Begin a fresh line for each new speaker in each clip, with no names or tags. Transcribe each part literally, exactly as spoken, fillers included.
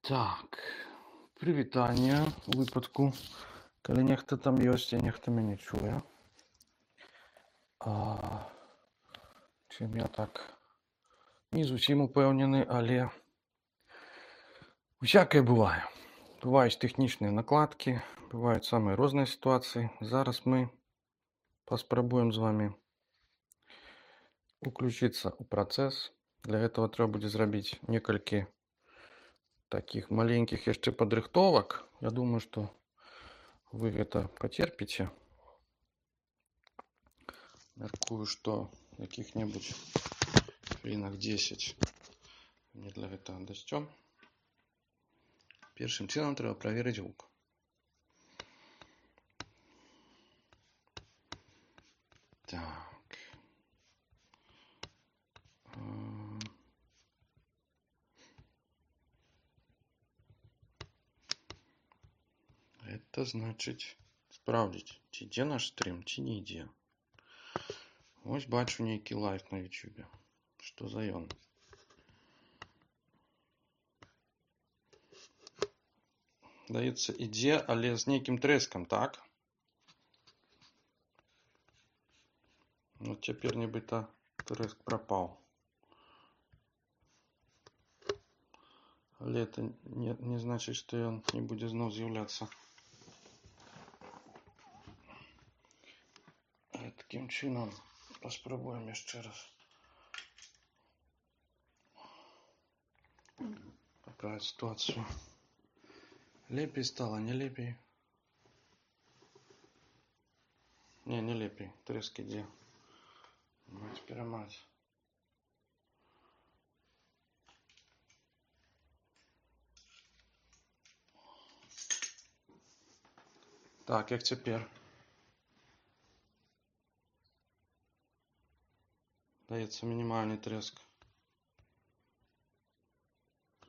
Так, прывітанне у выпадку, калі нехта там ёсць, а нехта мяне чуе. А, чым я так не зусім упэўнены, але усякае бывае. Бываюць тэхнічныя накладкі, бываюць самыя розныя сітуацыі. Зараз мы паспрабуем з вами уключыцца ў працэс. Для гэтага трэба будзе зрабіць некалькі такіх маленькіх яшчэ падрыхтовак. Я думаю, што вы гэта пацерпіце. Мяркую, што якіх-небудзь хвілінах дзесяць мне для гэтага дасцём. Першым чынам трэба праверыць гук. Так. Это значыць спраўдзіць, ці ідзе наш стрым, ці не ідзе. Вось бачу нейкі лайв на ютубе. Што за ён? Даецца, ідзе, але з нейкім трэскам, так? Ну, цяпер нібыта трэск прапаў. Але это не, не значыць, што ён не будзе зноў з'яўляцца. Такім чынам паспрабуем яшчэ раз паправіць сітуацыю. Лепей стала, не лепей? Не, не лепей. Трэск ідзе. Маць перамаць. Так, як цяпер? Даецца мінімальны трэск.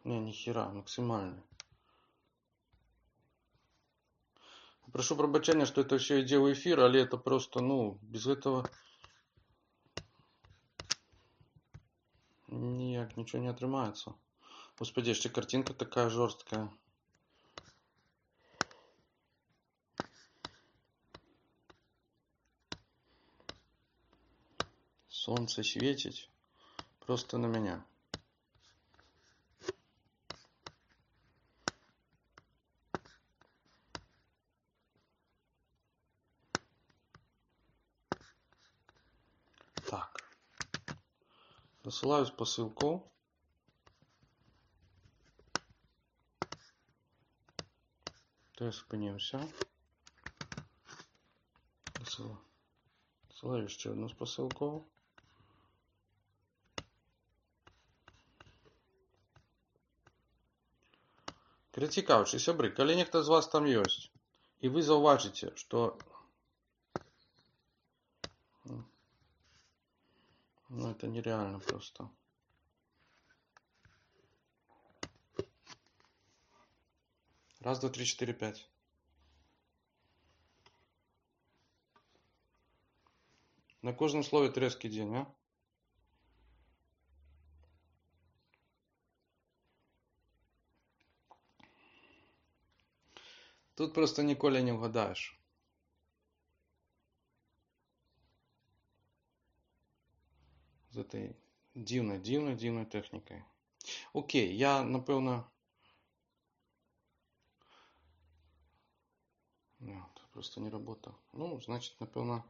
Не, ніхера, максимальный. Прошу прабачэння, что это все ідзе ў эфир, але это просто, ну, без этого ніяк ничего не атрымаецца. Господи, яшчэ картинка такая жорсткая. Солнце светить просто на меня. Так. Засылаю посылку. То я спыніўся. Засылаю яшчэ одну посылку. Перацікаўчы, сябры, калі нехта з вас там ёсць, і вы заўважыце, што ну это нереально просто. Раз, два, три, четыре, пять. На кожным слове трэск ідзе, не? Тут просто ніколі не угадаеш. З этой дзіўнай, дзіўнай, дзіўнай тэхнікай. Окей, я, напэўна... Нет, просто не работа. Ну, значит, напэўна,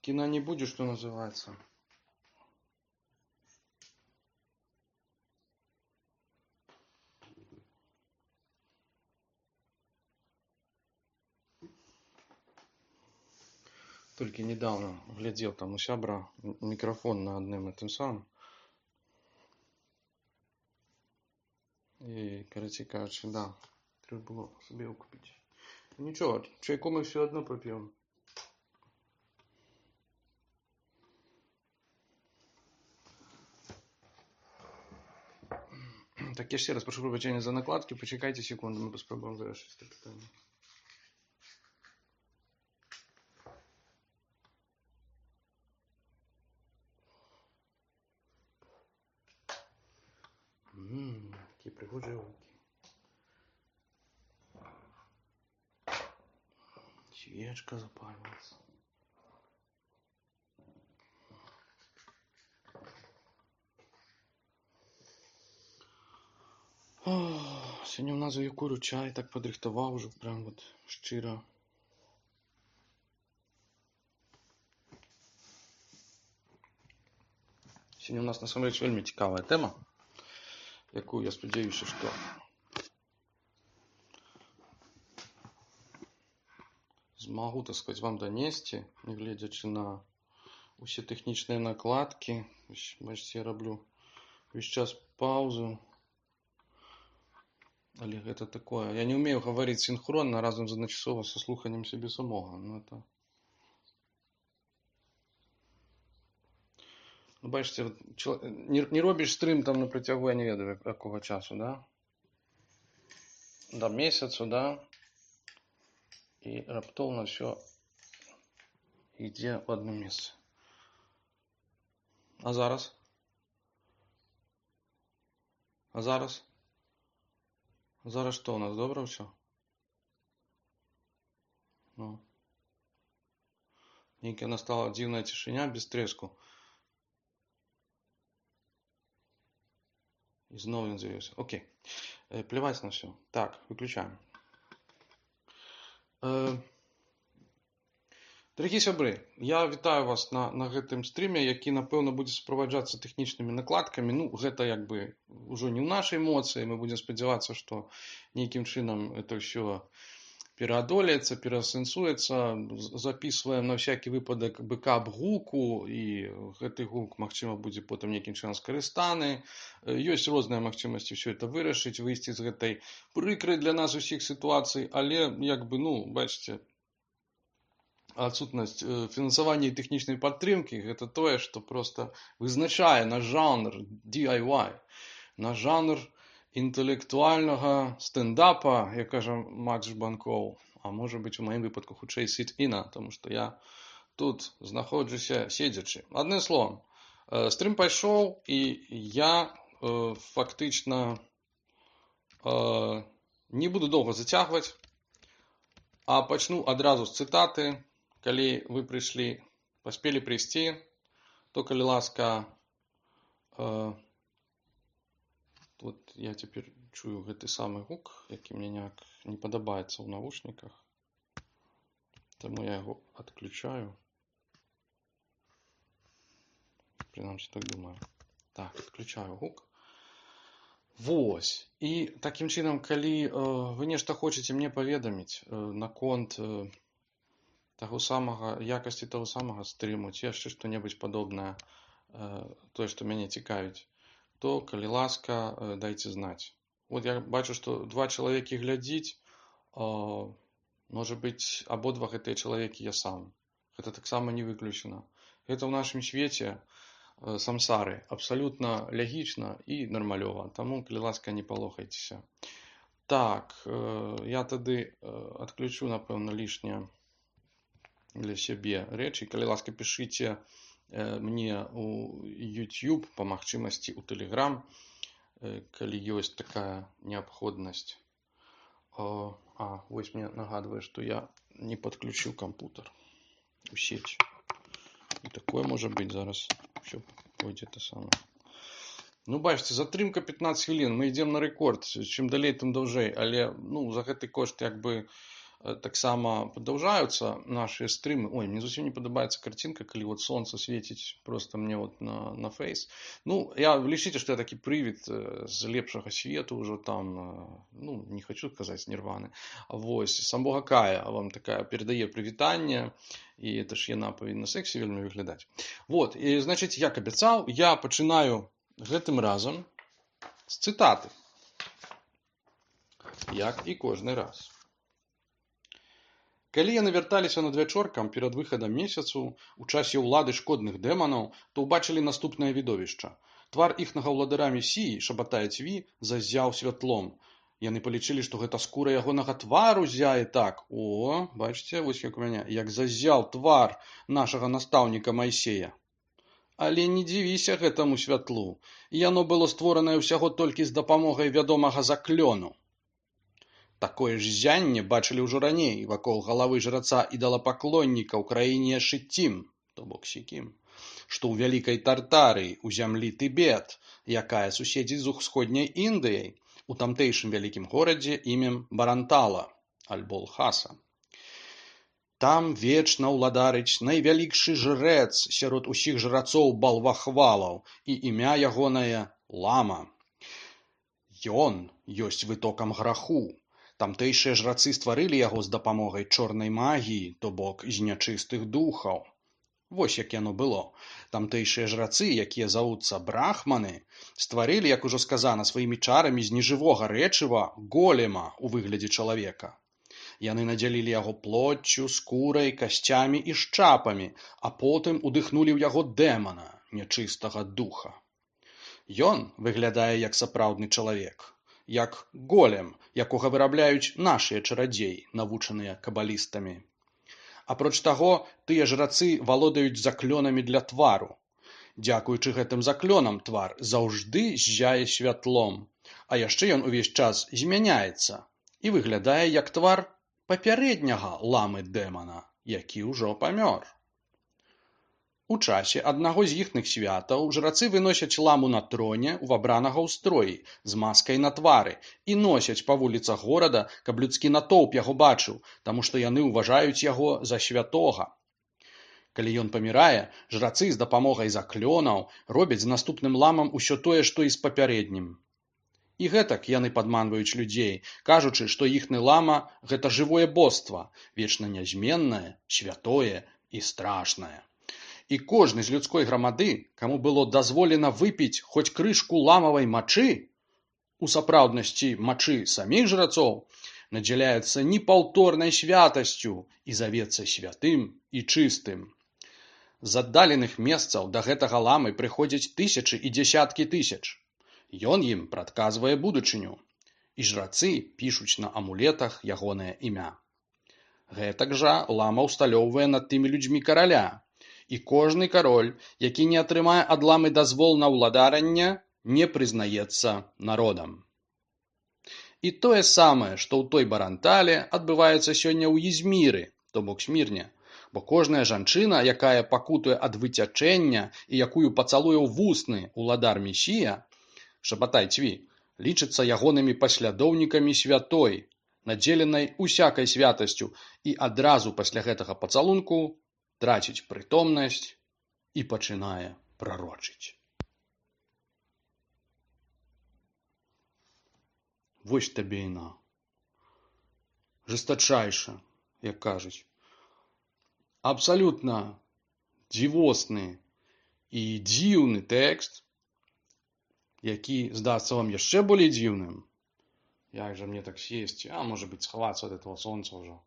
кіна не будзе, што называецца. Толькі недавно глядзеў там у сябра мікрафон на адным і тым самым. І, карацей кажучы, да, трэба было сабе его купіць. Нічого, чайку мы все одно попьем. Так, я ще раз прошу прощения за накладки. Почекайте секунду, мы попробуем завершить это питание. Ммм, такие прыгожыя гукі. Свечка запалилась. Сегодня у нас за Якуру чай так подрихтовал уже прям вот щиро. Сегодня у нас на самом деле вельми цікавая тема, яку я сподіваюся, що змогу, так сказать, вам донести, не глядячи на усі технічні накладки. Бачите, я роблю весь час паузу. Але это такое. Я не умею говорить синхронно разом з одночасово со слуханням себе самого. Ну, это... ну, бачите, от, чол... не, не робиш стрим там на протягу, я не ведаю, якого часу, да? До місяцю, да? І раптовно все йде в одне місце. А зараз? А зараз? Зараз що у нас? Добре все? Ну. Некая настала дивная тишиня без треску. И снова он завелся. Окей. Э, плевать на все. Так, выключаем. Э, Дорогі сябры, я вітаю вас на, на гэтым стріме, які, напэўна, будзе суправаджацца тэхнічнымі накладкамі. Ну, гэта як бы ўжо не ў нашай моцы. Мы будзем спадзявацца, што нейкім чынам это ўсё пераадолеецца, пераасэнсуецца. Записываем на всякі выпадак бэкап гуку, і гэты гук, магчыма, будзе потым нейкім чынам скарыстаны. Ёсць розныя магчымасці ўсё это вырашыць, выйсці з гэтай прыкрай для нас усіх сітуацый, але як бы, ну, бачыце, адсутнасць фінансавання і тэхнічнай падтрымкі – гэта тое, што проста вызначае наш жанр ди ай вай, наш жанр інтэлектуальнага стендапа, як кажа Макс Жбанкоў, а можа быць у маім выпадку хутчэй сіт-іна, таму што я тут знаходжуся седзячы. Адным словам, стрым пайшоў, і я фактычна не буду доўга зацягваць, а пачну адразу з цытаты. Калі вы прыйшлі, паспелі прыйсці, то, калі ласка, э, вот я цяпер чую гэты самы гук, які мне няк не падабаецца ў навушніках, таму я яго адключаю. Прынамсі, так думаю. Так, адключаю гук. Вось. І такім чынам, калі э, вы нешта хочаце мне паведаміць э, наконт э, таго самага, якасці таго самага стрыму, ці яшчэ што-небудзь падобнае, тое, што мяне цікавіць, то, калі ласка, дайце знаць. Вот я бачу, што два чалавекі глядзіць, можа быць, абодва гэтыя чалавекі я сам. Гэта таксама не выключана. Гэта ў нашым свеце самсары абсалютна лягічна і нармалёва. Таму, калі ласка, не палохайцеся. Так, я тады адключу, напэўна, лішняе для сябе рэчы. Калі ласка, пішыце э, мне у YouTube, па магчымасці у Telegram, э, калі ёсць такая неабходнасць. О, а, вось мне нагадвае, што я не падключыў кампутер у сеть. І такое можа быць зараз. Усё пойдзе те самае. Ну, бачыце, затрымка пятнаццаць хвілін. Мы ідзем на рэкорд. Чым далей, тым даўжэй. Але, ну, за гэты кошт, як бы, таксама падаўжаюцца нашыя стрымы. Ой, мне зусім не падабаецца карцінка, калі вот сонца свеціць просто мне вот на, на фейс. Ну, я лічыце, што я такі прывід з лепшага свету ўжо там, ну, не хочу казаць нірваны. Вось, самога Кая вам такая перадае прывітанне, і это ж яна павінна сексі вельмі выглядаць. Вот, і, значыць, як абяцаў, я пачынаю гэтым разам з цытаты. Як і кожны раз. Калі яны вярталіся надвячоркам перад выхадам месяцу у часе ўлады шкодных дэманаў, то ўбачылі наступнае відовішча. Твар іхнага ўладара Месіі, шабатае цві, заззяў святлом. Яны палічылі, што гэта скура ягонага твару зяе так. О, бачыце, вось як у мяне, як заззяў твар нашага настаўніка Майсея. Але не дзівіся гэтаму святлу. Яно было створанае ўсяго толькі з дапамогай вядомага заклёну. Такое ж ззянне бачылі ўжо раней вакол галавы жраца ідалапаклонніка ў краіне Шытім, то бок Сікім, што ў вялікай Тартарыі, у зямлі Тыбет, якая суседзіць з усходняй Індыяй, у тамтэйшым вялікім горадзе імем Барантала, альбо Лхаса. Там вечна ўладарыць найвялікшы жрэц сярод усіх жрацоў балвахвалаў, і імя ягонае Лама. Ён ёсць вытокам граху. Тамтэйшыя жрацы стварылі яго з дапамогай чорнай магіі, то бок з нячыстых духаў. Вось як яно было. Тамтэйшыя жрацы, якія завуцца брахманы, стварылі, як ужо сказана, сваімі чарамі з нежывога рэчыва голема ў выглядзе чалавека. Яны надзялілі яго плоццю, скурай, касцямі і шчапамі, а потым удыхнулі ў яго дэмана, нячыстага духа. Ён выглядае як сапраўдны чалавек, як голем, якога вырабляюць нашыя чарадзеі, навучаныя кабалістамі. Апроч таго, тыя жрацы валодаюць заклёнамі для твару. Дзякуючы гэтым заклёнам твар заўжды ззяе святлом, а яшчэ ён увесь час змяняецца і выглядае як твар папярэдняга ламы-дэмана, які ўжо памёр. У часе аднаго з іхных святаў жрацы выносяць ламу на троне ў абранага ў строі з маскай на твары і носяць па вуліцах горада, каб людскі натоўп яго бачыў, таму што яны ўважаюць яго за святога. Калі ён памірае, жрацы з дапамогай заклёнаў робяць з наступным ламам усё тое, што і з папярэднім. І гэтак яны падманваюць людзей, кажучы, што іхны лама – гэта жывое боства, вечна нязменнае, святое і страшнае. І кожны з людской грамады, каму было дазволена выпіць хоць крышку ламавай мачы, у сапраўднасці мачы саміх жрацоў, надзяляецца непаўторнай святасцю і завецца святым і чыстым. З аддаленых месцаў да гэтага ламы прыходзяць тысячы і дзясяткі тысяч. Ён ім прадказвае будучыню, і жрацы пішуць на амулетах ягонае імя. Гэтак жа лама ўсталёўвае над тымі людзьмі караля, і кожны кароль, які не атрымае ад ламы дазвол на ўладаранне, не прызнаецца народам. І тое самае, што ў той Барантале адбываецца сёння ў Ізміры, то бок Смірне, бо кожная жанчына, якая пакутуе ад выцячэння і якую пацалуе ў вусны ўладар Месія, Шабатай Цві, лічыцца ягонымі паслядоўнікамі святой, надзеленай усякай святасцю, і адразу пасля гэтага пацалунку траціць прытомнасць і пачынае прарочыць. Вось табе іна. Жестачайша, як кажуць. Абсалютна дзівосны і дзіўны тэкст, які здасца вам яшчэ болей дзіўным. Як жа мне так сесці, а можа быць схавацца ад этого сонца ўжо,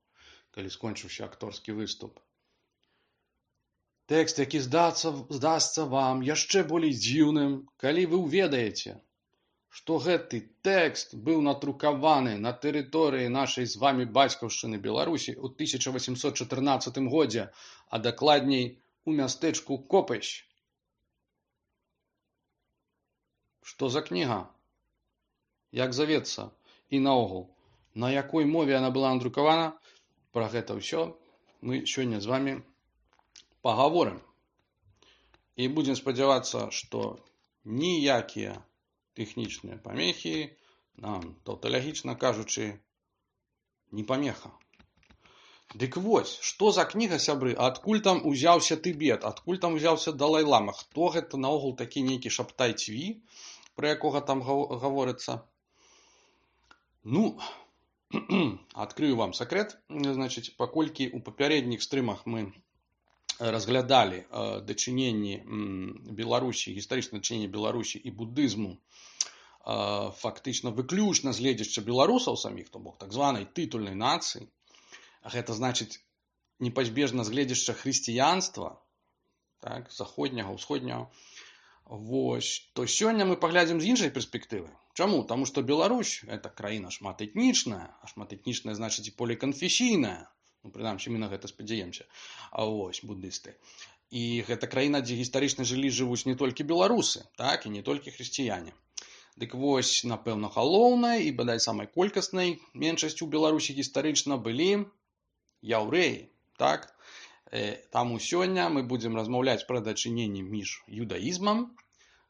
калі скончыўся акторскі выступ. Тэкст, які здасца, здасца вам яшчэ болей дзіўным, калі вы ўведаеце, што гэты тэкст быў надрукаваны на тэрыторыі нашай з вамі бацькаўшчыны Беларусі ў тысяча васемсот чатырнаццатым годзе, а дакладней у мястэчку Копыщ. Што за кніга? Як завецца? І наогул, на якой мове яна была надрукавана? Пра гэта ўсё мы сёння з вамі пагаворым. І будзем спадзявацца, што ніякія тэхнічныя памехі нам, таўталагічна кажучы, не памеха. Дык вось, што за кніга, сябры, адкуль там узяўся Тыбет, адкуль там узяўся Далай-лама, хто гэта наогул такі нейкі Шабатай Цві, пра якога там гаворыцца? Ну, адкрыю вам сакрэт, значыць, паколькі ў папярэдніх стрымах мы разглядалі э, дачыненні Беларусі, гістарычнае дачыненне Беларусі і будызму э, фактычна выключна з гледзяча беларусаў саміх, то бок так званай тытульнай нацыі, гэта значыць непазбежна з гледзяча хрысціянства, так, заходняга, усходняга, вось, то сёння мы паглядзім з іншай перспектывы. Чаму? Таму што Беларусь – это краіна шматэтнічная, а шматэтнічная значыць і поліканфесійная. Ну, прынамсі, мы на гэта спадзяемся. А вось, буддысты. І гэта краіна, дзе гістарычна жылі, жывуць не толькі беларусы, так, і не толькі хрысціяне. Дык вось, напэўна, галоўнай і, бадай, самай колькаснай меншасцю ў Беларусі гістарычна былі яўрэі, так. Таму сёння мы будзем размаўляць пра дачыненні між юдаізмам,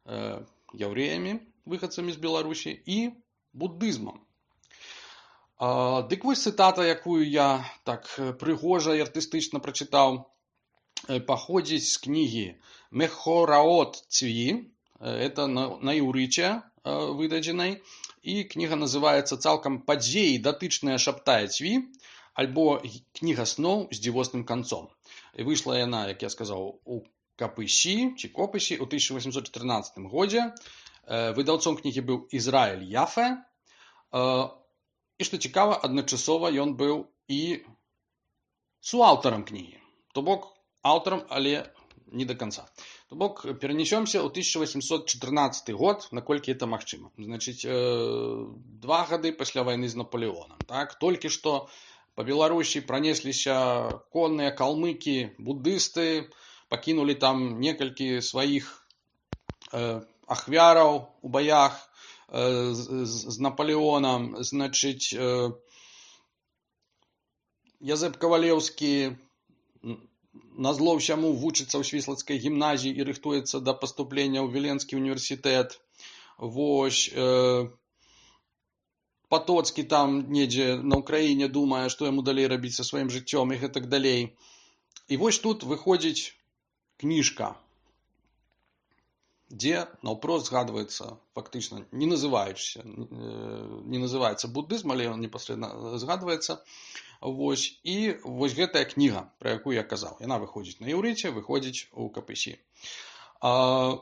яўрэямі, выхадцамі з Беларусі, і буддызмам. Дык вось цытата, якую я так прыгожа і артыстычна прачытаў, паходзіць з кнігі Мехораот Цви, это на іўрыце выдадзенай, і кніга называецца цалкам «Падзеі, датычныя Шабтая Цви», альбо «Кніга сноў з дзівосным канцом». І выйшла яна, як я сказаў, у Капысі, ці Копысі, у тысяча восемьсот чатырнаццатым годзе. Выдаўцом кнігі быў Ізраіль Яфе. І, што цікава, адначасова ён быў і суаўтарам кнігі. То бок, аўтарам, але не до конца. То бок, перанесёмся ў тысяча восемьсот чатырнаццаты год, наколькі это магчыма. Значыць, два гады пасля вайны з Наполеонам. Так? Толькі што па Беларусі пранесліся конныя калмыкі, буддысты, пакінулі там некалькі сваіх э, ахвяраў у баях э, з, з Наполеонам. Значыць, э, Язэп Кавалеўскі назло ўсяму вучыцца ў Свіслацкай гімназіі і рыхтуецца да паступлення ў Віленскі універсітэт. Вось, э, Патоцкі там недзе на Ўкраіне думае, што яму далей рабіць са сваім жыццём і гэтак далей. І вось тут выходзіць кніжка, дзе наўпрост згадваецца, фактычна, не называючыся, не называецца буддызм, але ён непасрэдна згадваецца. Вось, і вось гэтая кніга, пра якую я казаў, яна выходзіць на іўрыце, выходзіць у Капысі. А,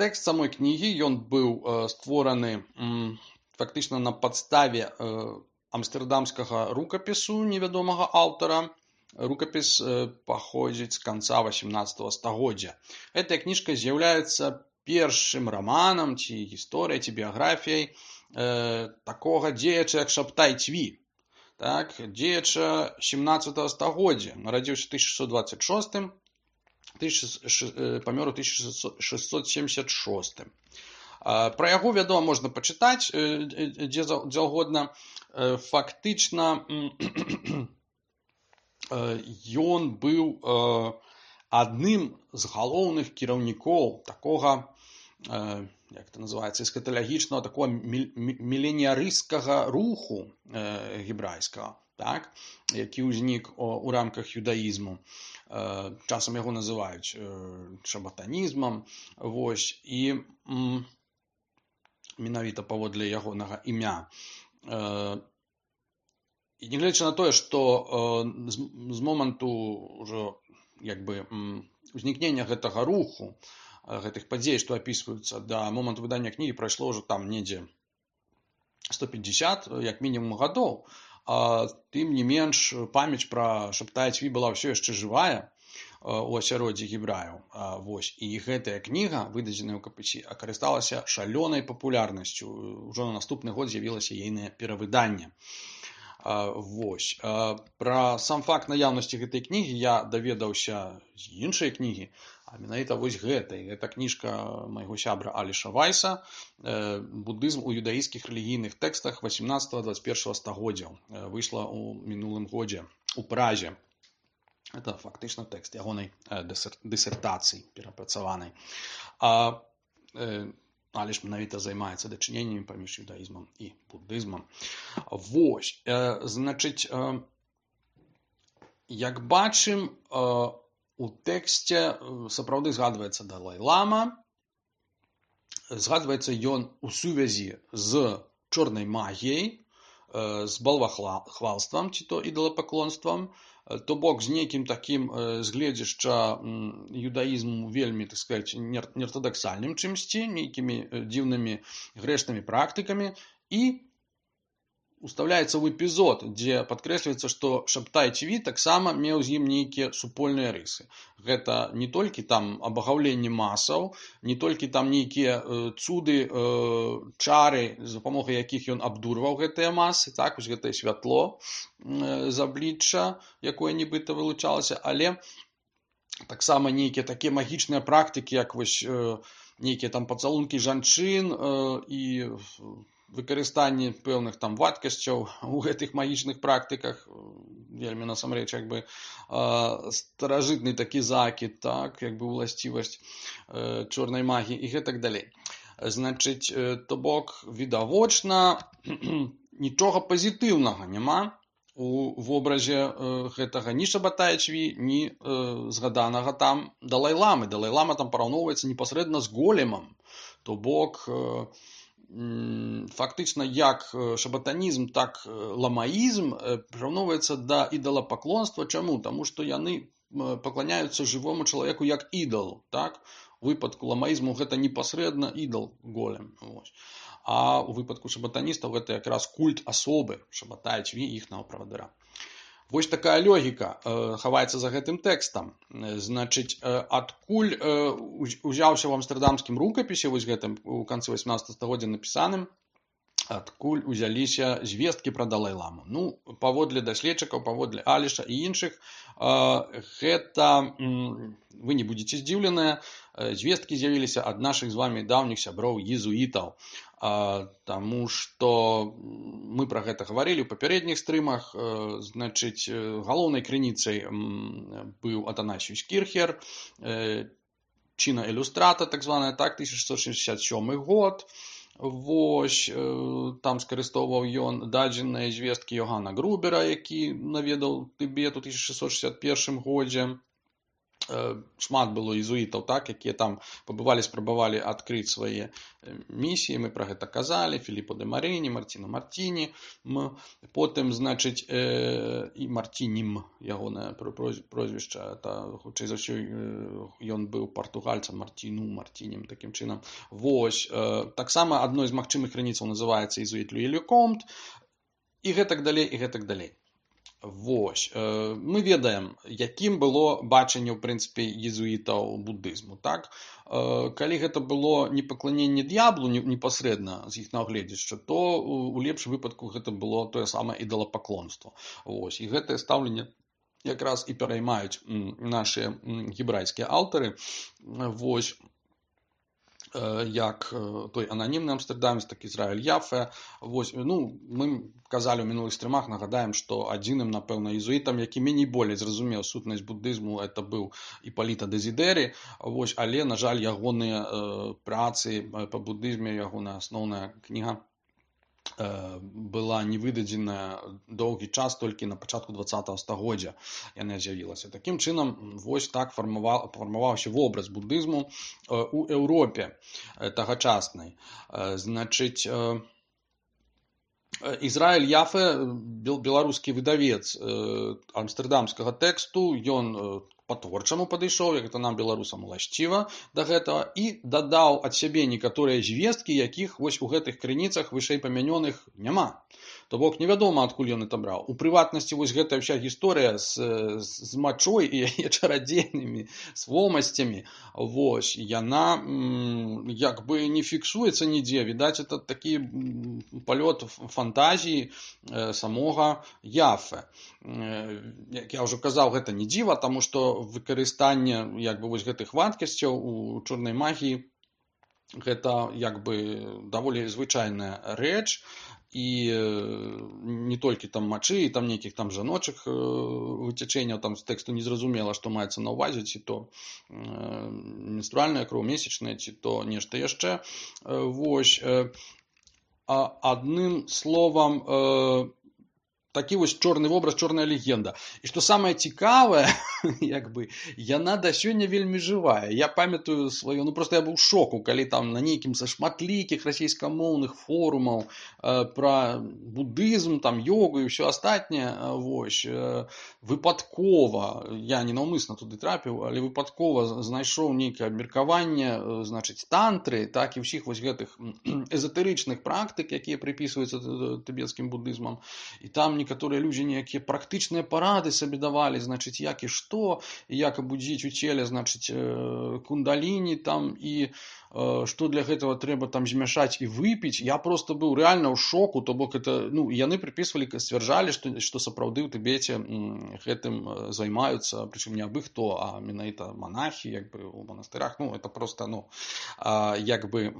тэкст самой кнігі, ён быў э, створаны м, фактычна на падставе э, амстэрдамскага рукапісу невядомага аўтара. Рукапіс э, паходзіць з канца васямнаццатага стагоддзя. Гэтая кніжка з'яўляецца першым раманам, ці гісторыяй, ці біяграфіяй э, такога дзеяча, як Шабтай Цви. Так, дзеяча сямнаццатага стагоддзя, нарадзіўся ў тысяча шэсцьсот дваццаць шостым, памёр у тысяча шэсцьсот семьдесят шостым. Пра яго, вядома, можна пачытаць дзе заўгодна. Фактычна ён быў адным з галоўных кіраўнікоў такога, як это называецца, эскаталагічнага, такого міленіярысцкага руху э, гебрайскага, так, які ўзнік у рамках юдаізму. Э, часам яго называюць э, шабатанізмам. Вось, і м, менавіта паводле ягонага імя. Э, і нягледзячы на тое, што э, з, з моманту ўжо як бы м, узнікнення гэтага руху, гэтых падзей, што апісваюцца, да моманту выдання кнігі прайшло ўжо там недзе сто пятьдесят, як мінімум, гадоў. А, тым не менш, памяць пра Шабтая Цви была ўсё яшчэ жывая у асяроддзі гебраяў. А, вось. І гэтая кніга, выдадзеная ў Капысі, карысталася шалёнай папулярнасцю. Ужо на наступны год з'явілася ейнае перавыданне. А, вось. А, пра сам факт наяўнасці гэтай кнігі я даведаўся з іншай кнігі, а менавіта вось гэтай. Гэта кніжка майго сябра Аліша Вайса «Буддызм у юдаійскіх рэлігійных тэкстах васямнаццатага-дваццаць першага стагоддзяў». Выйшла ў мінулым годзе у Празе. Это фактычна тэкст ягонай дысертацыі перапрацаванай. А Аліш менавіта займаецца дачыненнямі паміж юдаізмам і буддызмам. Вось, значыць, як бачым, у тэксце сапраўды згадваецца Далай-лама, згадваецца ён у сувязі з чорнай магіяй, з балвахвалствам, ці то ідалапаклонствам, то бок з нейкім такім з гледзяшча юдаізму вельмі, так сказаць, неартадаксальным чымсьці, нейкімі дзіўнымі грэшнымі практыкамі, і устаўляецца ў эпізод, дзе падкрэсліваецца, што Шабтай Цви таксама меў з ім нейкія супольныя рысы. Гэта не толькі там абагаўленне масаў, не толькі там нейкія э, цуды, э, чары, за дапамогай якіх ён абдурваў гэтыя масы, так, вось гэтае святло э, з аблічча, якое нібыта вылучалася, але таксама нейкія такія магічныя практыкі, як вось нейкія там пацалункі жанчын і выкарыстанне пэўных там вадкасцяў у гэтых магічных практыках, вельмі насамрэч як бы старажытны такі закід, так, як бы уласцівасць чорнай магіі і гэтак далей. Значыць, то бок відавочна нічога пазітыўнага няма у вобразе гэтага ні Шабатая Чві, ні згаданага там Далай-ламы. Далай-лама там параўноўваецца непасрэдна з големам, то бок фактычна як шабатанізм, так ламаізм прыраўноўваецца да ідалапаклонства. Чаму? Таму што яны пакланяюцца жывому чалавеку як ідалу, так? У выпадку ламаізму гэта непасрэдна ідал голем. Вось. А у выпадку шабатаністаў гэта якраз культ асобы Шабатая Чві, іхнага правадыра. Вось такая логіка хаваецца за гэтым тэкстам. Значыць, адкуль узяўся ў амстэрдамскім рукапісе, вось гэтым у канцы васьманаццатага стагоддзя напісаным, адкуль узяліся звесткі пра Далай-ламу. Ну, паводле даследчыкаў, паводле Аліша і іншых, гэта, вы не будзеце здзіўленыя, звесткі з'явіліся ад нашых з вамі даўніх сяброў езуітаў. Таму што мы пра гэта гаварылі ў папярэдніх стрымах. Значыць, галоўнай крыніцай быў Атанасіюс Кірхер, чына ілюстрата, так званая, так, тысяча шэсцьсот шэсцьдзесят сёмы год. Вось, там скарыстоўваў ён дадзеныя звесткі Йогана Грубера, які наведаў Тыбет у тысяча шэсцьсот шэсцьдзесят першым годзе. Шмат было езуітаў, так, якія там пабывалі, спрабавалі адкрыць свае місіі, мы пра гэта казалі, Філіппо де Марыні, Мартіно Мартіні, потым, значыць, і Мартінім, ягонае прозвішча, хутчэй за ўсё, ён быў партугальцам, Мартіну, Мартінім, такім чынам. Вось, таксама адной з магчымых крыніцаў называецца езуіт Луі Лекомт, і гэтак далей, і гэтак далей. Вось, мы ведаем, якім было бачанне, ў прынцыпе, езуітаў будызму, так? Калі гэта было не пакланенне д'яблу непасрэдна з іх нагледзяча, то у лепшым выпадку гэта было тое самае ідалапаклонства. Вось, і гэтае стаўленне якраз і пераймаюць нашыя гебрайскія аўтары. Вось, як той ананімны амстэрдамец, так Ізраіль Яфе. Вось, ну, мы казалі ў мінулых стрымах, нагадаем, што адзіным, напэўна, езуітам, які меней болей зразумеў сутнасць будызму, это быў Іпаліта Дезідэрі. Вось, але, на жаль, ягоныя працы па будызме, ягоная асноўная кніга была не выдадзеная доўгі час, толькі на пачатку дваццатага стагоддзя яна з'явілася. Такім чынам, вось так фармаваўся вобраз будызму у Еўропе тагачаснай. Значыць, Ізраіль Яфе, беларускі выдавец амстэрдамскага тэксту, ён па-творчаму падышоў, як гэта нам, беларусам, уласціва да гэтага, і дадаў ад сябе некаторыя звесткі, якіх вось у гэтых крыніцах вышэйпамянёных няма. То бок невядома, адкуль ён это браў. У прыватнасці вось гэтая ўся гісторыя з, з мачой і яе чарадзейнымі свомасцямі, вось, яна м, як бы не фіксуецца нідзе. Відаць, это такі палёт фантазіі э, самога Яфе. Э, як я ўжо казаў, гэта не дзіва, таму што выкарыстанне як бы вось гэтых вадкасцяў у чорнай магіі гэта як бы даволі звычайная рэч. І не толькі там мачы, і там нейкіх там жаночых выцячэнняў, там з тэксту незразумела, што маецца на ўвазе, ці то менструальная кроў, месячная, ці то нешта яшчэ. Вось, адным словам, такі вось чорны вобраз, чорная легенда. І што самае цікавае, як бы, яна да сёння вельмі жывая. Я памятаю сваё, ну проста я быў у шоку, калі там на нейкім са шматлікіх расійскамоўных форумаў э, пра будызм, там йогу і ўсё астатняе, вось, э, выпадкова, я не наўмысна туды трапіў, але выпадкова знайшоў нейкае абмеркаванне, э, значыць, тантры, так і ўсіх вось гэтых эзотэрычных практык, якія прыпісваюцца тыбецкім будызмам. І там некаторыя людзі нейкія практычныя парады сабе давалі, значыць, як і што, і як абудзіць у целе, значыць, кундаліні там, і што для гэтага трэба там змяшаць і выпіць. Я просто быў рэальна ў шоку, то бок это, ну, яны прыпісвалі, сцвярджалі, што, што сапраўды ў Тыбеце гэтым займаюцца, прычым не абы хто, а менавіта монахі, як бы у манастырах. Ну, это просто, ну, як бы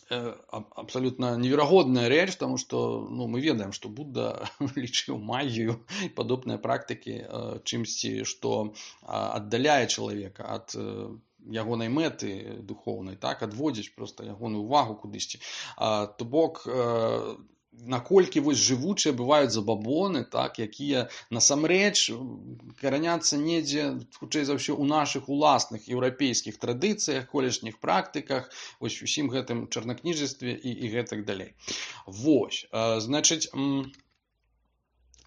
абсолютно неверагодная рэч, потому что, ну, мы ведаем, што Будда лічыў магію і падобныя практыкі чымсьці, што аддаляе чалавека ад ягонай мэты духоўнай, так, адводзіць проста ягоную увагу кудысьці. То бок, наколькі вось жывучыя бываюць забабоны, так, якія насамрэч караняцца недзе, хутчэй за ўсё, у нашых уласных еўрапейскіх традыцыях, колішніх практыках, вось усім гэтым чарнакніжестве і, і гэтак далей. Вось, значыць,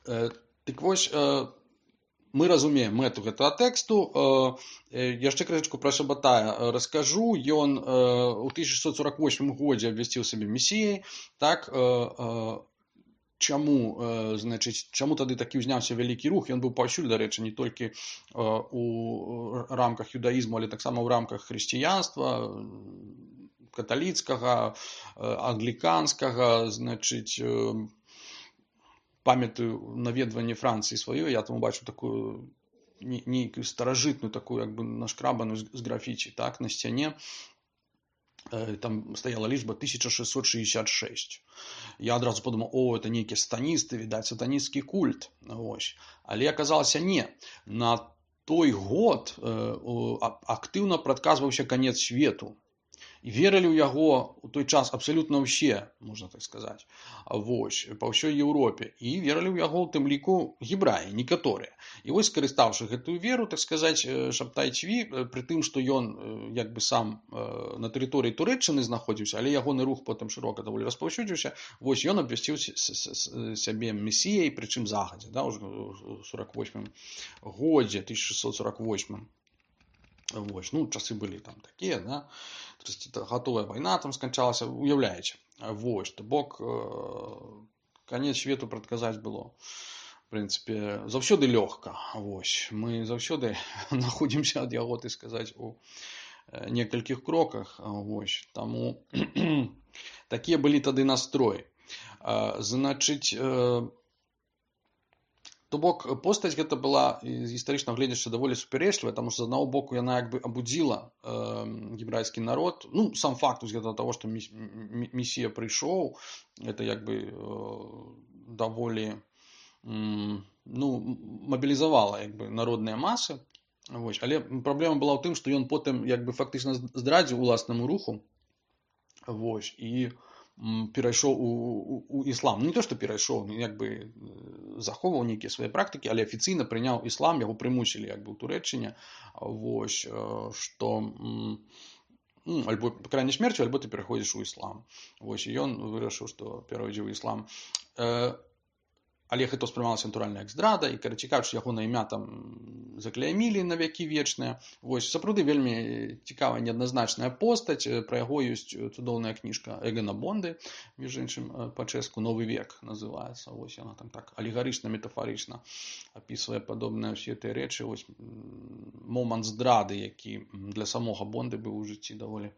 так вось, мы разумеем мэту гэтага тэксту. Яшчэ крышачку пра Шабатая раскажу. Ён у тысяча шэсцьсот сорок восьмым годзе абвясціў сябе месіяй. Так, чаму, значыць, чаму тады такі ўзняўся вялікі рух? Ён быў паўсюль, дарэчы, не толькі у рамках юдаізму, але таксама ў рамках хрысціянства, каталіцкага, англіканскага, значыць, памятаю наведванне Францыі сваёй, я там бачу такую нейкую старажытную, такую як бы нашкрабаную з графіці, так, на сцяне. Там стаяла лічба тысяча шэсцьсот шэсцьдзесят шэсць. Я адразу подумаў, о, это нейкія сатаністы, відаць, сатанісцкі культ. Ось. Але аказалася не. На той год актыўна прадказваўся канец свету. І верылі ў яго ў той час абсалютна ўсе, можна так сказаць, вось, па ўсёй Еўропе. І верылі ў яго ў тым ліку гебраі, некаторыя. І вось, скарыстаўшы гэтую веру, так сказаць, Шабтай Цви, пры тым, што ён як бы сам на тэрыторыі Турэччыны знаходзіўся, але ягоны рух потым шырока даволі распаўсюдзіўся, вось ён абвясціў сябе месіяй, прычым загадзя, да, ўжо ў сорок восьмым годзе, тысяча шэсцьсот сорок восьмым. Вось, ну, часы былі там такія, да, гатовая вайна там сканчалася, уяўляеце. Вось, то бок, канец свету прадказаць было, в прынцыпе, заўсёды лёгка. Вось, мы заўсёды знаходзімся ад яго, так сказаць, у некалькіх кроках. Вось, таму такія былі тады настроі. Значыць, то бок, постаць гэта была з гістарычнага гледзяча даволі супярэчлівая, таму што з аднаго боку яна як бы абудзіла э, гебрайскі народ. Ну, сам факт з гэтага таго, што месія прыйшоў, гэта як бы э, даволі э, ну, мабілізавала як бы народныя масы. Вось. Але праблема была ў тым, што ён потым як бы фактычна здрадзіў уласнаму руху. Вось, і перайшоў у, у, у іслам. Не то, што перайшоў, як бы захоўваў нейкія свае практыкі, але афіцыйна прыняў іслам, яго прымусілі як бы ў Турэччыне. Вось, што ну, альбо крайняй смерцю, альбо ты пераходзіш у іслам. Вось, і ён вырашыў, што перайдзе ў іслам. Але гэта ўспрымалася натуральна як здрада, і, карацей кажучы, ягонае імя там заклеймілі на векі вечныя. Вось, сапраўды вельмі цікавая неадназначная постаць, пра яго ёсць цудоўная кніжка Эгона Бонды, між іншым, па-чэшку «Новы век» называецца. Вось, яна там так алегарычна, метафарычна апісвае падобныя ўсе тыя рэчы. Вось, момант здрады, які для самога Бонды быў у жыцці даволі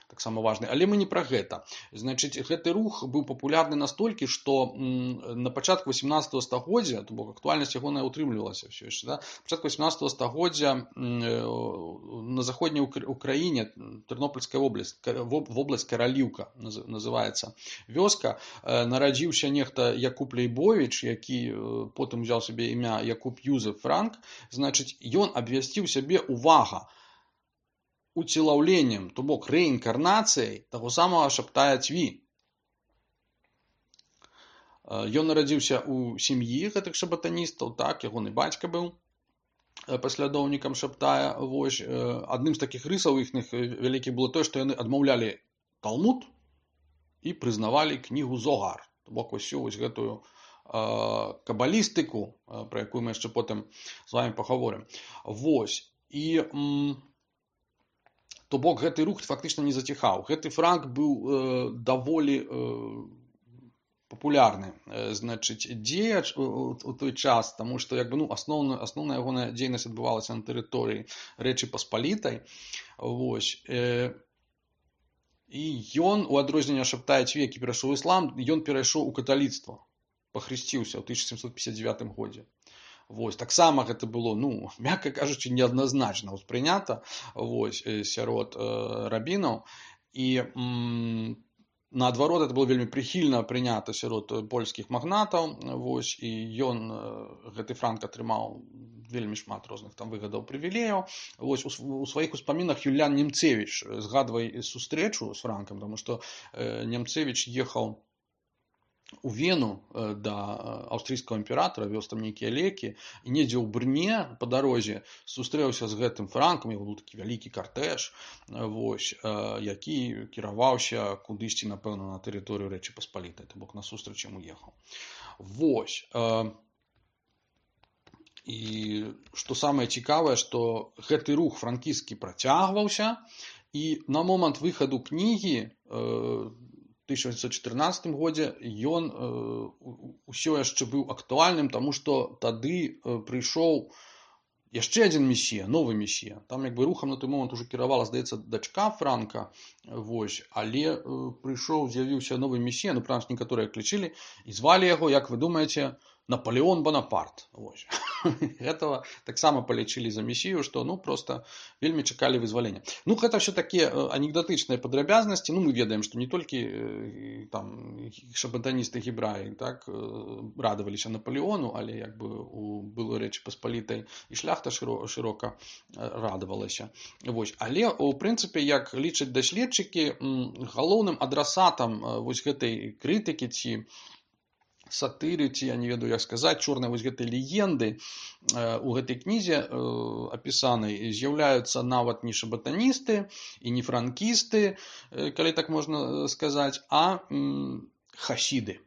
таксама важны. Але мы не пра гэта. Значыць, гэты рух быў папулярны настолькі, што на пачатку васемнаццатага стагоддзя, то бок актуальнасць ягоная утрымлівалася ўсё яшчэ, да? Пачатку васемнаццатага стагоддзя на заходняй Украіне, Тэрнопольская вобласць, вобласць Караліўка называецца вёска, нарадзіўся нехта Якуб Лейбовіч, які потым узяў сабе імя Якуб Юзеф Франк. Значыць, ён абвясціў сябе, увага, уцелаўленнем, то бок рэінкарнацыяй таго самага Шабтая Цви. Ён нарадзіўся ў сям'і гэтых шабатаністаў, так, ягоны бацька быў паслядоўнікам Шабтая. Вось, адным з такіх рысаў іхных вялікіх было тое, што яны адмаўлялі Талмуд і прызнавалі кнігу Зогар. То бок, усю вось гэтую кабалістыку, пра якую мы яшчэ потым з вамі пагаворым. Вось, і то бок гэты рух фактычна не заціхаў. Гэты Франк быў э, даволі э, папулярны, значыць, дзеяч у, у той час, таму што як бы, ну, асноўна, асноўная ягоная дзейнасць адбывалася на тэрыторыі Рэчы Паспалітай. Вось. І ён, у адрозненне ад Шабтая Цвекі, перайшоў у іслам, ён перайшоў у каталіцтва, пахрысціўся ў тысяча сямсот пятьдесят девятым годзе. Вось. Таксама гэта было, ну, мякка кажучы, неадназначна ўспрынята, вось, сярод э, рабінаў. І м, наадварот, это было вельмі прыхільна прынята сярод польскіх магнатаў, вось, і ён, гэты франк, атрымаў вельмі шмат розных там выгадаў, прывілеяў. Вось, у, у сваіх успамінах Юліан Немцевіч згадвае сустрэчу з франкам, таму што э, Немцевіч ехаў у Вену да аўстрыйскага імператара, вёз там нейкія лекі, і недзе ў Брне па дарозе сустрэўся з гэтым франкам, яго быў такі вялікі картэж, вось, які кіраваўся кудысьці, напэўна, на тэрыторыю Рэчы Паспалітай, то бок на сустрэч яму ехаў. Вось. І што самае цікавае, што гэты рух франкісцкі працягваўся, і на момант выхаду кнігі тысяча дзевяцьсот чатырнаццатым годзе ён э, усё яшчэ быў актуальным, таму што тады э, прыйшоў яшчэ адзін месія, новы месія. Там як бы рухам на той момант ужо кіравала, здаецца, дачка Франка, вось, але э, прыйшоў, з'явіўся новы месія, ну, прынамсі, некаторыя клічылі, і звалі яго, як вы думаеце, Наполеон Бонапарт. Вось. Гэтага таксама палічылі за месію, што, ну, проста вельмі чакалі вызвалення. Ну, гэта ўсё такія анекдотычныя падрабязнасці. Ну, мы ведаем, што не толькі там шабатаністы гебраі, так, радаваліся Наполеону, але як бы у былой Рэчы Паспалітай і шляхта шырока радавалася. Вось. Але, у прынцыпе, як лічаць даследчыкі, галоўным адрасатам вось гэтай крытыкі ці сатыры, ці, я не ведаю, як сказаць, чорнай вось гэтай легенды у гэтай кнізе апісанай з'яўляюцца нават не шабатаністы і не франкісты, калі так можна сказаць, а хасіды.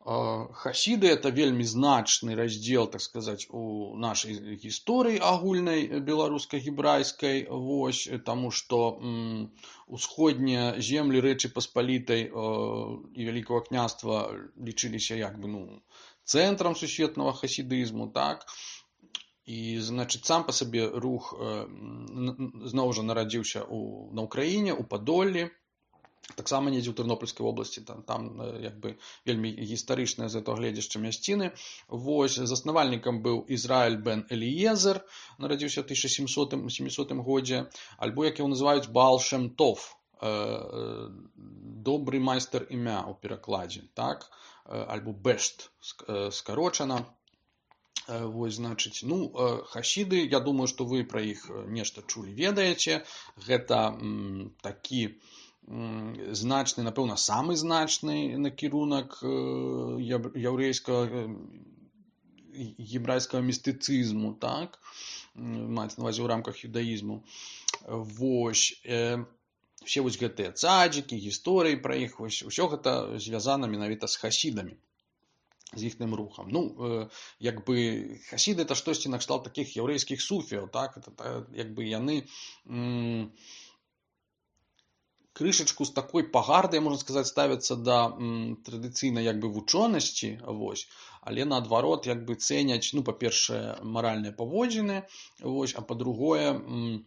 Хасіды – это вельмі значны раздзел, так сказаць, у нашай гісторыі агульнай беларуска-гебрайскай, вось, таму што м, усходнія землі Рэчы Паспалітай э, і Вялікага княства лічыліся як бы, ну, цэнтрам сусветнага хасідызму, так? І, значыць, сам па сабе рух э, зноў жа нарадзіўся у, на Ўкраіне, у Падоллі, таксама недзе ў Тэрнопольскай вобласці, там, там як бы вельмі гістарычныя з гэтага гледзяшча мясціны. Вось, заснавальнікам быў Ізраіль бен Эліезер, нарадзіўся ў тысяча сямісотым годзе, альбо, як яго называюць, Баал Шем Тов, э, добры майстар імя ў перакладзе, так? Альбо Бешт скарочана. Вось, значыць, ну, хасіды, я думаю, што вы пра іх нешта чулі, ведаеце. Гэта м, такі значны, напэўна, самы значны накірунак яўрэйскага гебрайскага містыцызму, так, маецца на ўвазе ў рамках юдаізму. Вось, э, все вось гэтыя цадзікі, гісторыі пра іх, вось, усё гэта звязана менавіта з хасідамі, з іхным рухам. Ну, э, як бы хасіды это штосьці накшталт такіх яўрэйскіх суфіяў, так, это, як бы яны м, крышачку з такой пагардай, можна сказаць, ставяцца да м, традыцыйнай як бы вучонасці, вось, але наадварот як бы цэняць, ну, па-першае, маральныя паводзіны, вось, а па-другое, м,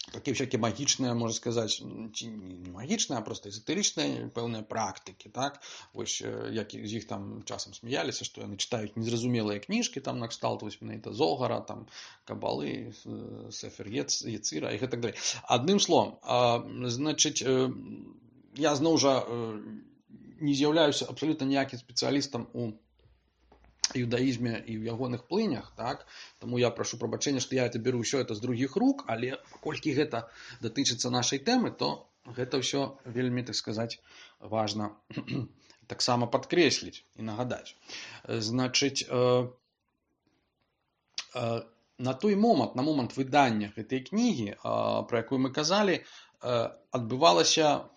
такія всякие магічныя, можна сказаць, ці не магічныя, а проста эзотэрычныя пэўныя практыкі, так, вось, як з іх там часам смяяліся, што яны чытаюць незразумелыя кніжкі, там накшталт вось менавіта Зогара, там Кабалы, Сефер Ецыра і гэтак далей. Адным словам, значыць, я зноў жа не з'яўляюся абсалютна ніякім спецыялістам у юдаізме і ў ягоных плынях, так? Таму я прашу прабачэння, што я это беру ўсё это з другіх рук, але паколькі гэта датычыцца нашай тэмы, то гэта ўсё вельмі, так сказаць, важна таксама падкрэсліць і нагадаць. Значыць, э, э, на той момант, на момант выдання гэтай кнігі, э, пра якую мы казалі, э, адбывалася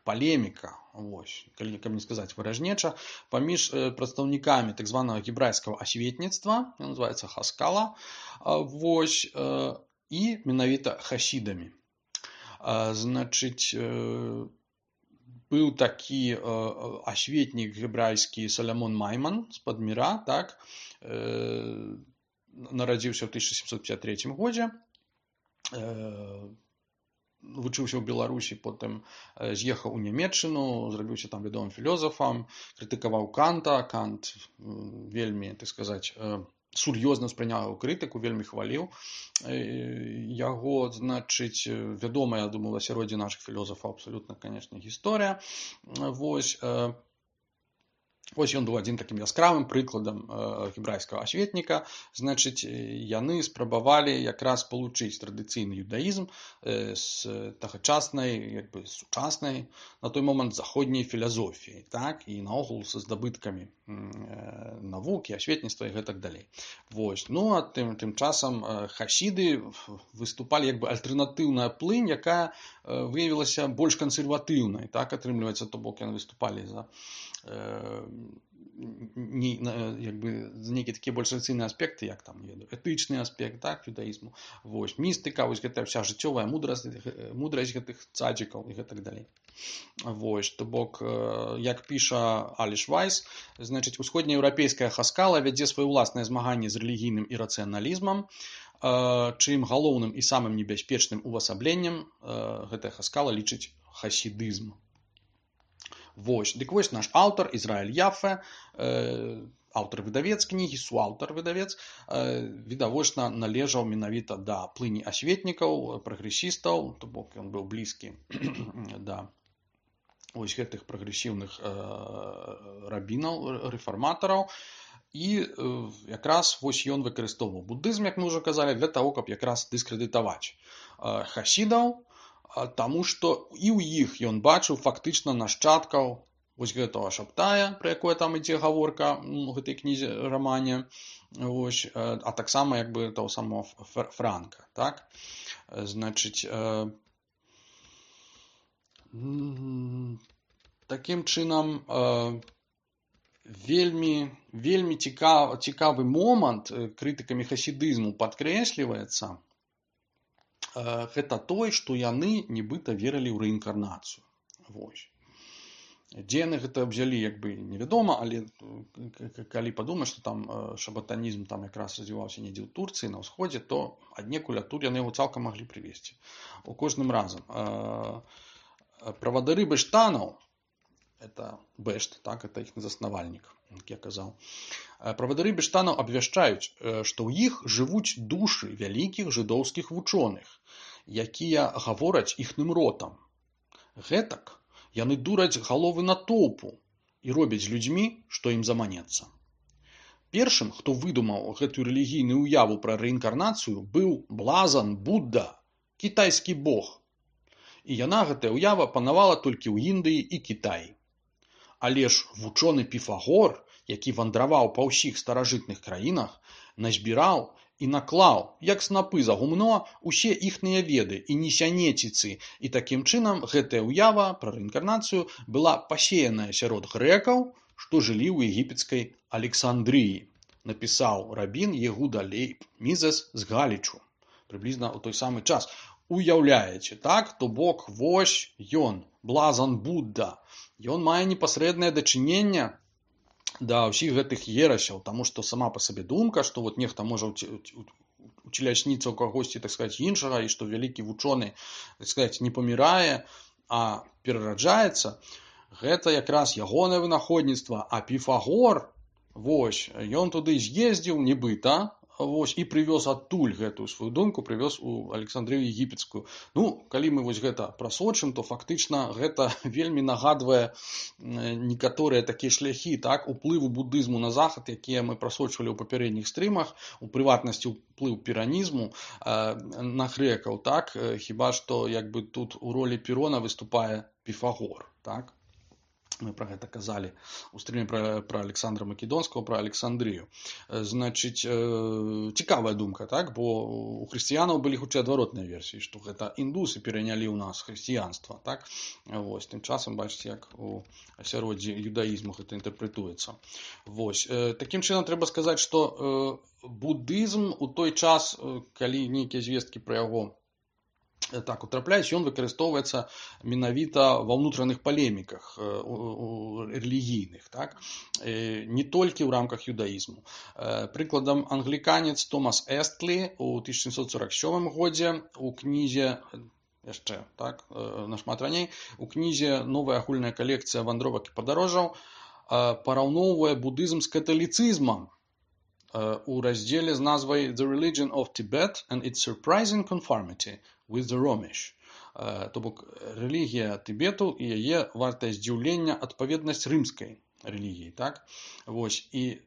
палеміка, вось, калі каб не сказаць выражнеча, паміж прадстаўнікамі так званага гебрайскага асветніцтва, называецца Хаскала, вось, і менавіта хасідамі. Значыць, быў такі асветнік гебрайскі Салямон Майман з-пад Міра, так, нарадзіўся ў тысяча сямсот пятьдесят третьем годзе, вучыўся ў Беларусі, потым з'ехаў у Нямецчыну, зрабіўся там вядомым філёзафам, крытыкаваў Канта, Кант вельмі, так сказаць, сур'ёзна ўспрыняў яго крытыку, вельмі хваліў яго, значыць, вядомая, я думаю, асяроддзе нашых філёзафаў абсалютна, канечне, гісторыя. Вось, Вось ён быў адзін такім яскравым прыкладам гебрайскага асветніка. Значыць, яны спрабавалі якраз спалучыць традыцыйны юдаізм з тагачаснай, як бы сучаснай на той момант заходняй філазофіяй, так, і наогул са здабыткамі навукі, асветніцтва і гэтак далей. Вось, ну а тым, тым часам хасіды выступалі як бы альтэрнатыўная плынь, якая выявілася больш кансерватыўнай, так, атрымліваецца, то бок яны выступалі за не, як бы, нейкія такія больш рацыйныя аспекты, як там, не ведаю, этычны аспект, так, юдаізму, вось, містыка, вось гэтая вся жыццёвая мудрасць, мудрасць гэтых цадзікаў і гэтак далей. Вось, то бок, як піша Аліш Вайс, значыць, усходнееўрапейская хаскала вядзе сваё ўласнае змаганне з рэлігійным ірацыяналізмам, чым галоўным і самым небяспечным увасабленнем гэтая хаскала лічыць хасідызм. Вось, дык вось наш аўтар, Ізраіль Яфе, аўтар-выдавец кнігі, суаўтар-выдавец, відавочна належаў менавіта да плыні асветнікаў, прагрэсістаў, то бок ён быў блізкі да вось гэтых прагрэсіўных рабінаў, рэфарматараў, і якраз вось ён выкарыстоўваў будызм, як мы ўжо казалі, для таго, каб якраз дыскрэдытаваць хасідаў, таму што і ў іх ён бачыў фактычна нашчадкаў вось гэтага Шабтая, пра якое там ідзе гаворка у гэтай кнізе, рамане, вось, а таксама як бы таго самого Франка, так? Значыць, такім чынам вельмі, вельмі цікавы, цікавы момант крытыкамі хасідызму падкрэсліваецца, гэта той, што яны нібыта верылі ў рэінкарнацыю. Вось. Дзе яны гэта ўзялі, як бы невядома, але калі падумаць, што там шабатанізм там якраз развіваўся недзе ў Турцыі, на ўсходзе, то аднекуль адтуль яны яго цалкам маглі прывесці. У кожным разам. Правадыры бэштанаў, это Бэшт, так, это іх заснавальнік, як я казаў. Правадыры бэштанаў абвяшчаюць, што ў іх жывуць душы вялікіх жыдоўскіх вучоных, якія гавораць іхным ротам. Гэтак яны дураць галовы натоўпу і робяць з людзьмі, што ім заманецца. Першым, хто выдумаў гэтую рэлігійную ўяву пра рэінкарнацыю, быў блазан Будда, кітайскі бог. І яна, гэтая ўява, панавала толькі ў Індыі і Кітаі. Але ж вучоны Піфагор, які вандраваў па ўсіх старажытных краінах, назбіраў і наклаў, як снапы за гумно, усе іхныя веды і несянеціцы, і такім чынам гэтая ўява пра рэінкарнацыю была пасеяная сярод грэкаў, што жылі ў егіпецкай Александрыі, напісаў рабін Егуда Лейб Мізес з Галічу, прыблізна ў той самы час. Уяўляеце, так? То бок, вось ён, блазан Будда, ён мае непасрэднае дачыненне да ўсіх гэтых ерасяў, таму што сама па сабе думка, што вот нехта можа уцелясніцца ў кагосьці, так сказаць, іншага, і што вялікі вучоны, так сказаць, не памірае, а перараджаецца, гэта якраз ягонае вынаходніцтва. А Піфагор, вось, ён туды з'ездзіў, нібыта, вось, і прывёз адтуль гэтую сваю думку, прывёз у Александрыю егіпецкую. Ну, калі мы вось гэта прасочым, то фактычна гэта вельмі нагадвае некаторыя такія шляхі, так, уплыву будызму на захад, якія мы прасочвалі ў папярэдніх стрымах, у прыватнасці уплыў піранізму на грэкаў, так, хіба што як бы тут у ролі Пірона выступае Піфагор, так. Мы пра гэта казалі у стрыме пра, пра Александра Македонскага, пра Александрыю. Значыць, цікавая думка, так? Бо у хрысціянаў былі хутчэй адваротныя версіі, што гэта індусы перанялі ў нас хрысціянства, так? Вось, тым часам, бачыце, як у асяроддзі юдаізму гэта інтэрпрэтуецца. Вось, такім чынам трэба сказаць, што будызм у той час, калі нейкія звесткі пра яго так утрапляюць, ён выкарыстоўваецца менавіта ва ўнутраных палеміках рэлігійных, так? Не толькі ў рамках юдаізму. Прыкладам, англіканец Томас Эстлі ў тысяча сямсот сорок сёмым годзе у кнізе, яшчэ, так, нашмат раней, у кнізе «Новая агульная калекцыя вандровак і падарожжаў» параўноўвае будызм з каталіцызмам у раздзеле з назвай «The Religion of Tibet and its Surprising Conformity with the Romish». То бок, рэлігія Тыбету і яе вартае здзіўлення адпаведнасць рымскай рэлігіі, так? Вось, і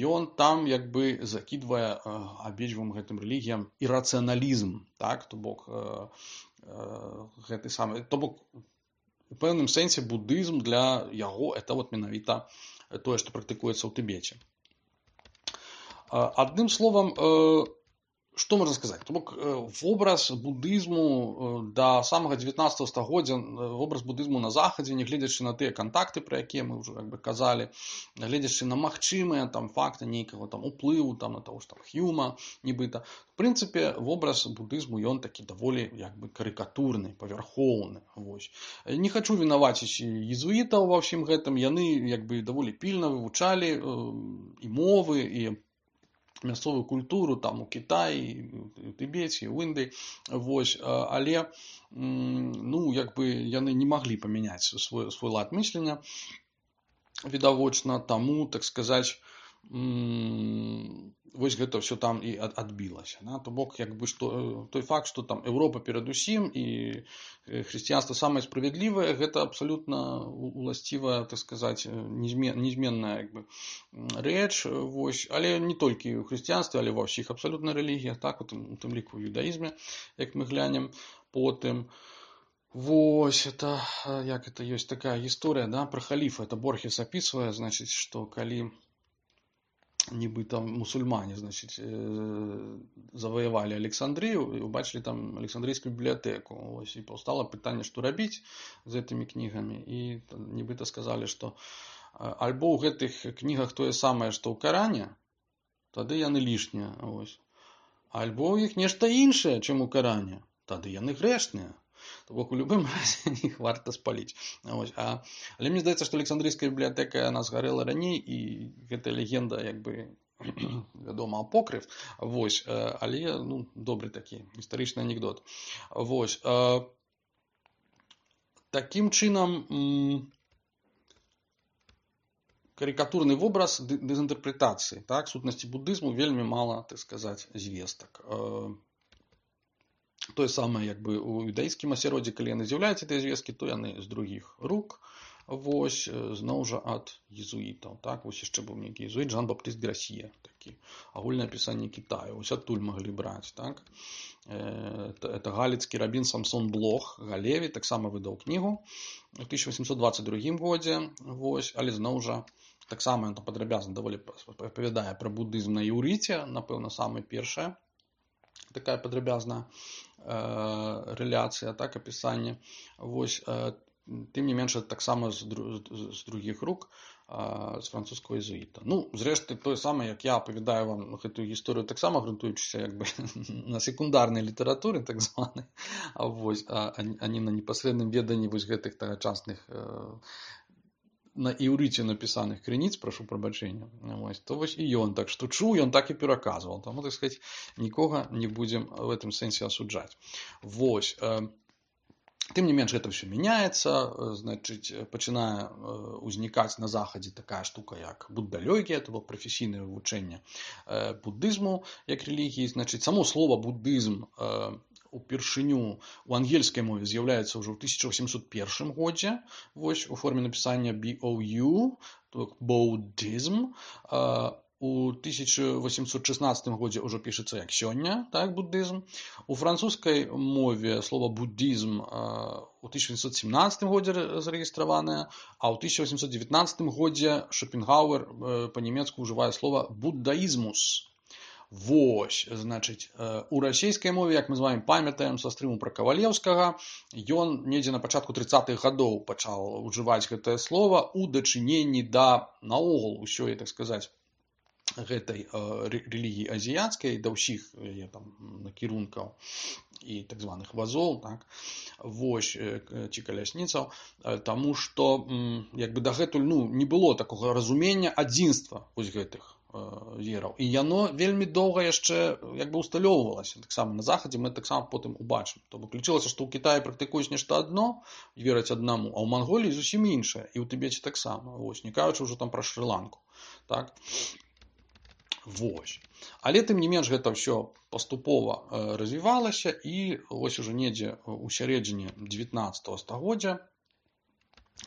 ён там як бы закідвае абедзвюм гэтым рэлігіям ірацыяналізм, так? То бок, гэты самы, то бок, у пэўным сэнсе будызм для яго это вот менавіта тое, што практыкуецца ў Тыбеце. Адным словам, што можна сказаць? То бок, вобраз будызму да самага дзевятнаццатага стагоддзя, вобраз будызму на захадзе, нягледзячы на тыя кантакты, пра якія мы ўжо як бы казалі, нягледзячы на магчымыя там факты нейкага там уплыву там на таго ж там Хьюма нібыта, в прынцыпе, вобраз будызму ён такі даволі як бы карыкатурны, павярхоўны. Вось. Не хачу вінаваціць езуітаў ва ўсім гэтым, яны як бы даволі пільна вывучалі і мовы, і мясцовую культуру там у Кітаі, у Тыбеце, у Індыі, вось, але ну, як бы яны не маглі памяняць свой, свой лад мыслення, відавочна, таму, так сказаць, вось гэта ўсё там і адбілася. Да? То бок, як бы, што, той факт, што там Еўропа перадусім і хрысціянства самае справядлівае, гэта абсалютна уласцівая, так сказаць, незменная як бы, рэч, вось, але не толькі ў хрысціянстве, але ва ўсіх абсалютна рэлігіях, так, у тым, у тым ліку ў юдаізме, як мы глянем потым. Вось, это, як это ёсць такая гісторыя, да, пра халіфа, это Борхес апісвае, значыць, што калі нібыта мусульмане, значыць, заваявалі Александрыю і убачылі там Александрыйскую бібліятэку. Ось, і паўстала пытанне, што рабіць з гэтымі кнігамі. І нібыта сказалі, што альбо ў гэтых кнігах тое самае, што ў Каране, тады яны лішнія. Ось. Альбо ў іх нешта іншае, чым у Каране, тады яны грэшныя. То бок, у любым разе іх варта спаліць. Ось. А, але мне здаецца, што Александрыйская бібліятэка яна згарэла раней, і гэта легенда, як бы, вядома, апокрыф. Вось. Але, ну, добры такі гістарычны анекдот. Вось. Такім чынам, карикатурны вобраз дэзінтэрпрэтацыі, так, сутнасці будызму вельмі мала, так сказаць, звестак. Тое самае, як бы, у юдаійскім асяроддзі, калі яны з'яўляюцца тыя звесткі, то яны з другіх рук, вось, зноў жа ад езуітаў, так, вось яшчэ быў нейкі езуіт Жан-Баптыст Грасье, такі, агульнае апісанне Кітаю, вось адтуль маглі браць, так. Это, это галіцкі рабін Самсон Блох, Галеві, таксама выдаў кнігу у тысяча васемсот дваццаць другім годзе, вось, але зноў жа, таксама ён там падрабязна даволі апавядае пра будызм на іўрыце, напэўна, самая першая такая падрабязная э, рэляцыя, так, апісанне. Вось, э, тым не менш, таксама з, з другіх рук, э, з французскага езуіта. Ну, зрэшты, тое самае, як я апавядаю вам гэтую гісторыю, таксама грунтуючыся як бы на секундарнай літаратуры, так званай, вось, а, а не на непасрэдным веданні вось гэтых тагачасных э, на іўрыце напісаных крыніц, прашу прабачэння, вось, то вось і ён так што чуў, ён так і пераказваў. Таму, так сказаць, нікога не будзем в этом сэнсе асуджаць. Вось. Тым не менш, гэта ўсё мяняецца, значыць, пачынае ўзнікаць на захадзе такая штука, як буддалёгія, то бок прафесійнае вывучэнне буддызму як рэлігіі. Значыць, само слова буддызм упершыню у ангельскай мове з'яўляецца ўжо ў тысяча васемсот першым годзе, вось, у форме напісання би оу ю, то Buddhism. У тысяча васемсот шаснаццатым годзе ўжо пішацца як сёння, так, буддызм. У французскай мове слова буддызм у тысяча васемсот семнаццатым годзе зарэгістраванае, а ў тысяча васемсот дзевятнаццатым годзе Шопенгауэр па-нямецку ўжывае слова буддаізмус. Вось, значыць, у расійскай мове, як мы з вамі памятаем са стрыму пра Кавалеўскага, ён недзе на пачатку трыццатых гадоў пачаў ужываць гэтае слова ў дачыненні да наогул усёй, так сказаць, гэтай рэлігіі азіяцкай да ўсіх яе там накірункаў і так званых вазоў, так, вось, ці калясніцаў, таму што як бы дагэтуль ну, не было такога разумення адзінства вось гэтых вераў. І яно вельмі доўга яшчэ як бы усталёўвалася. Таксама на захадзе мы таксама потым убачым. То бок лічылася, што ў Кітаі практыкуюць нешта адно, вераць аднаму, а ў Манголіі зусім іншае, і ў Тыбеце таксама. Вось, не кажучы ўжо там пра Шры-Ланку. Так? Вось. Але тым не менш гэта ўсё паступова развівалася, і вось ужо недзе ў сярэдзіне дзевятнаццатага стагоддзя,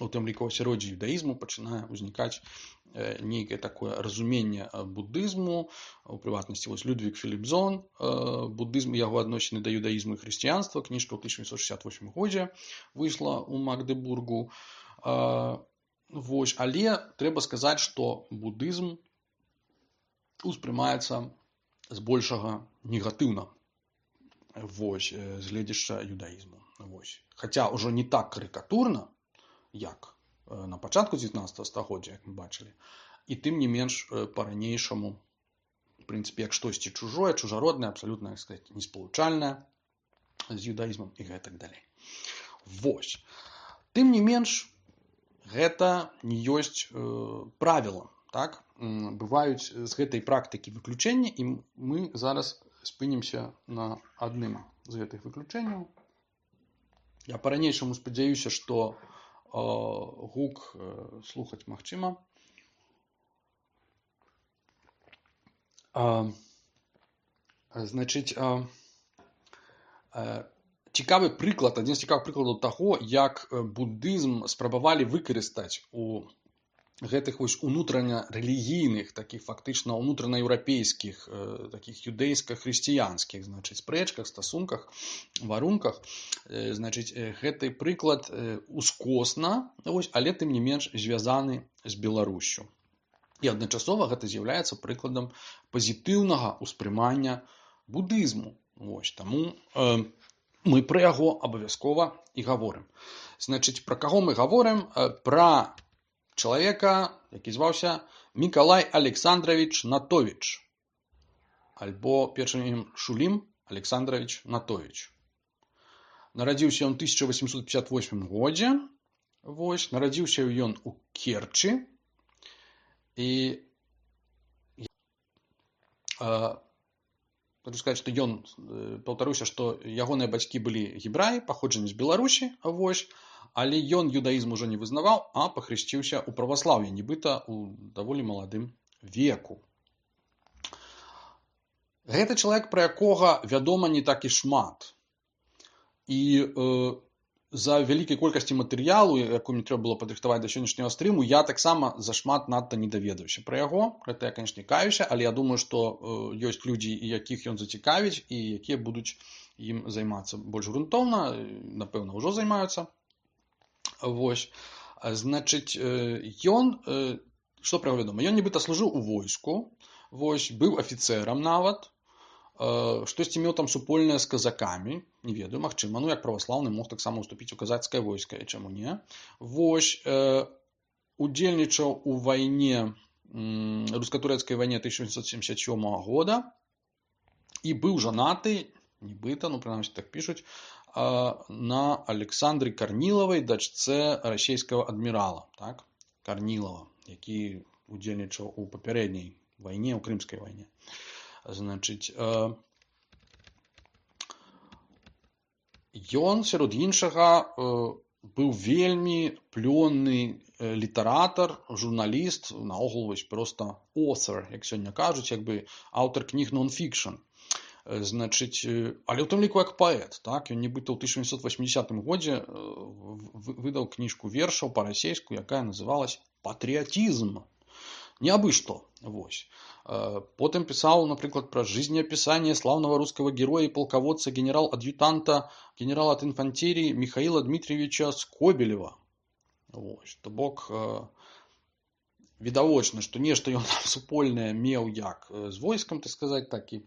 у тым ліку ў асяроддзі юдаізму, пачынае ўзнікаць нейкае такое разуменне буддызму, у прыватнасці вось Людвік Філіпзон, буддызм і яго адносіны да юдаізму і хрысціянства, кніжка ў тысяча сямсот шэсцьдзесят восьмым годзе выйшла ў Магдебургу. Вось, але трэба сказаць, што буддызм успрымаецца збольшага негатыўна, вось, з гледзяшча юдаізму. Вось. Хаця ўжо не так карыкатурна, як на пачатку дзевятнаццатага стагоддзя, як мы бачылі, і тым не менш па-ранейшаму, в прынцыпе, як штосьці чужое, чужароднае, абсалютна, так сказаць, неспалучальнае з юдаізмам і гэтак далей. Вось. Тым не менш, гэта не ёсць э, правілам, так? Бываюць з гэтай практыкі выключэнні, і мы зараз спынімся на адным з гэтых выключэнняў. Я па-ранейшаму спадзяюся, што гук слухаць магчыма. Значыць, цікавы прыклад, адзін з цікавых прыкладаў таго, як буддызм спрабавалі выкарыстаць у гэтых вось унутрання рэлігійных, такіх фактычна унутранаеўрапейскіх, такіх юдэйска-хрысціянскіх, значыць, спрэчках, стасунках, варунках. Значыць, гэты прыклад ускосна, вось, але тым не менш звязаны з Беларуссю. І адначасова гэта з'яўляецца прыкладам пазітыўнага ўспрымання буддызму. Вось, таму э, мы пра яго абавязкова і гаворым. Значыць, пра каго мы гаворым? Пра чалавека, які зваўся Мікалай Александрович Натовіч, альбо першым імем Шулім Александрович Натовіч. Нарадзіўся ён у тысяча восемьсот пятьдесят восьмым годзе. Вось, нарадзіўся ён у Керчы. І э, хочу сказаць, што ён, паўтаруся, што ягоныя бацькі былі гебраі, паходжанне з Беларусі, вось, але ён юдаізм ужо не вызнаваў, а пахрысціўся ў праваслаўі, нібыта ў даволі маладым веку. Гэта чалавек, пра якога вядома не так і шмат. І э, за вялікай колькасці матэрыялу, якую мне трэба было падрыхтаваць да сённяшняга стрыму, я таксама зашмат надта не даведаўся пра яго. Гэта я, канешне, каюся, але я думаю, што э, ёсць людзі, якіх ён зацікавіць, і якія будуць ім займацца больш грунтоўна, напэўна, ўжо займаюцца. Вось, значыць, ён, што пра яго вядома, ён нібыта служыў у войску, вось, быў афіцэрам нават, штосьці меў там супольнае з казакамі, не ведаю, магчыма, ну, як праваслаўны мог таксама ўступіць у казацкае войска, і чаму не. Вось, удзельнічаў у вайне, руска-турэцкай вайне тысяча сямсот семьдесят сёмага года, і быў жанаты, нібыта, ну, прынамсі так пішуць, на Александры Карнілавай, дачцэ расійскага адмірала, так? Карнілава, які удзельнічаў у папярэдняй вайне, у крымскай вайне. Значыць, ён, сярод іншага, быў вельмі плённы літаратар, журналіст, наогул вось проста author, як сёння кажуць, як бы аўтар кніг non-fiction. Значыць, але ў тым ліку як паэт, так? Ён нібыта ў тысяча сямсот восьмідзесятым годзе выдаў кніжку вершаў па-расейску, якая называлась «Патрыятизм». Не абы што, вось. Потым пісаў, напрыклад, пра жизнеописание славного русского героя и полководца генерал-адъютанта, генерала от инфантерии Михаила Дмитриевича Скобелева. Вось, то бок, відавочна, што нешта ён там супольнае меў як з войскам, так сказаць, так і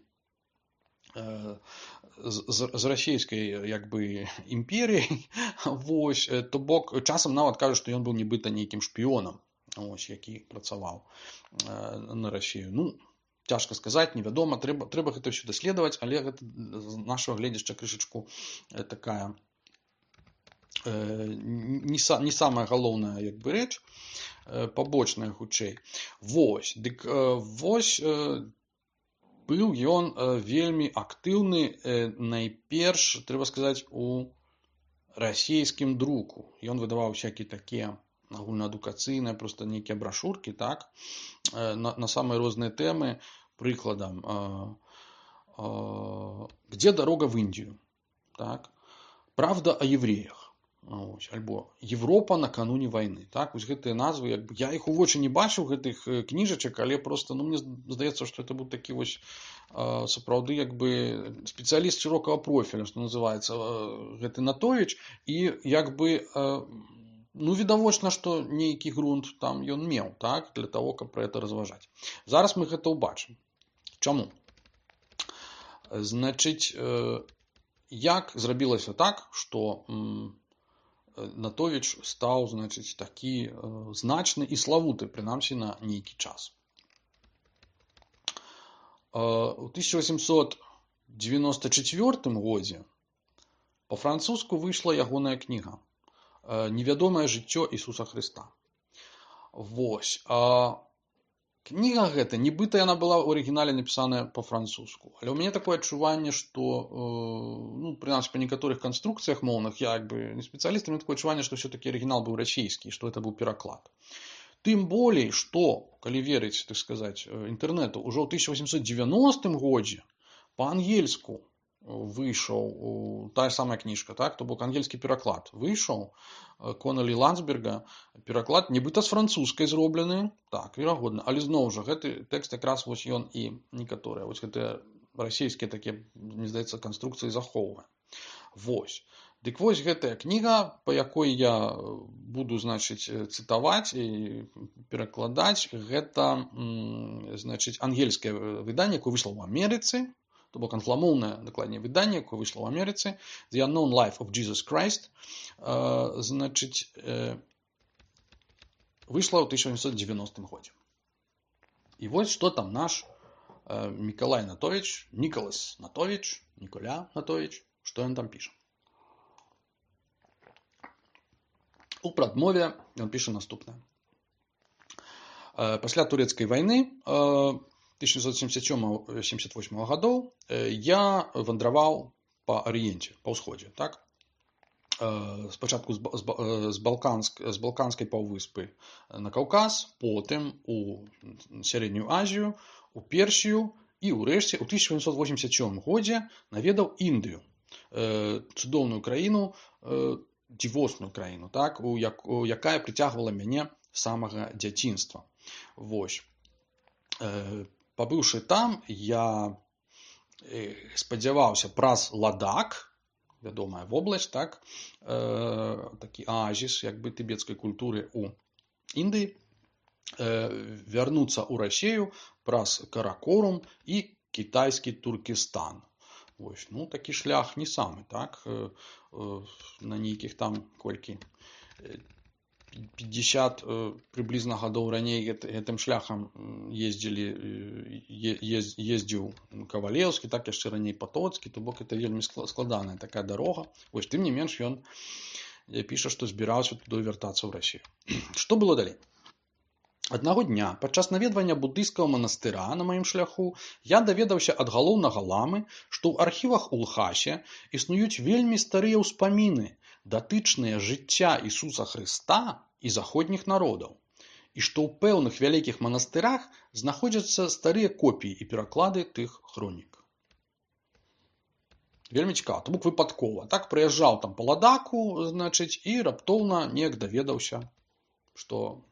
з, з расійскай, як бы, імперіяй. Вось, то бок, часам нават кажуць, што ён быў нібыта нейкім шпіёнам, ось, які працаваў на Расію. Ну, цяжка сказаць, невядома, трэба, трэба гэта ўсё даследаваць, але гэта з нашага гледзяшча крышачку такая не, са, не самая галоўная як бы рэч, пабочная хутчэй. Вось, дык вось быў ён вельмі актыўны найперш, трэба сказаць, у расійскім друку. Ён выдаваў всякія такія агульнаадукацыйныя, проста нейкія брашуркі, так, на, на самыя розныя тэмы, прыкладам, «Где дорога в Индию?», так, «Правда о евреях?», ось, альбо «Европа накануне войны». Так, ось гэтыя назвы, як бы, я іх у вочы не бачыў, гэтых кніжачак, але просто, ну, мне здаецца, што это быў такі вось сапраўды як бы спецыяліст шырокага профіля, што называецца, гэты Натовіч, і як бы, ну, відавочна, што нейкі грунт там ён меў, так, для того, каб пра гэта разважаць. Зараз мы гэта ўбачым. Чаму? Значыць, як зрабілася так, што Натовіч стаў, значыць, такі значны і славуты, прынамсі, на нейкі час. У тысяча восемьсот девяносто четвёртым годзе па-французску выйшла ягоная кніга «Невядомае жыццё Ісуса Хрыста». Вось. Кніга гэта, нібыта яна была ў арыгінале напісаная па-французску. Але ў мяне такое адчуванне, што, ну, прынамсі, па некаторых канструкцыях моўных, я як бы не спецыяліст, у мяне такое адчуванне, што ўсё-такі арыгінал быў расійскі, што гэта быў пераклад. Тым болей, што, калі верыць, так сказаць, інтэрнэту, ужо ў тысяча восемьсот девяностым годзе па-ангельску выйшаў тая самая кніжка, так, то бок ангельскі пераклад выйшаў Коннелі Ландсберга, пераклад нібыта з французскай зроблены, так, верагодна, але зноў жа гэты тэкст якраз вось ён і некаторыя вось гэтыя расійскія такія, мне здаецца, канструкцыі захоўвае. Вось. Дык вось гэтая кніга, па якой я буду, значыць, цытаваць і перакладаць, гэта, значыць, ангельскае выданне, якое выйшло ў Амерыцы, то бок англамоўнае, дакладней, выданне, якое выйшло ў Амерыцы, The Unknown Life of Jesus Christ, значыць, выйшла ў тысяча восемьсот девяностым годзе. І вось што там наш Мікалай Натовіч, Нікалас Натовіч, Ніколя Натовіч, што ён там піша. У прадмове ён піша наступнае. Пасля турэцкай вайны тысяча девятьсот семьдесят сёмага — семьдесят восьмага гадоў я вандраваў па арыенце, па ўсходзе, так? Спачатку з, з, Балканск, з Балканскай паўвыспы на Каўказ, потым у Сярэднюю Азію, у Персію і ўрэшце ў тысяча восемьсот восемьдесят сёмым годзе наведаў Індыю, цудоўную краіну, дзівосную краіну, так, у як, у якая прыцягвала мяне з самага дзяцінства. Вось. Пабыўшы там, я спадзяваўся праз Ладак, вядомая вобласць, так, такі аазіс, як бы, тыбецкай культуры у Індыі, вярнуцца ў Расію праз Каракорум і кітайскі Туркестан. Вось, ну, такі шлях не самы, так, на нейкіх там колькі пятьдесят прыблізна гадоў раней гэтым шляхам ездзілі, ездзіў Кавалеўскі, так, яшчэ раней Патоцкі, то бок это вельмі складаная такая дарога. Вось, тым не менш, ён піша, што збіраўся туды вяртацца ў Расію. Што было далей? Аднаго дня, падчас наведвання буддыйскага манастыра на маім шляху, я даведаўся ад галоўнага ламы, што ў архівах у Лхасе існуюць вельмі старыя ўспаміны, датычныя жыцця Ісуса Хрыста і заходніх народаў, і што ў пэўных вялікіх манастырах знаходзяцца старыя копіі і пераклады тых хронік. Вельмі цікава, то бок выпадкова. Так, прыязджаў там па Ладаку, значыць, і раптоўна неяк даведаўся, што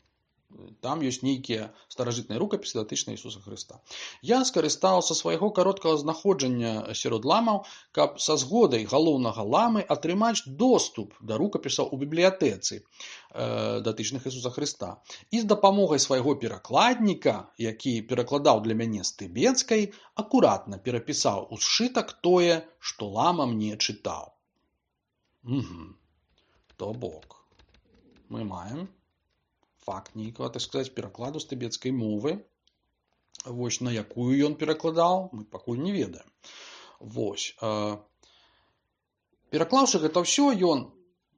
там ёсць нейкія старажытныя рукапісы датычныя Ісуса Хрыста. Я скарыстаўся свайго кароткага знаходжання сярод ламаў, каб са згодай галоўнага ламы атрымаць доступ да рукапісаў у бібліятэцы э, датычных Ісуса Хрыста. І з дапамогай свайго перакладніка, які перакладаў для мяне з тыбецкай, акуратна перапісаў у сшытак тое, што лама мне чытаў. Угу. То бок мы маем факт нейкага, так сказаць, перакладу з тыбецкай мовы
Вось на якую ён перакладаў, мы пакуль не ведаем. Вось. Пераклаўшы гэта ўсё, ён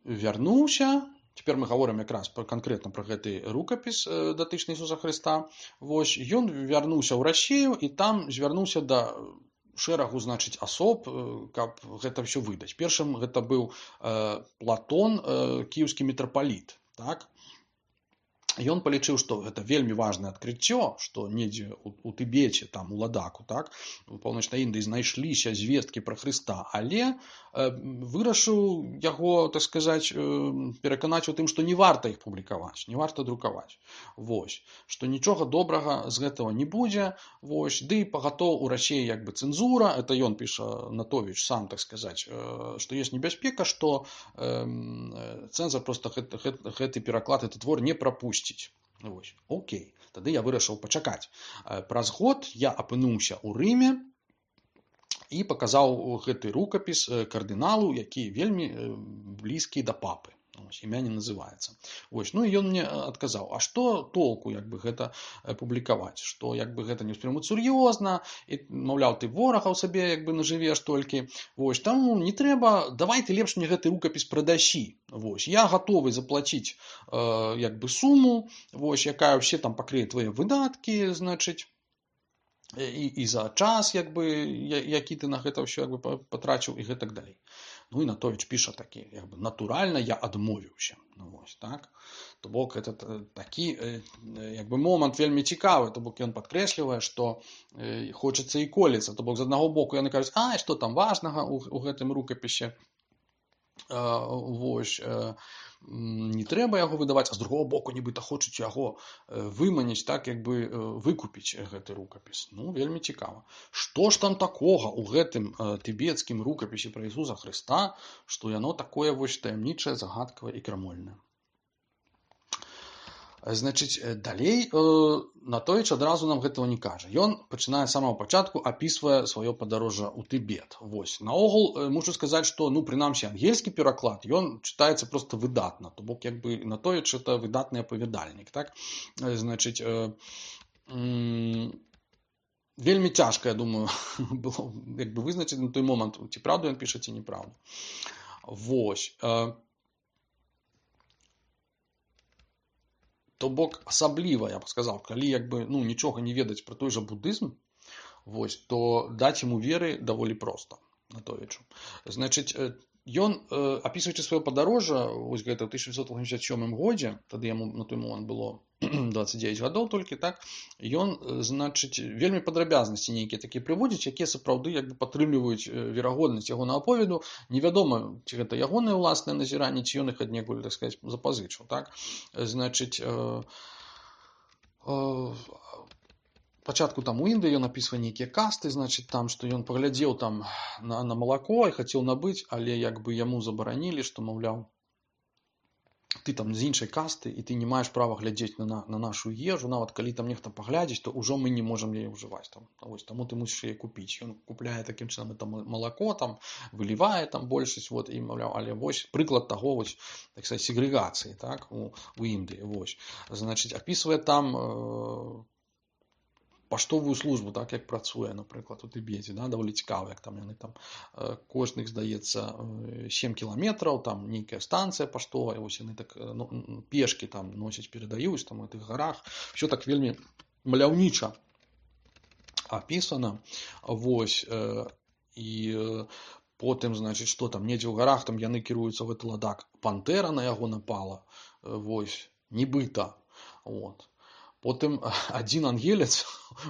вярнуўся. Цяпер мы гаворым якраз пра канкрэтна пра гэты рукапіс датычны Ісуса Хрыста. Вось ён вярнуўся ў Расію і там звярнуўся да шэрагу, значыць, асоб, каб гэта ўсё выдаць. Першым гэта быў Платон, кіеўскі мітрапаліт, так? Ён палічыў, што гэта вельмі важнае адкрыццё, што недзе у, у Тыбеце, там у Ладаку, так, у паўночнай Індыі знайшліся звесткі пра Хрыста, але э, вырашыў яго, так сказаць, э, пераканаць у тым, што не варта іх публікаваць, не варта друкаваць. Вось, што нічога добрага з гэтага не будзе, вось, ды пагатоў у Расіі як бы цэнзура, это ён піша Натовіч сам, так сказаць, э, што ёсць небяспека, што э, цэнзар проста гэты, гэты, гэты пераклад, гэты твор не прапусціць. Вось. Окей, тады я вырашыў пачакаць. Праз год я апынуўся ў Рыме і паказаў гэты рукапіс кардыналу, які вельмі блізкі да папы. Ось, імя не называецца. Вось, ну і ён мне адказаў, а што толку як бы гэта публікаваць, што як бы гэта не ўспрымуць сур'ёзна, і маўляў, ты ворагаў сабе як бы нажывеш толькі. Вось, таму не трэба, давай ты лепш мне гэты рукапіс прадасі. Вось, я гатовы заплаціць э, як бы суму, вось, якая ўсе там пакрые твае выдаткі, значыць, і, і за час, як бы, які ты на гэта ўсё як бы патраціў і гэтак далей. Ну і Натовіч піша такі, як бы, натуральна я адмовіўся. Ну, вось, так? То бок, это такі, як бы, момант вельмі цікавы, то бок ён падкрэслівае, што э, хочацца і коліцца. То бок, з аднаго боку яны кажуць, а, што там важнага у, у гэтым рукапісе? Э, вось, э, не трэба яго выдаваць, а з другого боку нібыта хочуць яго выманіць, так, як бы выкупіць гэты рукапіс. Ну, вельмі цікава. Што ж там такога ў гэтым тыбецкім рукапісе пра Ісуса Хрыста, што яно такое вось таямнічае, загадкавае і крамольнае? Значыць, далей Натовіч адразу нам гэтага не кажа. Ён пачынае з самого пачатку, апісвае сваё падарожжа ў Тыбет. Вось. Наогул, мушу сказаць, што, ну, прынамсі, ангельскі пераклад, ён чытаецца проста выдатна. То бок, як бы, Натовіч – это выдатны апавядальнік, так? Значыць, э, э, вельмі цяжка, я думаю, было як бы вызначыць на той момант, ці праўду ён піша, ці неправду. Вось. Э, То бок, асабліва, я б сказаў, калі як бы, ну, нічога не ведаць пра той жа будызм, вось, то даць яму веры даволі проста, Натовічу. Значыць, ён, апісваючы сваё падарожжа, вось гэта ў тысяча дзевяцьсот восемьдесят сёмым годзе, тады яму на той момант было двадцать девять гадоў толькі, так, ён, значыць, вельмі падрабязнасці нейкія такія прыводзіць, якія сапраўды як бы падтрымліваюць верагоднасць ягонага аповеду. Невядома, ці гэта ягоныя ўласныя назіранні, ці ён іх аднекуль, так сказаць, запазычыў, так. Значыць, э, э, пачатку там у Індыі ён апісвае нейкія касты, значыць, там, што ён паглядзеў там на, на малако і хацеў набыць, але як бы яму забаранілі, што, маўляў, ты там з іншай касты, і ты не маеш права глядзець на, на, на нашу ежу, нават калі там нехта паглядзіць, то ўжо мы не можам яе ўжываць. Там. Вось, таму ты мусіш яе купіць. Ён купляе такім чынам это малако, там, вылівае там большасць, вот, і, маўляў, але вось прыклад таго, вось, так сказаць, сегрэгацыі, так, у, у Індыі. Вось. Значыць, апісвае там э, паштовую службу, так, як працуе, напрыклад, у Тыбеце, да, даволі цікава, як там яны там, кожных, здаецца, сем кіламетраў, там нейкая станцыя паштовая, вось яны так, ну, пешкі там носяць, перадаюць там у тых гарах, все так вельмі маляўніча апісана, вось, і потым, значыць, што там, недзе ў гарах, там яны кіруюцца ў гэты ладак, пантэра на яго напала, вось, нібыта, вот. Потым адзін ангелец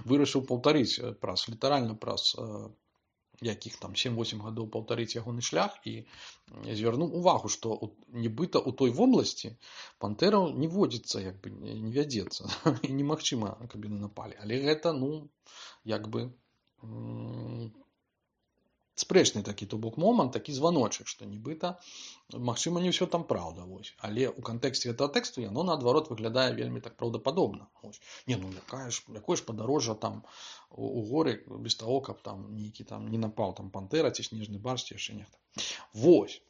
вырашыў паўтарыць праз, літаральна праз якіх там сем-восем гадоў паўтарыць ягоны шлях і звярнуў увагу, што нібыта ў той вобласці пантэраў не водзіцца, як бы не вядзецца, і немагчыма, каб яны напалі. Але гэта, ну, як бы спрэчны такі, то бок момант, такі званочак, што нібыта, магчыма, не ўсё там праўда, вось. Але ў кантэксце гэтага тэксту яно, наадварот, выглядае вельмі так праўдападобна. Вось. Не, ну, якая ж, якое ж падарожжа там у, у горы, без таго, каб там нейкі там не напаў там пантэра ці снежны барс, ці яшчэ нехта. Вось.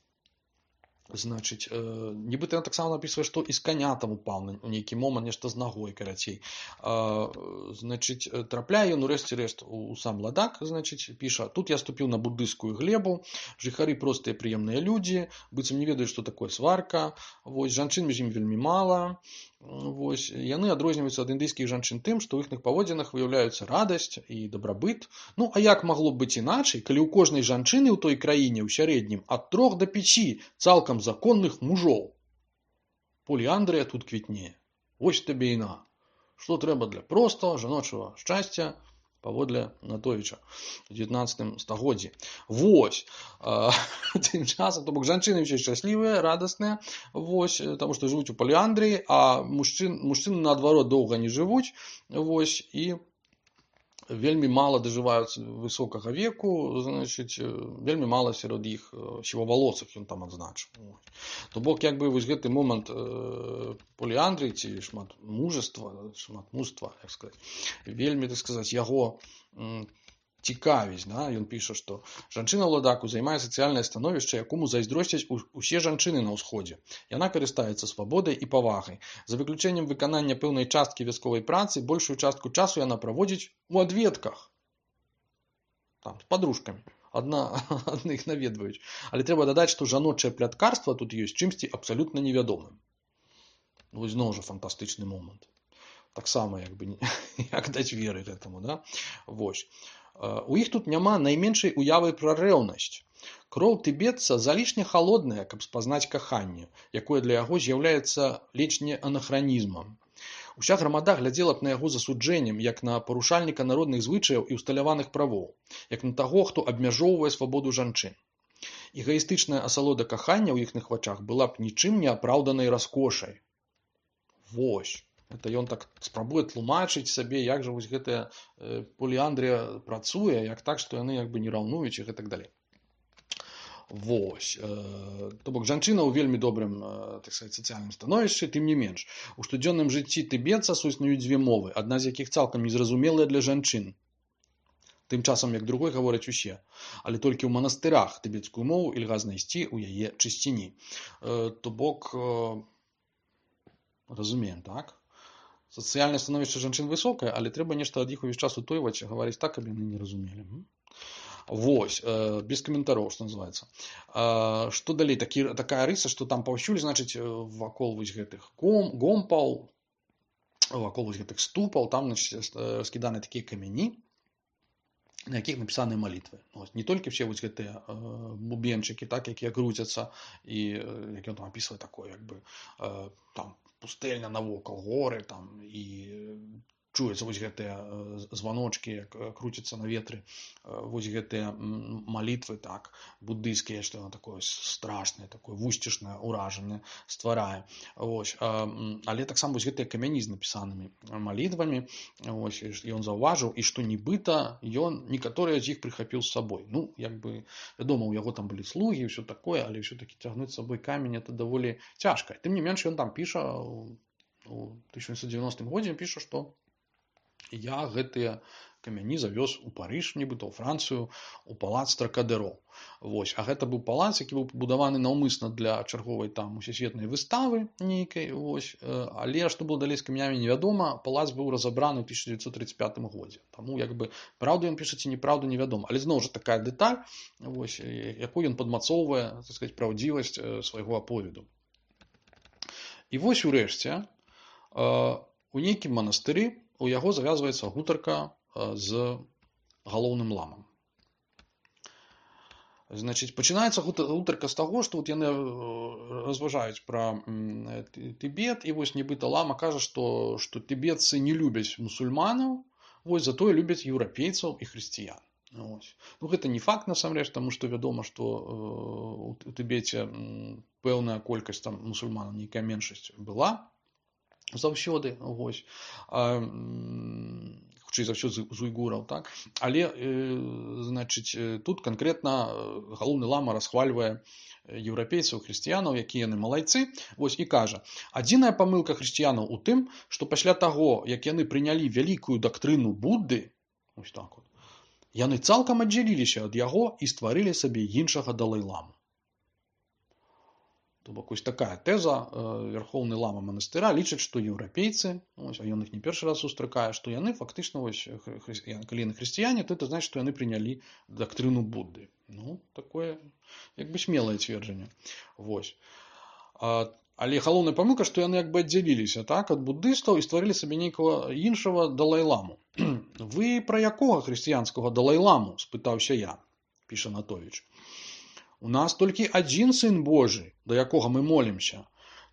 Значыць, э, нібыта ён таксама напісвае, што і з каня там упаў на нейкі момант, нешта з нагой, карацей. А, значыць, трапляе ён урэшце рэшт у, у сам ладак, значыць, піша: тут я ступіў на буддыйскую глебу, жыхары простыя прыемныя людзі, быццам не ведаюць, што такое сварка, вось, жанчын між ім вельмі мала, вось, яны адрозніваюцца ад індыйскіх жанчын тым, што ў іхных паводзінах выяўляюцца радасць і дабрабыт. Ну, а як магло б быць іначай, калі ў кожнай жанчыны ў той краіне ў сярэднім ад трох да пяці цалкам законных мужоў? Поліандрыя тут квітнее. Вось табе і на. Што трэба для простага жаночага шчасця паводле Натовіча у дзевятнаццатым стагоддзі. Вось. А, тым часам, то бок, жанчыны ўсе шчаслівыя, радасныя, вось, таму што жывуць у паліандрыі, а мужчын, мужчыны, наадварот, доўга не жывуць, вось, і вельмі мала дажываюцца высокага веку, значыць, вельмі мала сярод іх сівавалосых, ён там адзначыў. То бок, як бы, вось гэты момант э, поліандрыі ці шмат мужества, шмат мужства, як сказаць, вельмі, так сказаць, яго м, цікавіць, да? Ён піша, што жанчына ў ладаку займае сацыяльнае становішча, якому зайздросцяць усе жанчыны на ўсходзе. Яна карыстаецца свабодай і павагай. За выключэннем выканання пэўнай часткі вясковай працы, большую частку часу яна праводзіць у адведках. Там, з падружкамі. Адна, адных наведваюць. Але трэба дадаць, што жаночае пляткарства тут ёсць чымсьці абсалютна невядомым. Вось зноў жа фантастычны момант. Таксама, як бы, як даць веры гэтаму, да? Вось. У іх тут няма найменшай уявы пра рэўнасць. Кроў тыбетца залішне халодная, каб спазнаць каханне, якое для яго з'яўляецца ледзь не анахранізмам. Уся грамада глядзела б на яго засуджэннем, як на парушальніка народных звычаяў і усталяваных правоў, як на таго, хто абмяжоўвае свабоду жанчын. Эгаістычная асалода кахання ў іхных вачах была б нічым не апраўданай раскошай. Вось. Это ён так спрабуе тлумачыць сабе, як жа вось гэтая э, поліандрыя працуе, як так, што яны як бы не раўнуюць і гэтак далей. Вось. Э, то бок, жанчына ў вельмі добрым, э, так сказаць, сацыяльным становішчы, тым не менш. У штодзённым жыцці тыбетца суіснуюць дзве мовы, адна з якіх цалкам незразумелая для жанчын. Тым часам, як другой гавораць усе. Але толькі ў манастырах тыбецкую мову ільга знайсці ў яе чысціні. Э, то бок, э, разумеем, так? Сацыяльнае становішча жанчын высокае, але трэба нешта ад іх увесь час утойваць, гаварыць так, каб яны не разумелі. Вось, э, без каментароў, што называецца. Э, што далей? Такі, такая рыса, што там паўсюль, значыць, вакол вось гэтых гом, гомпаў, вакол вось гэтых ступаў, там, значыць, раскіданы такія камяні, на якіх напісаныя малітвы. Ось, не толькі все вось гэтыя э, бубенчыкі, так, якія круцяцца, і э, як ён там апісвае такое, як бы, э, там, пустэльня навокал, горы, там, і чуюцца вось гэтыя званочкі, як круцяцца на ветры, вось гэтыя малітвы, так, буддыйскія, што яно такое страшнае, такое вусцішнае ўражанне стварае. Вось. Але таксама вось гэтыя камяні з напісанымі малітвамі, вось, ён заўважыў, і што нібыта ён некаторыя з іх прыхапіў з сабой. Ну, як бы, вядома, у яго там былі слугі і ўсё такое, але ўсё-такі цягнуць з сабой камень это даволі цяжка. Тым не менш, ён там піша у тысяча сямсот дзевяностым годзе, піша, што я гэтыя камяні завёз у Парыж, нібыта ў Францыю, у палац Тракадеро. Вось. А гэта быў палац, які быў пабудаваны наўмысна для чарговай там усесветнай выставы нейкай. Вось. Але што было далей з камянямі, невядома. Палац быў разабраны ў тысяча дзевяцьсот тридцать пятым годзе. Таму, як бы, праўду ён піша ці неправду, невядома. Але зноў жа такая дэталь, вось, якую ён падмацоўвае, так сказаць, праўдзівасць свайго аповеду. І вось урэшце, у нейкім манастыры у яго завязваецца гутарка з галоўным ламам. Значыць, пачынаецца гутарка з таго, што вот яны разважаюць пра Тыбет, і вось нібыта лама кажа, што, што тыбетцы не любяць мусульманаў, вось, затое любяць еўрапейцаў і хрысціян. Вось. Ну, гэта не факт, насамрэч, таму што вядома, што у Тыбеце пэўная колькасць там мусульманаў, нейкая меншасць была заўсёды, вось, а, хутчэй за ўсё з уйгураў, так? Але, э, значыць, тут канкрэтна галоўны лама расхвальвае еўрапейцаў, хрысціянаў, якія яны малайцы, вось, і кажа: адзіная памылка хрысціянаў у тым, што пасля таго, як яны прынялі вялікую дактрыну Будды, ось так вот, яны цалкам аддзяліліся ад яго і стварылі сабе іншага далай-ламу. То бок вось такая тэза. Вярхоўны лама манастыра лічыць, што еўрапейцы, ось, а ён іх не першы раз сустракае, што яны фактычна вось, калі яны хрысціяне, то это значыць, што яны прынялі дактрыну Будды. Ну, такое як бы смелае цверджанне. Вось. А, але галоўная памылка, што яны як бы аддзяліліся, так, ад буддыстаў і стварылі сабе нейкага іншага далай-ламу. Вы пра якога хрысціянскага далай-ламу? Спытаўся я, піша Натовіч. У нас толькі адзін сын Божы, да якога мы молімся.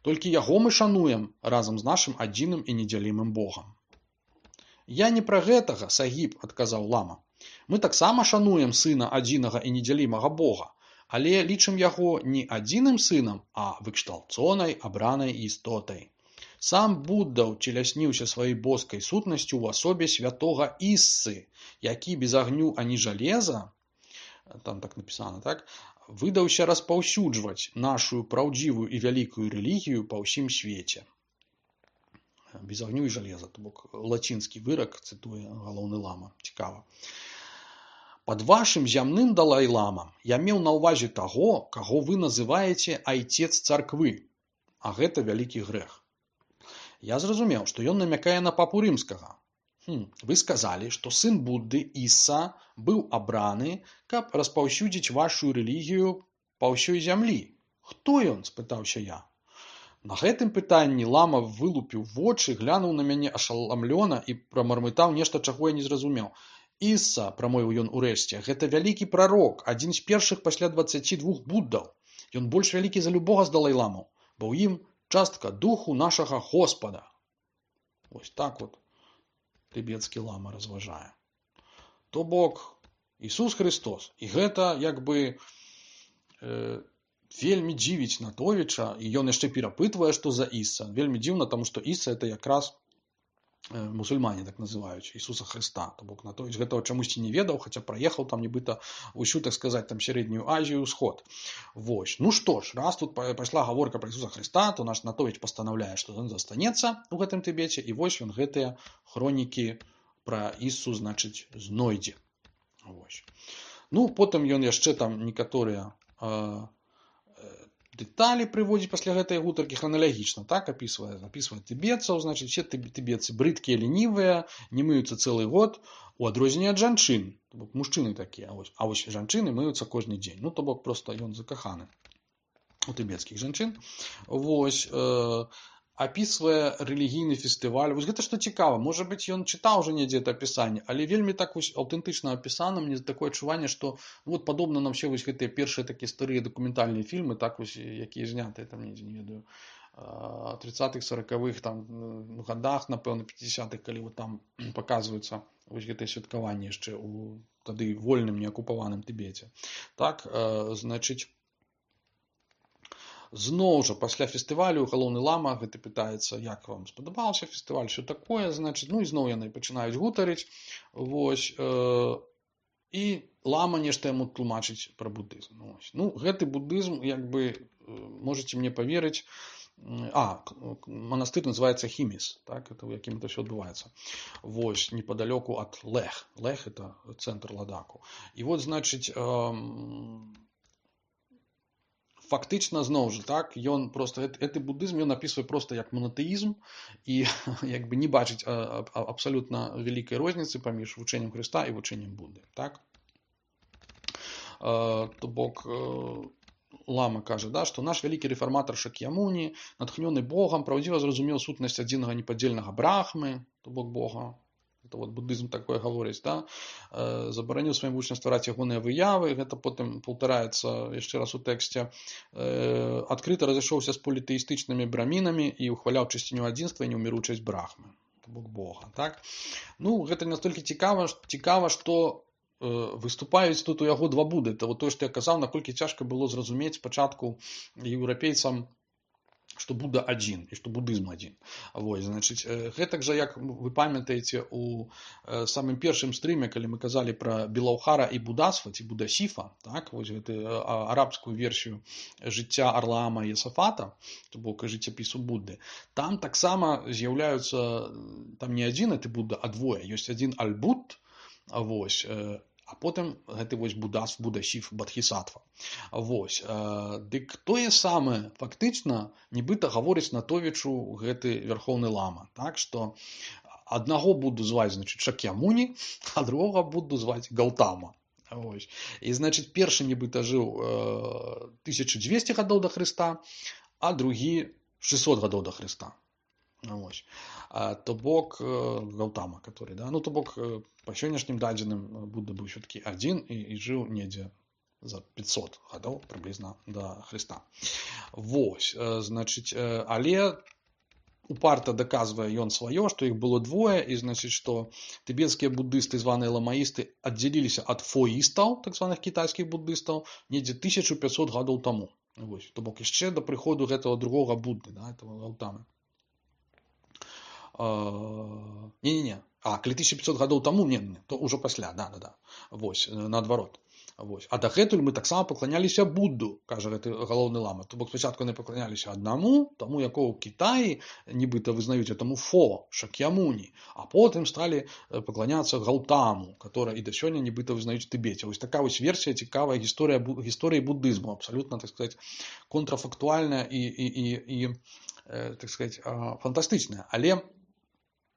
Толькі яго мы шануем разам з нашым адзіным і недзялімым Богам. Я не пра гэтага, Сагіб, адказаў лама. Мы таксама шануем сына адзінага і недзялімага Бога, але лічым яго не адзіным сынам, а выкшталцонай, абранай істотай. Сам Будда ўцелясніўся сваёй боскай сутнасцю ў асобе святога Іссы, які без агню ані жалеза, там так напісана, так, выдаўся распаўсюджваць нашу праўдзівую і вялікую рэлігію па ўсім свеце. Без агню і жалеза, то бок лацінскі вырак, цытуе галоўны лама. Цікава. Пад вашым зямным далай-ламам я меў на ўвазе таго, каго вы называеце айцец царквы, а гэта вялікі грэх. Я зразумеў, што ён намякае на папу рымскага. Хм, вы сказалі, што сын Будды, Ісса, быў абраны, каб распаўсюдзіць вашу рэлігію па ўсёй зямлі. Хто ён? Спытаўся я. На гэтым пытанні лама вылупіў вочы, глянуў на мяне ашаламлёна і прамармытаў нешта, чаго я не зразумеў. Ісса, прамовіў ён урэшце, гэта вялікі прарок, адзін з першых пасля дваццаці двух буддаў. Ён больш вялікі за любога з далай-ламаў, бо ў ім частка духу нашага Господа. Вось так вот тыбецкі лама разважае. То бок, Ісус Христос. І гэта, як бы, э, вельмі дзівіць Натовіча, і ён яшчэ перапытвае, што за Ісса. Вельмі дзіўна, таму што Ісса это якраз э, мусульмане так называюць, Ісуса Христа. То бок Натовіч гэтага чамусьці не ведаў, хаця праехаў там нібыта ўсю, так сказаць, там сярэднюю Азію, ўсход. Вось. Ну што ж, раз тут пайшла гаворка пра Ісуса Христа, то наш Натовіч пастанаўляе, што ён застанецца ў гэтым Тыбеце, і вось ён гэтыя хронікі пра Іссу, значыць, знойдзе. Вось. Ну, потым ён яшчэ там некаторыя э, дэталі прыводзіць пасля гэтай гутаркі храналагічна, так, апісвае, апісвае тыбетцаў, значыць, все тыбетцы брыдкія, ленівыя, не мыюцца цэлы год, у адрозненне ад жанчын. То бок мужчыны такія, а вось, а вось жанчыны мыюцца кожны дзень. Ну, то бок проста ён закаханы у тыбецкіх жанчын. Вось, э, апісвае рэлігійны фестываль. Вось гэта што цікава. Можа быць, ён чытаў уже недзе это апісанне, але вельмі так вось аўтэнтычна апісана. Мне такое адчуванне, што вот падобна на ўсе вось гэтыя першыя такія старыя дакументальныя фільмы, так вось, якія знятыя там недзе, не ведаю, тридцатых, сорокавых там годах, напэўна, пятидесятых, калі вот там паказваюцца вось гэтыя святкаванні яшчэ у тады вольным, неакупаваным Тыбеце. Так, э, значыць, зноў жа, пасля фестывалю галоўны лама гэты пытаецца, як вам спадабаўся фестываль, що такое, значыць, ну і зноў яны пачынаюць гутарыць, вось, э, і лама нешта яму тлумачыць пра буддызм. Вось. Ну, гэты буддызм, як бы, можаце мне паверыць, а, манастыр называецца Хіміс, так, это у якім это все адбываецца. Вось, непадалёку ад Лех. Лех это цэнтр Ладаку. І вот, значыць, э, фактычна, зноў жа, так, ён просто, гэты буддызм ён апісвае просто як монотэізм і як бы не бачыць а, а, абсалютна вялікай розніцы паміж вучэннем Хрыста і вучэннем Будды, так. А, то бок, лама кажа, да, што наш вялікі рэфарматар Шакьямуні, натхнёны Богам, праўдзіва зразумеў сутнасць адзінага непадзельнага Брахмы, то бок Бога. Это вот буддызм такое гаворыць, да? Э, забараніў сваім вучням ствараць ягоныя выявы, гэта потым паўтараецца яшчэ раз у тэксце. Э, адкрыта разышоўся з політэістычнымі брамінамі і ухваляў чысціню адзінства і неўміручасць Брахмы, то бок Бога, так? Ну, гэта настолькі цікава, цікава, што э, выступаюць тут у яго два Будды. Это вот тое, што я казаў, наколькі цяжка было зразумець спачатку еўрапейцам, што Будда адзін і што буддызм адзін. Вось, значыць, гэтак жа, як вы памятаеце, у самым першым стрыме, калі мы казалі пра Белаўхара і Будасва, ці Будасіфа, так, вось гэту арабскую версію жыцця Арлаама і Есафата, то бок жыццяпісу Будды, там таксама з'яўляюцца, там не адзін гэты Будда, а двое. Ёсць адзін Аль-Будд, вось, А потым гэты вось Будас, Будасів, Бадхісатва. Вось. Дык тое самае фактычна нібыта гаворыць Натовічу гэты вярхоўны лама. Так што аднаго буду зваць, значыць, Шакьямуні, а другога буду зваць Галтама. Вось. І, значыць, першы нібыта жыў э, тысяча дзвесце гадоў да Хрыста, а другі шэсцьсот гадоў да Хрыста. Вось. А, то бок э, Галтама, который, да, ну то бок э, по сённяшнім дадзеным Будда быў все-таки адзін і, і жыў недзе за пятьсот гадоў прыблізна да Хрыста. Вось, э, значыць, э, але упарта даказвае ён сваё, што іх было двое, і значыць, што тыбецкія буддысты, званыя ламаісты, аддзяліліся ад фоістаў, так званых кітайскіх буддыстаў, недзе тысяча пятьсот гадоў таму. Вось, то бок яшчэ да прыходу гэтага другога Будды, да, этого Галтамы. Не-не-не. А, калі тысяча пятьсот гадоў таму, не, не, то ўжо пасля, да, да, да. Вось, наадварот. Вось. А дагэтуль мы таксама пакланяліся Будду, кажа гэты галоўны лама. То бок спачатку яны пакланяліся аднаму, таму якого ў Кітаі нібыта вызнаюць этому Фо, Шакьямуні, а потым сталі пакланяцца Галтаму, который і да сёння нібыта вызнаюць Тыбеце. Вось такая вось версія цікавая гісторыя гісторыі буддызму, абсалютна, так сказаць, контрафактуальная і і і і так сказаць, фантастычная, але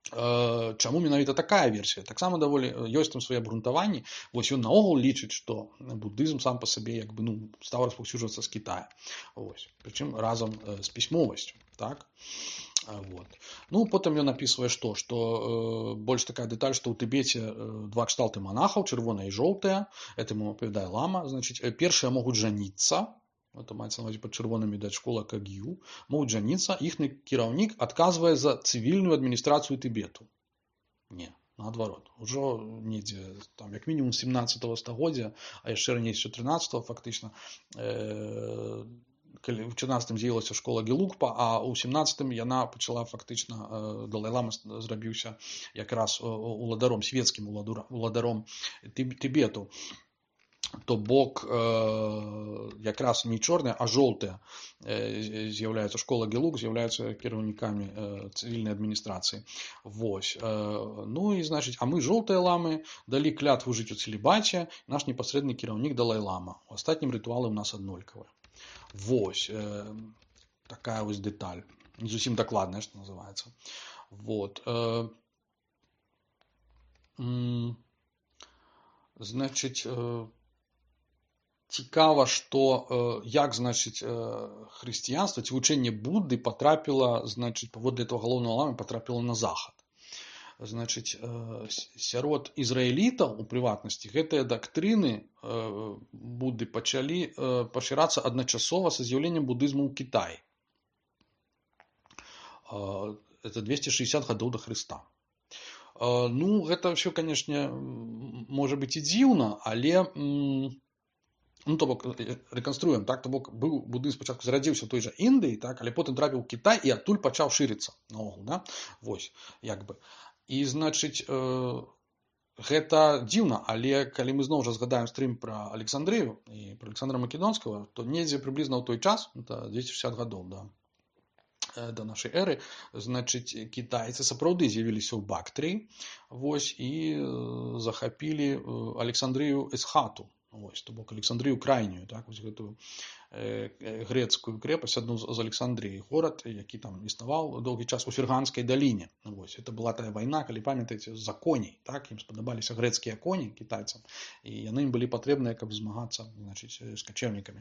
чаму менавіта такая версія? Таксама даволі ёсць там свае абгрунтаванні. Вось ён наогул лічыць, што буддызм сам па сабе як бы ну стаў распаўсюджвацца з Кітая. Вось. Прычым разам з пісьмовасцю, так? Вот. Ну, потым ён апісвае што, што э, больш такая дэталь, што ў Тыбеце э, два кшталты манахаў, чырвоная і жоўтая, этому апавядае лама, значыць, першыя могуць жаніцца. Это маецца на ўвазе пад чырвонымі даць школа Каг'ю, могуць жаніцца, іхні кіраўнік адказвае за цывільную адміністрацыю Тыбету. Не, наадварот. Ужо недзе, там, як мінімум сямнаццатага стагоддзя, а яшчэ раней з чатырнаццатага фактычна, э, калі ў чатырнаццатым з'явілася школа Гелугпа, а ў сямнаццатым яна пачала фактычна, э, Далай-лама зрабіўся якраз уладаром, свецкім уладаром Тыбету. То бок э, якраз не чорная, а жоўтая э, з'яўляецца школа Гелуг, з'яўляюцца кіраўнікамі э, цывільнай адміністрацыі. Вось. Э, ну і значыць, а мы жоўтыя ламы далі клятву жыць у цэлібаце, наш непасрэдны кіраўнік Далай-лама. У астатнім рытуалы ў нас аднолькавыя. Вось. Э, такая вось дэталь. Не зусім дакладная, што называецца. Вот. Э, м, значыць, э, цікава, што э, як, значыць, э, хрысціянства ці вучэнне Будды патрапіла, значыць, паводле этого галоўнага ламы патрапіла на захад. Значыць, э, сярод ізраілітаў, у прыватнасці, гэтыя дактрыны э, Будды пачалі э, пашырацца адначасова са з'яўленнем будызму ў Кітаі. Э, это двести шестьдесят гадоў да Хрыста. Э, ну, гэта ўсё, канешне, можа быць і дзіўна, але... М- Ну, то бок, рэканструем, так, то бок, быў будызм спачатку зарадзіўся ў той жа Індыі, так, але потым трапіў у Кітай і адтуль пачаў шырыцца наогул, да? Вось, як бы. І, значыць, э, гэта дзіўна, але калі мы зноў жа згадаем стрым пра Александрыю і пра Александра Македонскага, то недзе прыблізна ў той час, это двести шестьдесят гадоў, да, да нашай эры, значыць, кітайцы сапраўды з'явіліся ў Бактрыі, вось, і захапілі Александрыю Эсхату. Вось, то бок Александрыю крайнюю, так, вось гэтую э, грецкую крэпасць, адну з Александрыі, горад, які там існаваў доўгі час у Ферганскай даліне. Вось, это была тая вайна, калі памятаеце, за коней, так, ім спадабаліся грэцкія коні кітайцам, і яны ім былі патрэбныя, каб змагацца, значыць, з качэўнікамі.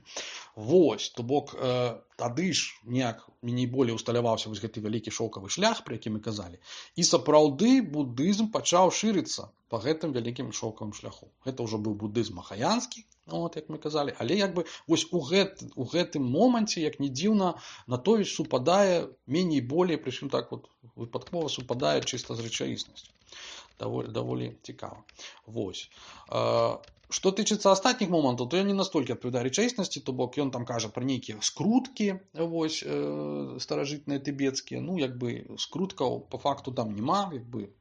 Вось, то бок э, тады ж неяк меней болей усталяваўся вось гэты вялікі шоўкавы шлях, пра які мы казалі, і сапраўды будызм пачаў шырыцца па гэтым вялікім шоўкавым шляху. Гэта ўжо быў будызм махаянскі, от, як мы казалі, але як бы вось у, гэт, у гэтым моманце, як не дзіўна, Натовіч супадае меней болей, прычым так вот выпадкова супадае чыста з рэчаіснасцю. Даволі, даволі цікава. Вось. А, што тычыцца астатніх момантаў, то я не настолькі адпавядаю рэчаіснасці, то бок ён там кажа пра нейкія скруткі, вось, э, старажытныя тыбецкія, ну, як бы скруткаў па факту там няма, як бы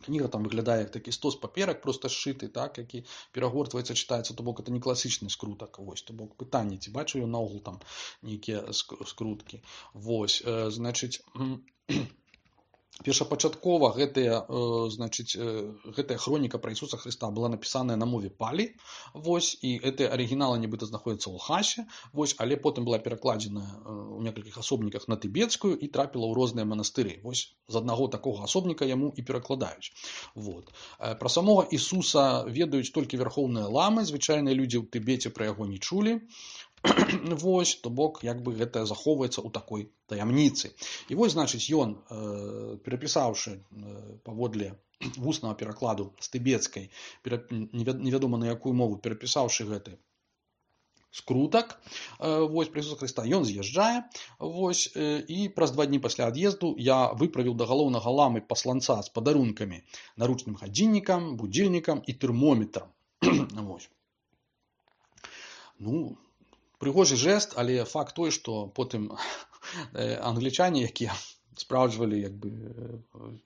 кніга там выглядае як такі стос паперак, проста сшыты, так, які перагортваецца, чытаецца, то бок это не класічны скрутак, вось, то бок пытанне, ці бачу ён наогул там нейкія скруткі. Вось, э, значыць, першапачаткова гэтая, значыць, гэтая хроніка пра Ісуса Хрыста была напісаная на мове палі, вось, і гэтыя арыгіналы нібыта знаходзяцца ў Лхасе, вось, але потым была перакладзеная ў некалькіх асобніках на тыбецкую і трапіла ў розныя манастыры. Вось з аднаго такога асобніка яму і перакладаюць. Вот. Пра самога Ісуса ведаюць толькі вярхоўныя ламы, звычайныя людзі ў Тыбеце пра яго не чулі. Вось, то бок, як бы гэта захоўваецца ў такой таямніцы. І вось, значыць, ён, э, перапісаўшы э, паводле вуснага перакладу з тыбецкай, перап... невядома на якую мову, перапісаўшы гэты скрутак, э, вось, пра Ісуса Хрыста, ён з'язджае, вось, э, і праз два дні пасля ад'езду я выправіў да галоўнага ламы пасланца з падарункамі, наручным гадзіннікам, будзільнікам і тэрмометрам. Вось. Ну, прыгожы жэст, але факт той, што потым англічане, якія спраўджвалі як бы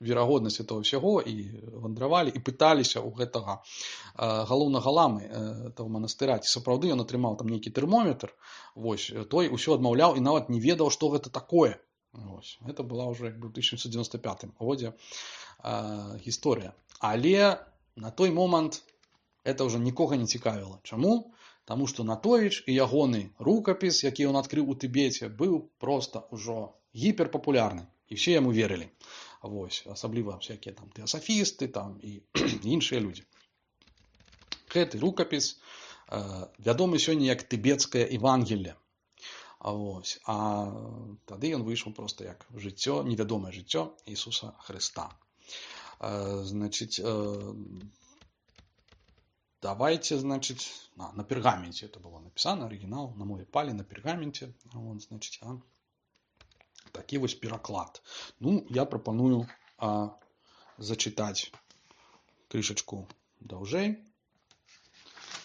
верагоднасць этого ўсяго і вандравалі і пыталіся ў гэтага галоўнага ламы того манастыра, ці сапраўды ён атрымаў там нейкі тэрмометр, вось, той усё адмаўляў і нават не ведаў, што гэта такое. Вось. Гэта была ўжо як бы ў тысяча дзевяцьсот дзевяносто пятым годзе гісторыя. Але на той момант это ўжо нікога не цікавіла. Чаму? Таму што Натовіч і ягоны рукапіс, які ён адкрыў у Тыбеце, быў проста ўжо гіперпапулярны. І все яму верылі. Вось, асабліва всякія там тэасафісты там, і іншыя людзі. Гэты рукапіс э, вядомы сёння як тыбецкае Евангелле. Вось. А тады ён выйшаў проста як жыццё, невядомае жыццё Ісуса Хрыста. Э, значыць, э, давайте, значит, на, на пергаменте это было написано, оригинал на мове палі на пергаменте. Вот, значит, а, такі вось пераклад. Ну, я прапаную а, зачытаць крышачку даўжэй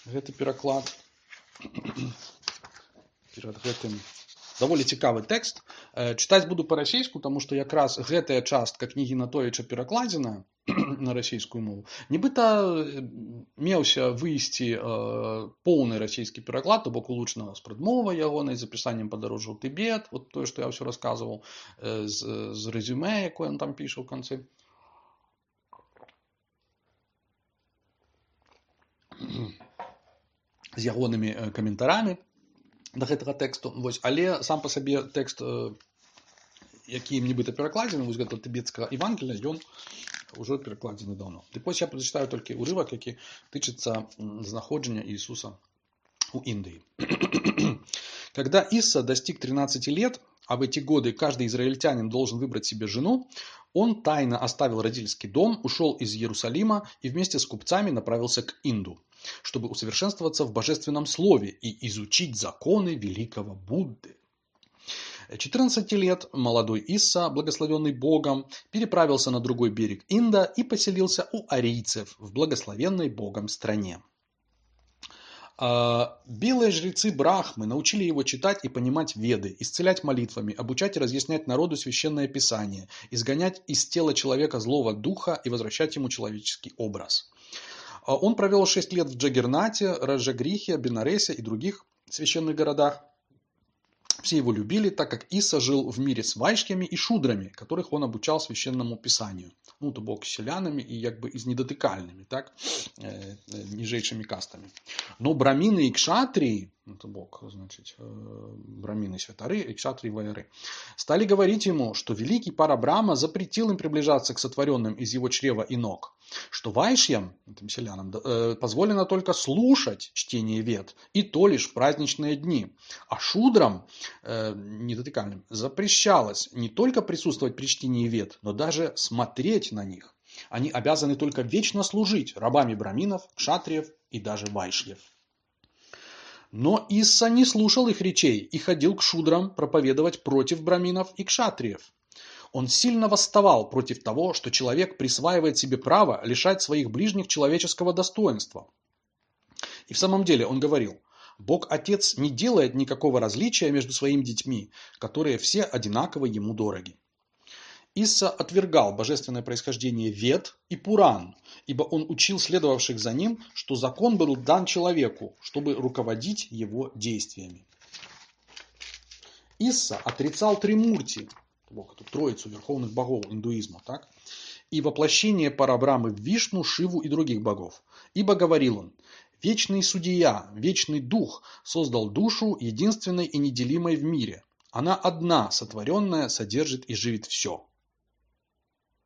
гэты пераклад. Перад гэтым даволі цікавы тэкст. Чытаць буду па-расейску, таму што якраз гэтая частка кнігі Натовіча перакладзена на расійскую мову. Нібыта меўся выйсці э, поўны расійскі пераклад, то бок улучшана з прадмовай ягонай, з апісаннем падарожжа ў Тыбет, вот тое, што я ўсё расказваў, э, з, з рэзюмэ, якое ён там піша ў канцы. З ягонымі каментарамі да гэтага тэксту. Вось. Але сам па сабе тэкст, э, які нібыта перакладзены, вось гэта тыбецкага Евангелля, ён уже перекладзены давно. Дык вось я прачытаю толькі урывак, які тычыцца знаходжання Иисуса у Индии. Когда Исса достиг тринадцати лет, а в эти годы каждый израильтянин должен выбрать себе жену, он тайно оставил родительский дом, ушел из Иерусалима и вместе с купцами направился к Инду, чтобы усовершенствоваться в божественном слове и изучить законы великого Будды. четырнадцати лет молодой Исса, благословенный Богом, переправился на другой берег Инда и поселился у арийцев в благословенной Богом стране. Белые жрецы Брахмы научили его читать и понимать Веды, исцелять молитвами, обучать и разъяснять народу священное писание, изгонять из тела человека злого духа и возвращать ему человеческий образ. Он провел шесть лет в Джаггернате, Раджагрихе, Бенаресе и других священных городах. Все его любили, так как Исса жил в мире с вайшьями и шудрами, которых он обучал священному писанию. Ну, то бок селянами и как бы из недотыкальными, так, э, нижейшими кастами. Но брамины и кшатрии, ну, то бок, значит, э, брамины святары и кшатрии вайры, стали говорить ему, что великий Парабрама запретил им приближаться к сотворенным из его чрева и ног, что вайшьям, этим селянам, э, позволено только слушать чтение вед, и то лишь в праздничные дни, а шудрам, э, недотыкальным, запрещалось не только присутствовать при чтении вед, но даже смотреть на них. Они обязаны только вечно служить рабами браминов, кшатриев и даже вайшьев. Но Исса не слушал их речей и ходил к шудрам проповедовать против браминов и кшатриев. Он сильно восставал против того, что человек присваивает себе право лишать своих ближних человеческого достоинства. И в самом деле он говорил: Бог Отец не делает никакого различия между своими детьми, которые все одинаково ему дороги. Исса отвергал божественное происхождение Вед и Пуран, ибо он учил следовавших за ним, что закон был дан человеку, чтобы руководить его действиями. Исса отрицал Тримурти, бок, эту троицу верховных богов индуизма, так? И воплощение Парабрамы в Вишну, Шиву и других богов. Ибо говорил он: вечный судья, вечный дух создал душу единственной и неделимой в мире. Она одна, сотворенная, содержит и живит все.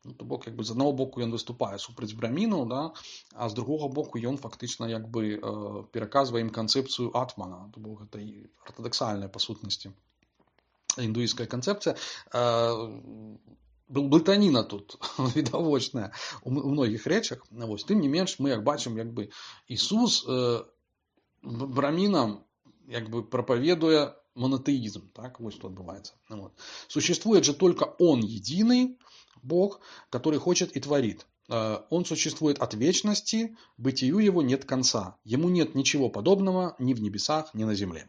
Ну, то бок, якби, з одного боку ён выступае супраць брамінаў, да, а з другого боку ён фактычна якби э, пераказвае ім канцэпцыю атмана. То бок, гэта і ортодоксальная па сутнасці індуісцкая канцэпцыя. Э, блытаніна тут відавочная у многіх рэчах. Вось, тым не менш, мы як бачым, якби Ісус э, брамінам якби прапаведуе монотеизм, так, вот что отбывается. Вот. Существует же только Он единый Бог, который хочет и творит. Он существует от вечности, бытию Его нет конца. Ему нет ничего подобного ни в небесах, ни на земле.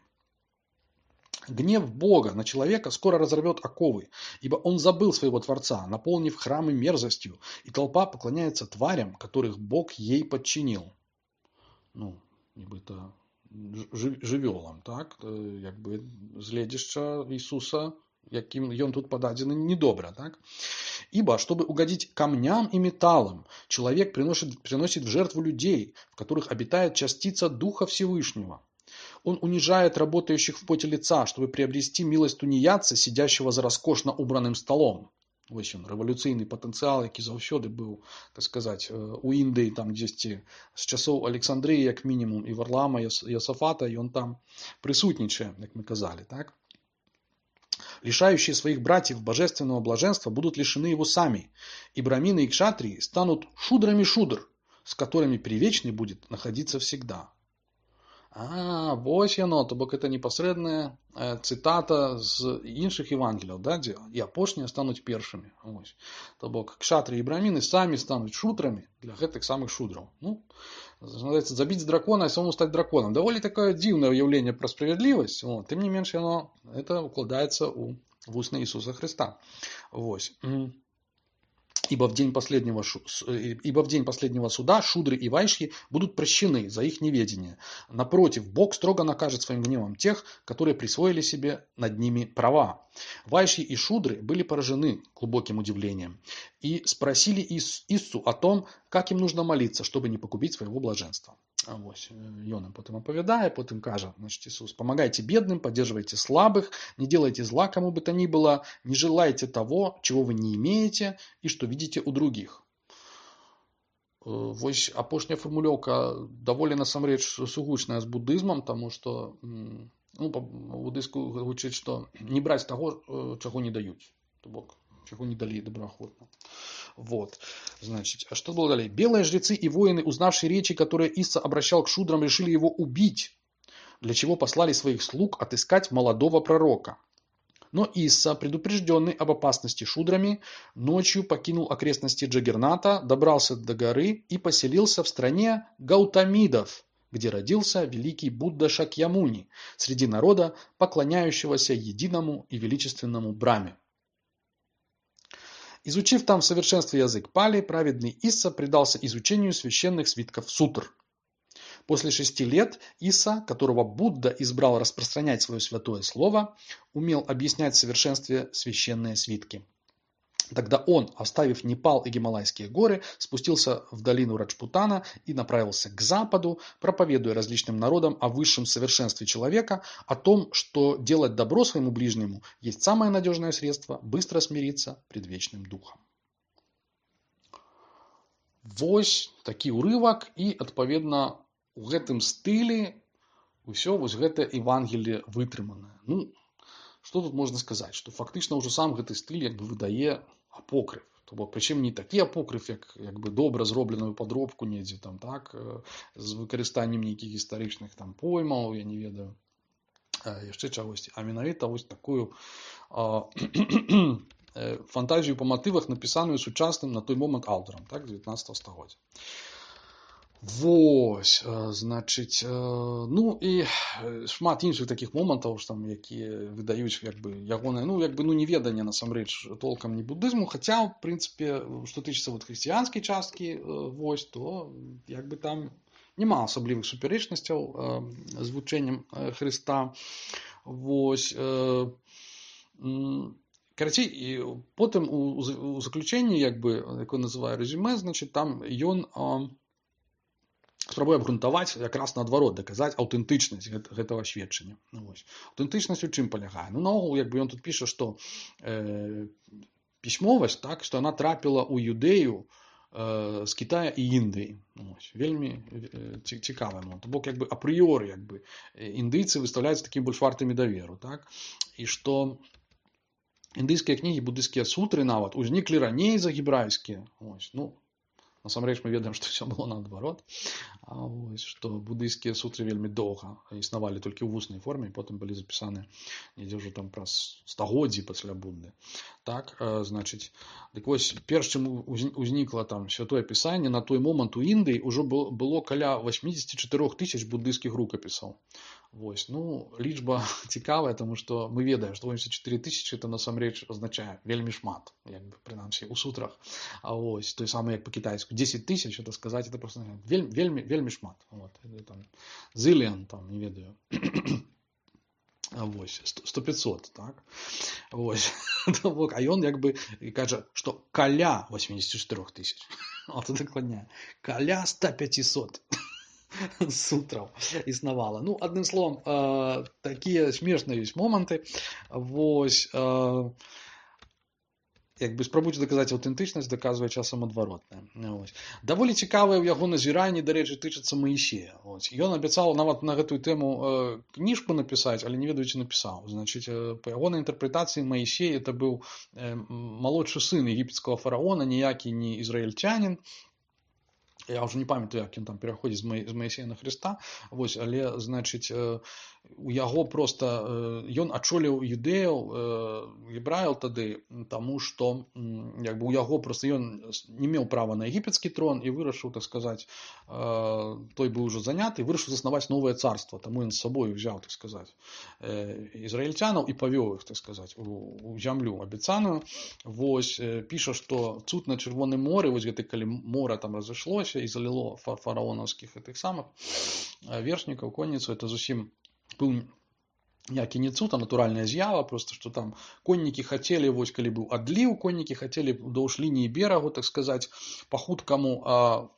Гнев Бога на человека скоро разорвет оковы, ибо он забыл своего Творца, наполнив храмы мерзостью, и толпа поклоняется тварям, которых Бог ей подчинил. Ну, нібито жывёлам, так, якби згледзяшча Иисуса, яким ён тут подадзены недобра, так. Ибо, чтобы угодить камням и металлам, человек приносит, приносит в жертву людей, в которых обитает частица Духа Всевышнего. Он унижает работающих в поте лица, чтобы приобрести милость тунеядца, сидящего за роскошно убранным столом. Вось ён, рэвалюцыйны патэнцыял, які заўсёды быў, так сказаць, у Індыі, там дзесьці з часоў Александрыі, як мінімум, і Варлама, і Йосафата, ён там присутнічае, як мы казали, так? Лишающие своих братьев божественного блаженства будут лишены его сами, и брамины и кшатрии станут шудрами шудр, с которыми привечный будет находиться всегда. А, вось яно, то бок это непасрэдная э, цытата з іншых Евангелияў, да, дзе і апошнія стануць першымі. Вось. То бок кшатры і браміны самі стануць шутрамі для гэтых самых шудраў. Ну, называется, забіць дракона і самому стаць драконом. Даволі такое дзіўнае ўяўленне пра справядлівасць. Вот. Тым не менш яно это укладаецца ў вусны Ісуса Христа. Вось. Ибо в день последнего, ибо в день последнего суда шудры и вайшьи будут прощены за их неведение. Напротив, Бог строго накажет своим гневом тех, которые присвоили себе над ними права. Вайшьи и шудры были поражены глубоким удивлением и спросили Иссу о том, как им нужно молиться, чтобы не погубить своего блаженства. Ось, ён им потом оповедает, потом кажет, значит, Иисус: помогайте бедным, поддерживайте слабых, не делайте зла кому бы то ни было, не желайте того, чего вы не имеете и что видите у других. Вось апошняя формулёўка даволі насамрэч сугучная з буддызмам, тому что, ну, буддызку гучыць, что не браць таго, чаго не даюць, то бок чего не дали доброохотно. Вот. Значит, а что было далее? Белые жрецы и воины, узнавшие речи, которые Исса обращал к шудрам, решили его убить, для чего послали своих слуг отыскать молодого пророка. Но Исса, предупрежденный об опасности шудрами, ночью покинул окрестности Джаггерната, добрался до горы и поселился в стране Гаутамидов, где родился великий Будда Шакьямуни, среди народа, поклоняющегося единому и величественному Браме. Изучив там в совершенстве язык пали, праведный Исса предался изучению священных свитков сутр. После шести лет Исса, которого Будда избрал распространять свое святое слово, умел объяснять в совершенстве священные свитки. Тогда он, оставив Непал и Гималайские горы, спустился в долину Раджпутана и направился к западу, проповедуя различным народам о высшем совершенстве человека, о том, что делать добро своему ближнему есть самое надежное средство быстро смириться пред вечным духом. Вось такі ўрывак, і, адпаведна, у гэтым стылі ўсё вось гэта Евангелие вытрыманае. Ну, што тут можна сказаць? Што фактычна ўжо сам гэты стыль як бы выдае апокрыф. То бок, прычым не такі апокрыф, як, як бы добра зробленую падробку недзе там, так, з выкарыстаннем нейкіх гістарычных там поймаў, я не ведаю, яшчэ чагосьці, а менавіта вось такую а, фантазію па матывах, напісаную сучасным на той момант аўтарам, так, дзевятнаццатага стагоддзя. Вось, значыць, ну і шмат іншых такіх момантаў, там, якія выдаюць як бы ягонае, ну, як бы, ну, неведанне насамрэч толкам не буддызму, хаця, в прынцыпе, што тычыцца вот хрысціянскай часткі, вось, то як бы там няма асаблівых супярэчнасцяў з вучэннем Хрыста. Вось, Карацей, і потым у, у заключэнні, як бы, якое называю резюме, значит, там ён а, спрабуе абгрунтаваць якраз наадварот, даказаць аўтэнтычнасць гэта, гэтага сведчання. Вось. Аўтэнтычнасць у чым палягае? Ну, наогул, як бы ён тут піша, што э, пісьмовасць, так, што яна трапіла ў Юдэю э, з Китая і Індыі. Вось. Вельмі э, цікавы момант. Бок, як бы, апрыёры, як бы, індыйцы выстаўляюцца такімі больш вартымі даверу, так? І што індыйскія кнігі, буддыйскія сутры нават узніклі раней за гебрайскія. Ось. Ну, насамрэч мы ведаем, што ўсё было наадварот. А вось, што буддыйскія сутры вельмі доўга існавалі толькі ў вуснай форме, і потым былі запісаны недзе ўжо там праз стагоддзі пасля Будды. Так, э, значыць, дык вось, перш чым узнікла там святое пісанне, на той момант у Індыі ўжо было, было каля восемьдесят четыре тысяч буддыйскіх рукапісаў. Вось, ну, лічба цікавая, тому што мы ведаем, што восемьдесят четыре тысячи это насамрэч азначае вельмі шмат, як бы, прынамсі, у сутрах. А вось, той самы, як па-кітайску, десять тысяч, это сказаць, это просто вельмі, вельмі, вельмі шмат. Вот, там, зыліан, там, не ведаю. А вось, сто пятьсот, так? Вось. А ён, як бы, кажа, што каля восемьдесят четыре тысяч. Вот, дакладняе. Каля сто пятьсот. Сутраў існавала. Ну, адным словам, э, такія смешныя ёсць моманты. Вось, э, як бы спрабуюць даказаць аўтэнтычнасць, даказвае часам адваротнае. Вось. Даволі цікавыя ў яго назіранні, дарэчы, тычацца Маісея. Вось. Ён абяцаў нават на гэтую тэму э, кніжку напісаць, але не ведаю, ці напісаў. Значыць, э, па ягонай інтэрпрэтацыі Маісей это быў э, малодшы сын егіпецкага фараона, ніякі не ізраільцянін. Я ўжо не памятаю, як ён там пераходзіць з Маісея на Хрыста, вось, але, значыць, у яго проста, ён ачоліў юдэяў, гебраяў тады, таму што, як бы, у яго проста ён не меў права на егіпецкі трон і вырашыў, так сказаць, той быў ужо заняты, вырашыў заснаваць новае царства, таму ён з сабою взяў, так сказаць, ізраільцянаў і павёў іх, так сказаць, у зямлю абяцаную. Вось, піша, што цуд на Чырвоным моры, вось гэта калі мора там разышлося, і заліло фараонаўскіх гэтых самых вершнікаў, конніцу, это зусім быў ніякі не цуд, а натуральная з'ява, просто што там коннікі хацелі, вось калі быў адліў, коннікі хацелі ўдоўж лініі берагу, так сказаць, па-хуткаму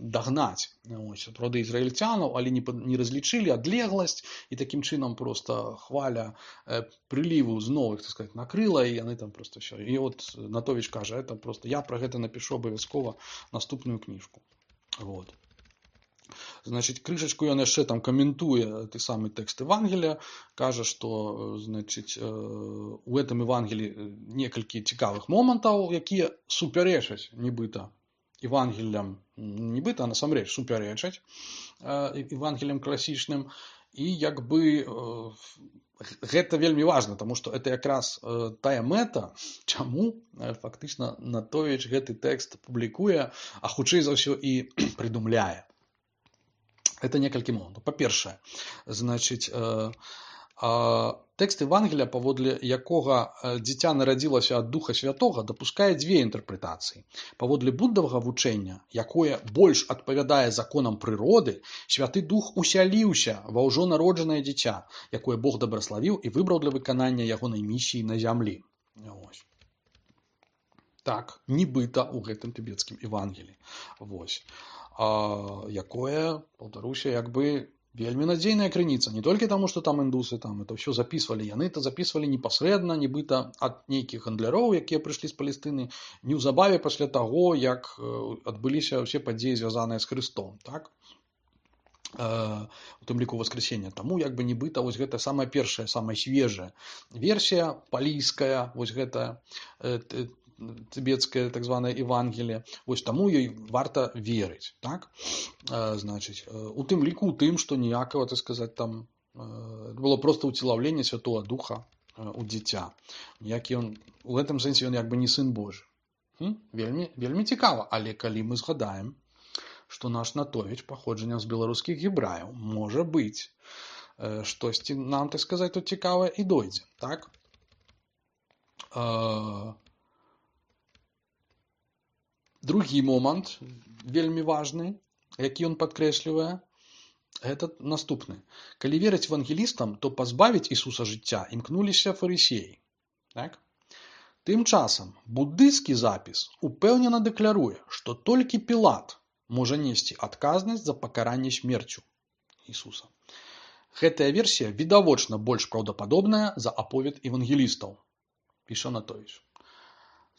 дагнаць, ось, роды ізраільцянаў, але не, не разлічылі адлегласць, і такім чынам просто хваля э, прыліву зноў, так сказаць, накрыла, і яны там просто ўсё. І от Натовіч кажа, это просто я пра гэта напішу абавязкова наступную кніжку. Вот. Значит, крышечку ён яшчэ там каментуе той самы тэкст Евангелія, кажа, што, значит, у гэтым Евангеліі некалькі цікавых момантаў, якія супярэчаць нібыта Евангеліям, нібыта, а насамрэч супярэчаць Евангеліям класічным, і як бы гэта вельмі важна, таму што это якраз тая мэта, чаму фактычна Натовіч гэты тэкст публікуе, а хутчэй за ўсё і прыдумляе. Это некалькі момантаў. Па-першае, значыць, тэкст Евангелія, паводле якога дзіця нарадзілася ад Духа Святога, дапускае дзве інтэрпрэтацыі. Паводле буддавага вучэння, якое больш адпавядае законам прыроды, Святы Дух усяліўся ва ўжо народжанае дзіця, якое Бог дабраславіў і выбраў для выканання ягонай місіі на зямлі. Вось. Так, нібыта ў гэтым тыбецкім Евангеліі. Вось. А, якое, паўтаруся, як бы вельмі надзейная крыніца. Не толькі таму, што там індусы там это ўсё записывалі, яны это записывалі непасрэдна, нібыта ад нейкіх гандляроў, якія прыйшлі з Палестыны, неўзабаве пасля таго, як адбыліся ўсе падзеі, звязаныя з Хрыстом. Так? Э, у тым ліку воскресення. Таму як бы нібыта вось гэта самая першая, самая свежая версія палійская, вось гэта э, тыбецкае так званае Евангелие. Вось таму ёй варта верыць, так? Э, значыць, э, у тым ліку у тым, што ніякага, так сказаць, там э, было проста ўцелаўленне Святого Духа э, у дзіця. Ніякі ён у гэтым сэнсе ён як бы не сын Божы. Хм? Вельмі вельмі цікава, але калі мы згадаем, што наш Натовіч паходжаннем з беларускіх гебраяў, можа быць, э, штосьці нам, так сказаць, тут цікавае і дойдзе, так? Э, Другі момант, вельмі важны, які ён падкрэслівае, гэта наступны. Калі верыць евангелістам, то пазбавіць Ісуса жыцця імкнуліся фарысеі. Так? Тым часам буддысцкі запіс упэўнена дэкларуе, што толькі Пілат можа несці адказнасць за пакаранне смерцю Ісуса. Гэтая версія відавочна больш праўдападобная за аповед евангелістаў, піша Анатовіч.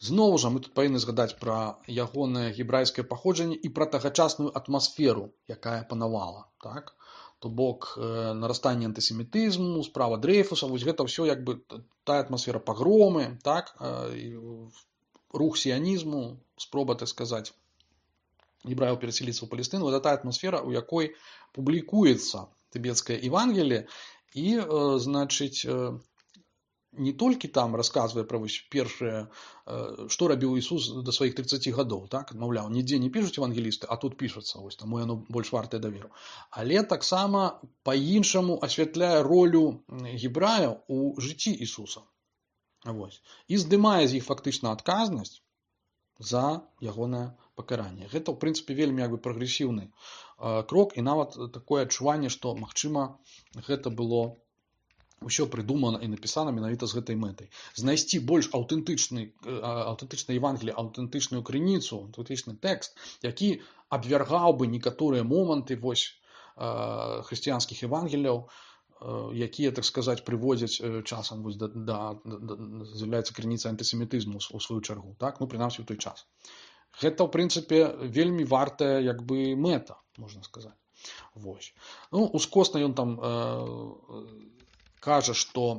Зноў жа мы тут павінны згадаць пра ягонае гебрайскае паходжанне і пра тагачасную атмасферу, якая панавала. Так? То бок э, нарастанне антысемітызму, справа Дрейфуса, вось гэта ўсё як бы тая атмасфера пагромы, так? э, рух сіянізму, спроба, так сказаць, гебраев переселиться в Палестину, это та атмосфера, у якой публікуецца тыбецкае Евангелие, и, э, значит, э, не толькі там расказвае пра вось першае, э, што рабіў Ісус да сваіх тридцати гадоў, так, маўляў, нідзе не пішуць евангелісты, а тут пішацца, вось таму яно больш вартае даверу. Але таксама па-іншаму асвятляе ролю гебраяў у жыцці Ісуса. Вось. І здымае з іх фактычна адказнасць за ягонае пакаранне. Гэта, ў прынцыпе, вельмі як бы прагрэсіўны э, крок, і нават такое адчуванне, што, магчыма, гэта было ўсё прыдумана і напісана менавіта з гэтай мэтай. Знайсці больш аўтэнтычны, аўтэнтычнае Евангелие, аўтэнтычную крыніцу, аўтэнтычны тэкст, які абвяргаў бы некаторыя моманты вось э, хрысціянскіх Евангелияў, якія, так сказаць, прыводзяць часам вось да, да, да, з'яўляецца крыніцай антысемітызму у сваю чаргу, так? Ну, прынамсі ў той час. Гэта, ў прынцыпе, вельмі вартая, як бы, мэта, можна сказаць. Вось. Ну, ускосна ён там э, кажа, што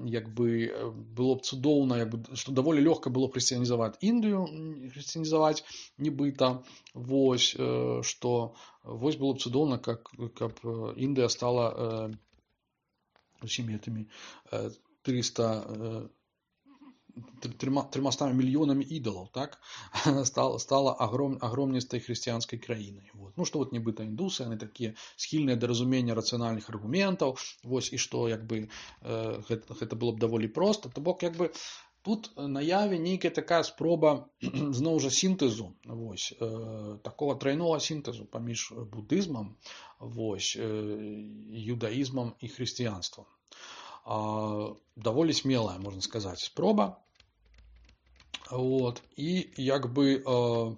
як бы было б цудоўна, як бы, што даволі лёгка было хрысціянізаваць Індыю, хрысціянізаваць нібыта, вось, э, што вось было б цудоўна, как, каб Індыя стала э, усімі гэтымі э, триста тремястами миллионами идолов, так, стала, стала огром, огромнистой христианской краиной. Вот. Ну, что вот нібыта индусы, они такие схильные до разумения рациональных аргументов, вот, и что, як бы, э, гэта, гэта было б даволі просто, то бок, як бы, тут наяве нейкая такая спроба, зноў жа, синтезу, вось, э, такого тройного синтезу паміж буддызмом, вось, э, юдаизмом и христианством. Э, даволі смелая, можно сказать, спроба. Вот. І як бы э,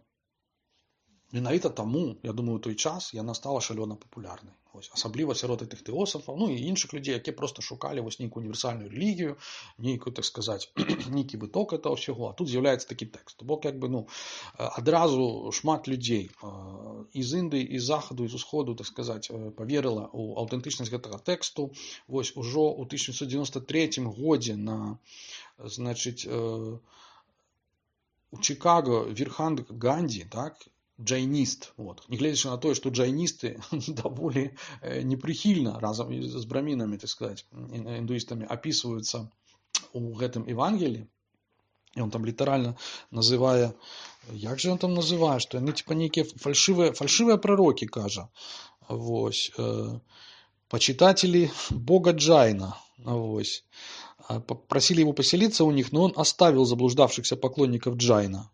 менавіта таму, я думаю, у той час яна стала шалёна папулярнай. Ось, асабліва сярод гэтых тэосафаў, ну і іншых людзей, якія проста шукалі вось нейкую універсальную рэлігію, нейкую, так сказаць, нейкі выток этого ўсяго, а тут з'яўляецца такі тэкст. Бок, як бы, ну, адразу шмат людзей э, з Індыі, з захаду, з усходу, так сказаць, паверыла ў аўтэнтычнасць гэтага тэксту. Вось ужо ў тысяча сямсот дзевяносто третьем годзе на, значыць, э, у Чикаго Вірханг Ганді, так, джайніст, вот. Не глядзячы на тое, што джайністы даволі непрыхільна разам з брамінамі, так сказаць, індуістамі апісваюцца у гэтым Евангеліі. І он там літаральна называе, як же он там называе, што яны типа нейкія фальшывыя, фальшывыя прарокі, кажа. Вось. Э, почитатели бога Джайна. Вось. Просили его поселиться у них, но он оставил заблуждавшихся поклонников Джайна.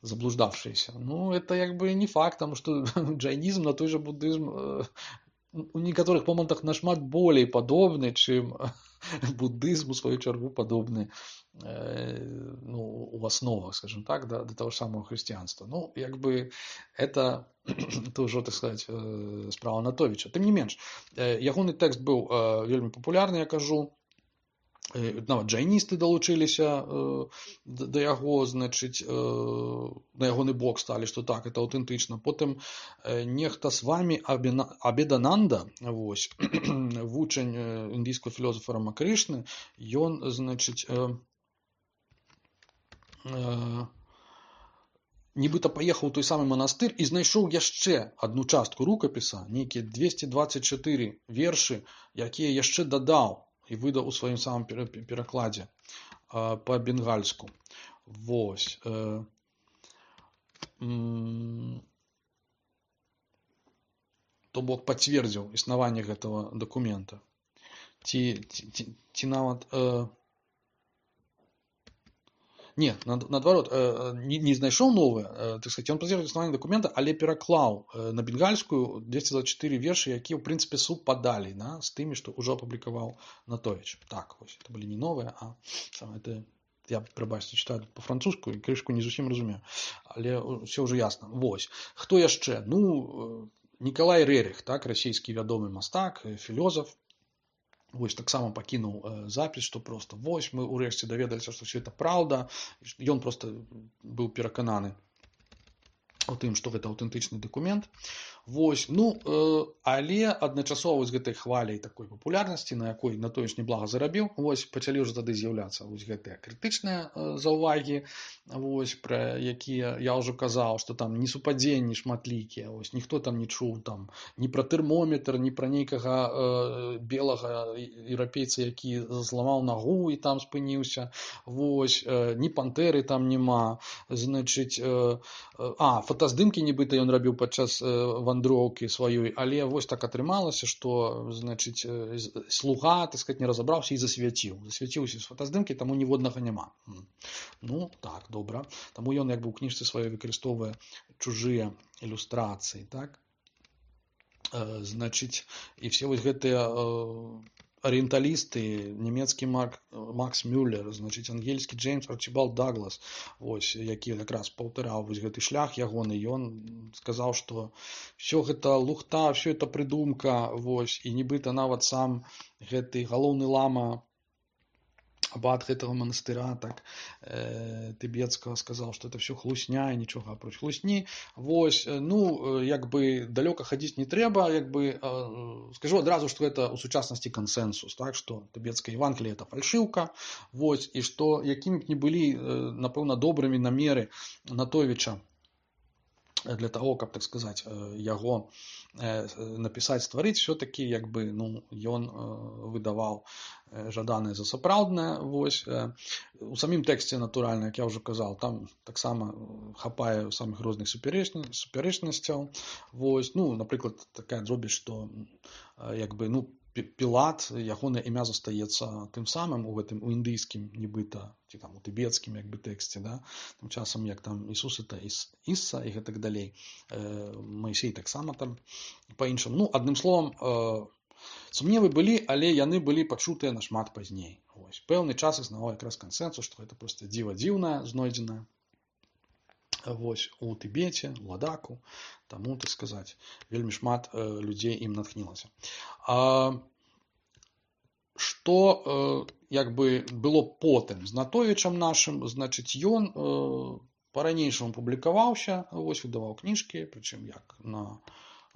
Заблуждавшиеся. Ну, это как бы не факт, потому что джайнизм на той же буддизм э, у некоторых моментах нашмат более подобный, чем буддизм у свою чергу подобный э, ну, у основах, скажем так, до, до того же самого христианства. Ну, как бы это тоже, так сказать, э, справа Анатовича. Тем не менш, э, ягоны тэкст был э, вельмі популярны, я кажу. Нават джайністы далучыліся э, да яго, значыць, э, на ягоны бок сталі, што так, это аўтэнтычна. Потым э, нехта з вамі Абедананда, вось, вучань індыйскага філосафа Рамакрышны, ён, значыць, э, э, нібыта паехаў у той самы манастыр і знайшоў яшчэ адну частку рукапіса, нейкія двести двадцать четыре вершы, якія яшчэ дадаў і выдаў у сваім самым перакладзе э, па-бенгальску. Вось. Э, м, то бок пацвердзіў існаванне гэтага дакумента. Ці, ці, ці, ці нават... Э, не, наадварот, э, не, не знайшоў новае, э, так сказать, ён пацвердзіў існаванне дакумента, але пераклаў э, на бенгальскую двести двадцать четыре вершы, якія, ў прынцыпе, супадалі, да, з тымі, што ўжо апублікаваў Анатовіч. Так, вось, это былі не новыя, а самае тыя я, прабачце, читаю по-французску і крышку не зусім разумею, але все ўжо ясна. Вось. Хто яшчэ? Ну, Николай Рерих, так, расійскі вядомы мастак, філёзаф. Вось таксама пакінуў запіс, што просто вось мы ўрэшце даведаліся, што все это праўда. Ён просто быў перакананы у тым, што гэта аўтэнтычны дакумент. Вось, ну, э, але адначасова з гэтай хваляй такой папулярнасці, на якой на тое ж неблага зарабіў, вось пачалі ўжо тады з'яўляцца вось гэтыя крытычныя э, заўвагі, вось, пра якія я ўжо казаў, што там несупадзенні шматлікія, вось, ніхто там не чуў там ні пра тэрмометр, ні пра нейкага э, белага еўрапейца, які зламаў нагу і там спыніўся, вось, э, ні пантэры там няма, значыць, э, э, а, фотаздымкі нібыта ён рабіў падчас э, вандроўкі сваёй, але вось так атрымалася, што, значыць, слуга, так сказать, не разабраўся і засвяціў. Засвяціўся з фотаздымкі, таму ніводнага няма. Ну, так, добра. Таму ён як бы ў кніжцы сваёй выкарыстоўвае чужыя ілюстрацыі, так? Э, значыць, і все вось гэтыя э, арыенталісты, нямецкі Мак, Макс Мюллер, значыць, ангельскі Джеймс Арчибалд Даглас, вось, які якраз паўтараў вось гэты шлях ягоны, ён сказаў, што все гэта лухта, все это прыдумка, вось, і нібыта нават сам гэты галоўны лама абат гэтага манастыра, так, э, тыбецкага, сказаў, што это все хлусня і нічога апроч хлусні. Вось, ну, як бы далёка хадзіць не трэба, як бы, э, скажу адразу, што гэта ў сучаснасці кансэнсус, так, што тыбецкая Евангелие это фальшыўка, вось, і што якімі б не былі, э, напэўна, добрымі намеры Натовіча для того, каб, так сказаць, яго напісаць, стварыць, все-таки, як бы, ну, ён выдаваў жаданае за сапраўднае, вось. У самім тэксце, натуральна, як я ўжо казаў, там таксама хапае самых розных супярэчнасцяў, вось, ну, напрыклад, такая дробязь, што, як бы, ну, Пілат, ягонае імя застаецца тым самым у гэтым, у індыйскім, нібыта, ці там у тыбецкім, як бы, тэксце, да, тым часам, як там Ісус это Ісса і гэтак далей, Маісей таксама там па-іншаму. Ну, адным словам, сумневы былі, але яны былі пачутыя нашмат пазней. Вось, пэўны час існаваў якраз кансэнсус, што гэта проста дзіва дзіўнае, знойдзенае, вось, у Тыбеце, у Ладаку, таму, так сказаць, вельмі шмат э, людзей ім натхнілася. А, што, э, як бы, было потым з Натовічам нашым, значыць, ён э, па-ранейшаму публікаваўся, вось, выдаваў кніжкі, прычым як на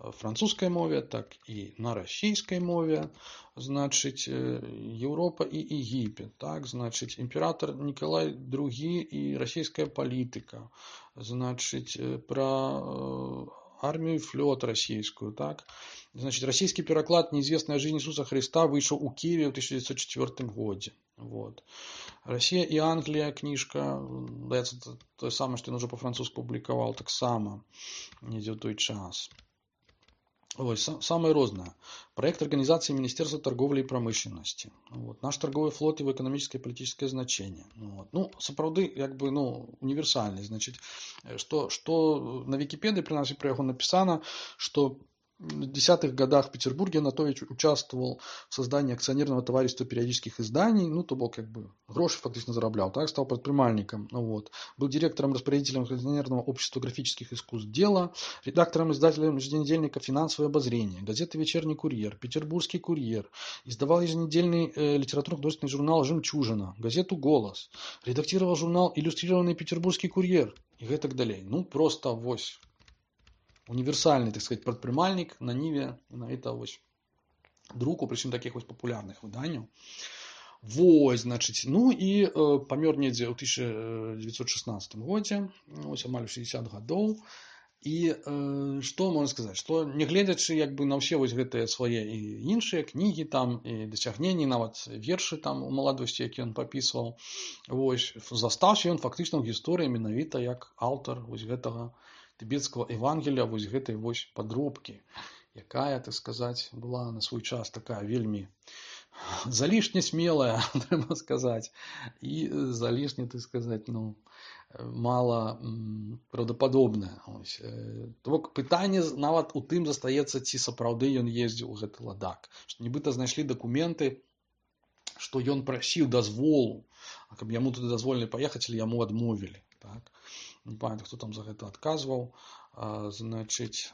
французскай мове, так і на расійскай мове, значыць, Еўропа і Егіпет, так, значыць, імператор Николай другі і расійская палітыка, значыць, пра армію і флот расійскую, так, значыць, расійскі пераклад «Неизвестная жизнь Иисуса Христа» выйшаў у Киеве ў тысяча девятьсот четвёртым годзе, вот. Россия і Англія кніжка, даецца тое самае, што ён ужо па-французску публікаваў таксама, недзе ў той час. Ось, самое розное. Проект организации Министерства торговли и промышленности. Вот. Наш торговый флот, его экономическое и политическое значение. Вот. Ну, сапраўды, як бы, ну, универсальный. Значит, что, что на Википедии, при нас и про его написано, что в десятых годах в Петербурге Натович участвовал в создании акционерного товарищества периодических изданий, ну, то был, как бы, гроши фактически зараблял, так, стал предпринимальником, вот. Был директором-распорядителем акционерного общества графических искусств «Дело», редактором-издателем еженедельника «Финансовое обозрение», газеты «Вечерний курьер», «Петербургский курьер», издавал еженедельный э, литературно-художественный журнал «Жемчужина», газету «Голос», редактировал журнал «Иллюстрированный Петербургский курьер» и так далее. Ну, просто вось. Универсальный, так сказать, прадпрымальнік на ніве на это вось друку, прычым таких вось папулярных выданняў. Вось, значыць, ну і э, памёр недзе ў тысяча девятьсот шестнадцатым годзе, ось амаль шестьдесят гадоў. І э, што можна сказаць, што нягледзячы як бы на ўсе вось гэтыя свае і іншыя кнігі там і дасягненні, нават вершы там у маладосці, які ён папісваў, вось, застаўся ён фактычна ў гісторыі менавіта як аўтар вось гэтага тыбецкага Евангелия, вось гэтай вось падробкі, якая, так сказаць, была на свой час такая вельмі залішне смелая, трэба сказаць, і залішне, так сказаць, ну, мала правдападобная. То бок пытанне нават у тым застаецца, ці сапраўды ён ездзіў у гэты Ладак. Што нібыта знайшлі дакументы што ён прасіў дазволу, каб яму туды дазволілі паехаць, але яму адмовілі. Так? Не памятаю, хто там за гэта адказваў. А, значыць,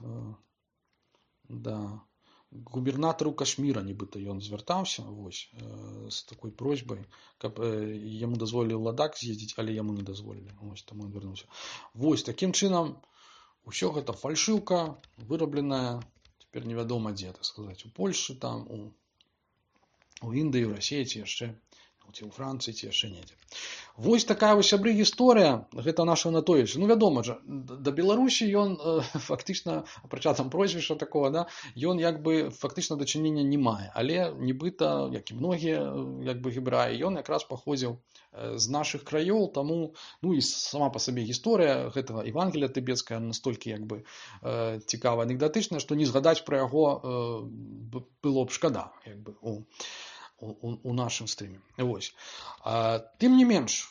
да, губернатару Кашміра нібыта ён звяртаўся вось, з такой просьбай, каб яму дазволілі ў Ладак з'ездзіць, але яму не дазволілі. Вось, таму ён вярнуўся. Вось, такім чынам, усё гэта фальшыўка, вырабленая, цяпер невядома дзе, так сказаць, у Польшы, там, у, у Індыі, у Расіі, ці яшчэ, ці ў Францыі, ці яшчэ недзе. Вось такая вось, сябры, гісторыя, гэта наша Анатолійович. Ну, вядома жа, да Беларусі ён э, фактычна, апрача там прозвішча такого, да, ён як бы фактычна дачынення не мае, але нібыта, як і многія як бы гебраі, ён якраз паходзіў з нашых краёў, таму, ну і сама па сабе гісторыя гэтага Евангелія тыбецкая настолькі як бы э, цікава, анекдатычная, што не згадаць пра яго э, было б шкада, як бы, у У, у нашым стрыме. Вось. А, тым не менш,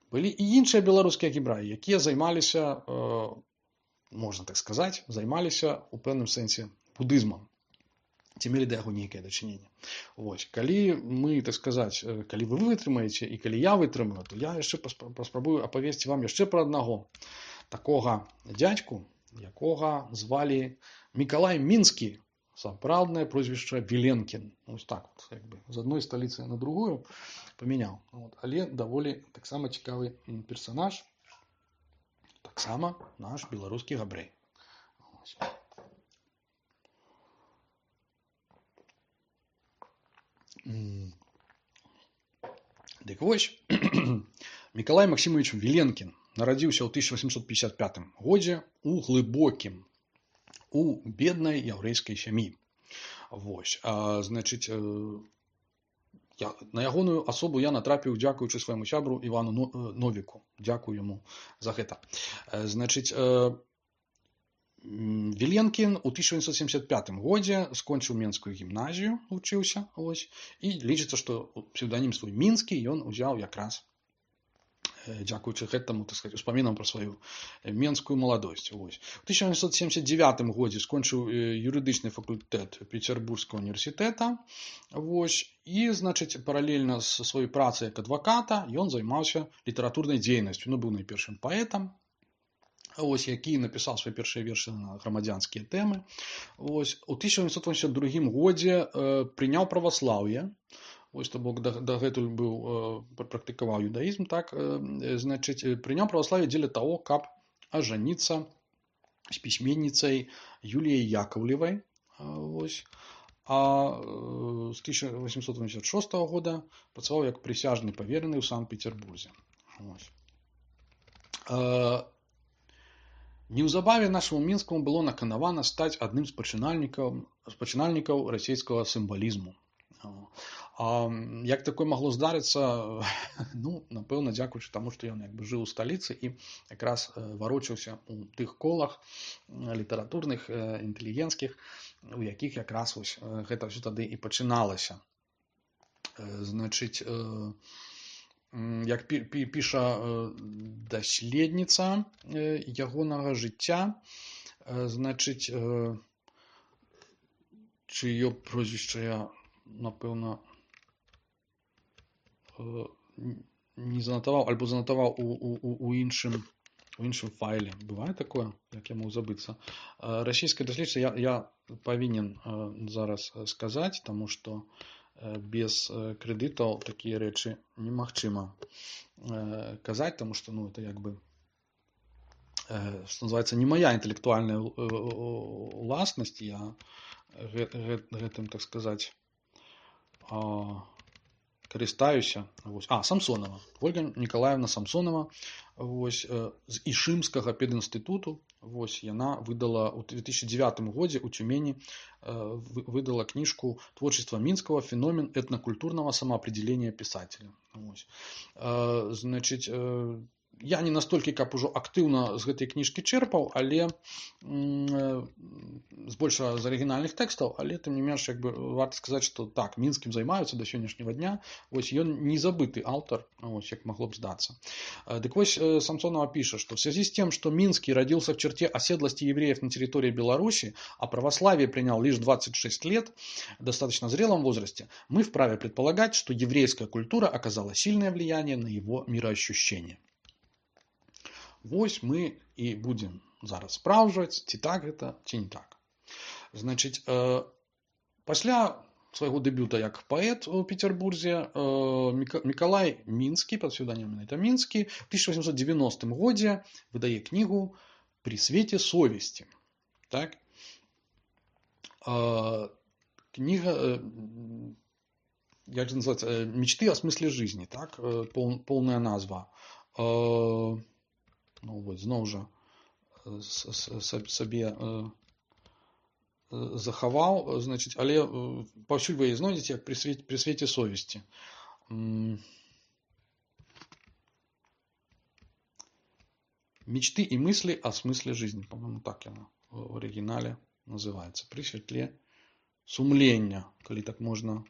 былі і іншыя беларускія гебраі, якія займаліся, э, можна так сказаць, займаліся у пэўным сэнсе будызмам. Ці мелі да яго нейкае дачыненне. Вось. Калі мы, так сказаць, калі вы вытрымаеце і калі я вытрымаю, то я яшчэ паспрабую апавесці вам яшчэ пра аднаго такога дзядзьку, якога звалі Мікалай Мінскі. Сапраўднае прозвішча Віленкін. Ось так вот, як бы, з адной сталіцы на другую памяняў. Вот. Але даволі таксама цікавы персанаж. Таксама наш беларускі габрэй. Ось. Дык вось, Мікалай Максімович Віленкін нарадзіўся ў тысяча васемсот пятьдесят пятым годзе у глыбокім, у беднай яўрэйскай сям'і. Вось. А, значыць, я, на ягоную асобу я натрапіў, дзякуючы свайму сябру Івану Новіку. Дзякую яму за гэта. Значыць, Віленкін у тысяча восемьсот семьдесят пятым годзе скончыў Менскую гімназію, вучыўся, ось, і лічыцца, што псеўданім свой Мінскі ён узяў якраз дзякуючы гэтаму, так сказаць, успамінам пра сваю менскую маладосць. Вось. У тысяча восемьсот семьдесят девятым годзе скончыў юрыдычны факультэт Пецярбургскага універсітэта. Вось. І, значыць, паралельна са сваёй працай як адваката ён займаўся літаратурнай дзейнасцю. Ну, быў найпершым паэтам, ось, які напісаў свае першыя вершы на грамадзянскія тэмы. Вось. У тысяча восемьсот восемьдесят другім годзе э, прыняў праваслаўе. Вось, то бок, дагэтуль быў, э, практыкаваў юдаізм, так, э, значыць, прыняў праваславе дзеля таго, каб ажаніцца з пісьменніцай Юліяй Яковлевай. Э, вось. А э, з тысяча восемьсот восемьдесят шостага года працаваў як прысяжны павераны ў Санкт-Петербурзе. Вось. Э, неўзабаве нашаму Мінскаму было наканавана стаць адным з пачынальнікаў, з пачынальнікаў расійскага сімвалізму. А як такое магло здарыцца? Ну, напэўна, дзякуючы таму, што ён як бы жыў у сталіцы і якраз варочаўся у тых колах літаратурных, інтэлігенцкіх, у якіх якраз вось гэта ўсё тады і пачыналася. Значыць, як піша даследніца ягонага жыцця, значыць, чыё прозвішча я, напэўна, не занатаваў, альбо занатаваў у, у, у, іншым, у іншым файле. Бывае такое, як я мог забыцца. Расійская даследчыца я, я павінен зараз сказаць, таму што без крэдытаў такія рэчы немагчыма казаць, таму што, ну, это як бы, што называецца, не моя інтэлектуальная уласнасць, я гэтым, так сказаць, карыстаюся. Вось. А, Самсонова. Ольга Николаевна Самсонова, вось, з Ішымскага пединстытуту. Вось, яна выдала ў две тысячи девятым годзе ў Тюмені выдала книжку «Творчество Минского. Феномен этнокультурного самоопределения писателя». Вось. Значит, я не настолькі, каб ужо актыўна з гэтай кніжкі чэрпаў, але збольшага з арыгінальных тэкстаў, але тым не менш, як бы варта сказаць, што так, Мінскім займаюцца да сённяшняга дня. Вось ён не забыты аўтар, вось як магло б здацца. Дык вось Самсонова піша, что в связи с тем, что Минский родился в черте оседлости евреев на территории Беларуси, а православие принял лишь двадцать шесть лет, в достаточно зрелом возрасте, мы вправе предполагать, что еврейская культура оказала сильное влияние на его мироощущение. Вось мы і будем зараз спраўджваць, ці так гэта, ці не так. Значыць, э, пасля свайго дэбюта як паэт у Петербурзе э, Мікалай Мінскі, пад псевдонімам это Мінскі, в тысяча восемьсот девяностом годзе выдае кнігу «При свете совести». Так? Э, книга, э, як же называется, э, «Мечты о смысле жизни», так? Э, пол, полная назва. Э, ну вот, зноў жа сабе э, захаваў, значыць, але паўсюль вы яе знойдзеце як при свете, при свете совести. Мечты и мысли о смысле жизни. По-моему, так яна в оригинале называется. При светле сумлення, калі так можна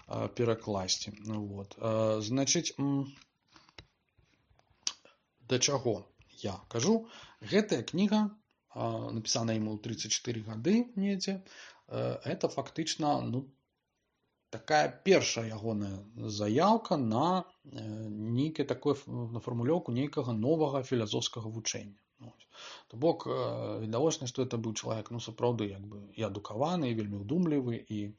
перакласці. Вот. Значыць, да чаго я кажу? Гэтая кніга, написана ему тридцать четыре гады недзе, это фактычна, ну, такая першая ягоная заяўка на нейкае такое, на фармулёўку нейкага новага філасофскага вучэння. То бок, відавочна, што это быў чалавек, ну, сапраўды, як бы, і адукаваны, і вельмі ўдумлівы, і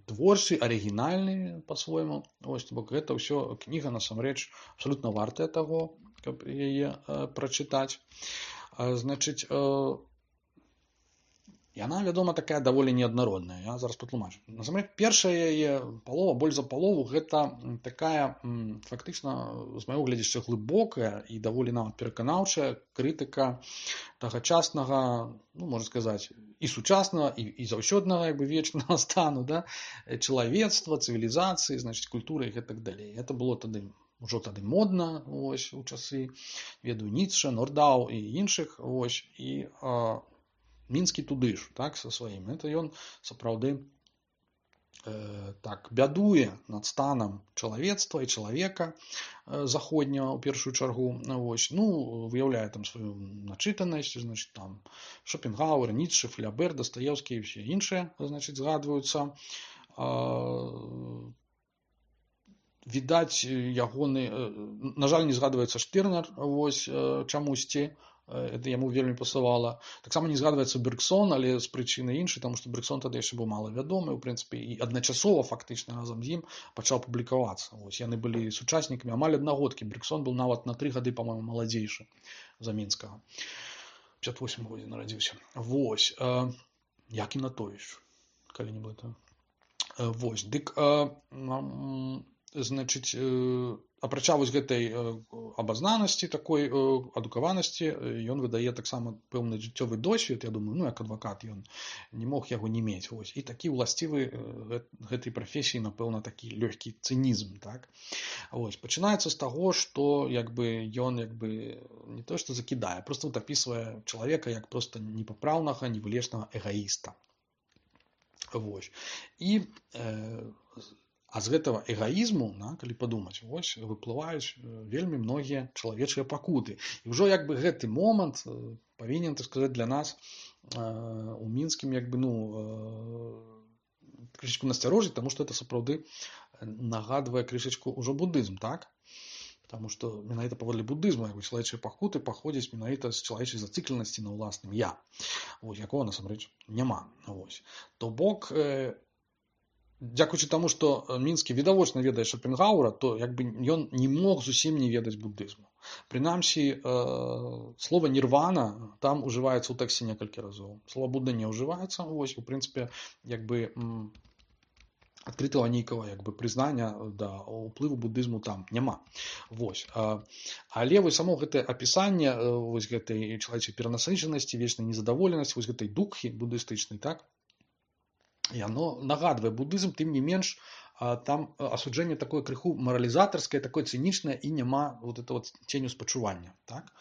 творчы, арыгінальны па-свойму. Вось, то бок, гэта ўсё кніга, насамрэч, абсалютна вартая таго, каб яе прачытаць. Значыць, яна, вядома, такая даволі неаднародная. Я зараз патлумачу. Насамрэч, першая яе палова, больш за палову, гэта такая, фактычна, з майго гледзяшча, глыбокая і даволі нават пераканаўчая крытыка тагачаснага, ну, можна сказаць, і сучаснага, і, і заўсёднага, як бы, вечнага стану, да, чалавецтва, цывілізацыі, значыць, культуры і гэтак далей. Гэта было тады ужо тады модна, ось, у часы, ведаю, Ніцше, Нордау і іншых, ось, і а, Мінскі туды ж, так, са сваім. Это ён, сапраўды, э, так, бядуе над станам чалавецтва і чалавека э, заходняга, у першую чаргу, ось, ну, выяўляе там сваю начытанасць, значыць, там, Шопенгауэр, Ніцше, Флябер, Дастаеўскі і ўсе іншыя, значыць, згадваюцца. А, відаць, ягоны, на жаль, не згадваецца Штырнер, вось, чамусьці, это яму вельмі пасавала. Таксама не згадваецца Бергсон, але з прычыны іншай, таму што Бергсон тады яшчэ быў мала вядомы, у прынцыпе, і адначасова, фактычна, разам з ім пачаў публікавацца. Вось, яны былі сучаснікамі, амаль аднагодкі. Бергсон быў нават на тры гады, па-мойму, маладзейшы за Мінскага. пятьдесят восьмым годзе нарадзіўся. Вось, э, Якім Натовіч, калі-небудзь. Э, вось, дык, э, э, значыць, апрача вось гэтай абазнанасці, такой адукаванасці, ён выдае таксама пэўны жыццёвы досвед, я думаю, ну, як адвакат ён не мог яго не мець. Вось. І такі ўласцівы гэтай прафесіі, напэўна, такі лёгкі цынізм, так? Вось. Пачынаецца з таго, што, як бы, ён, як бы, не то, што закідае, проста вот апісвае чалавека як проста непапраўнага, невылечнага эгаіста. Вось. І э, А з гэтага эгаізму, на, калі падумаць, вось, выплываюць вельмі многія чалавечыя пакуты. І ўжо, як бы, гэты момант павінен, так сказаць, для нас у Мінскім, як бы, ну, крышачку насцярожыць, таму што это сапраўды нагадвае крышачку ўжо будызм, так? Таму што менавіта паводле будызму, як бы, чалавечыя пакуты паходзяць менавіта з чалавечай зацыкленасці на ўласным я, вось, якога, насамрэч, няма. Вось. То бок, дзякуючы таму, што Мінскі відавочна ведае Шопенгауэра, то, як бы, ён не мог зусім не ведаць будызму. Прынамсі, э, слова нірвана там ужываецца ў тэксце некалькі разоў. Слова Будда не ўжываецца, вось, у прынцыпе, як бы, м, адкрытага нейкага, як бы, прызнання да ўплыву будызму там няма. Вось. Э, але вось само гэтае апісанне э, вось гэтай чалавечай перанасычанасці, вечнай незадаволенасці, вось гэтай дукхі будыстычнай, так? І оно нагадвае будызм, тым не менш, там асуджэнне такое крыху маралізатарскае, такое цынічнае і няма вот это вот ценю спачування. Так?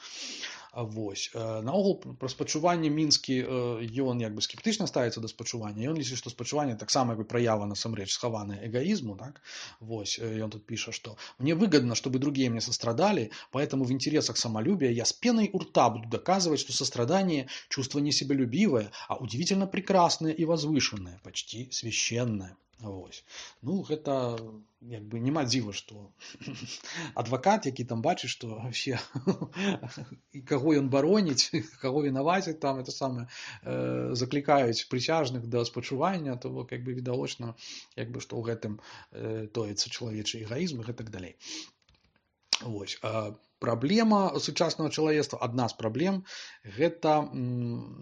Вось. Наогул пра спачуванне мінскі ён як бы скептычна ставіцца да спачування. Ён лічыць, што спачуванне таксама як бы праява насамрэч схаваная эгоизму. Так? Вось. Ён тут піша, что «Мне выгодно, чтобы другие мне сострадали, поэтому в интересах самолюбия я с пеной у рта буду доказывать, что сострадание – чувство не себялюбивое, а удивительно прекрасное и возвышенное, почти священное». Вось. Ну, гэта як бы няма дзіва, што адвакат, які там бачыць, што вообще і каго ён бароніць, каго вінаваціць там, это самае, э, заклікаюць прысяжных да спачування, то бок як бы відавочна, як бы што ў гэтым э, тоіцца чалавечы эгоізм і гэтак далей. Вось. А праблема сучаснага чалавецтва, адна з праблем, гэта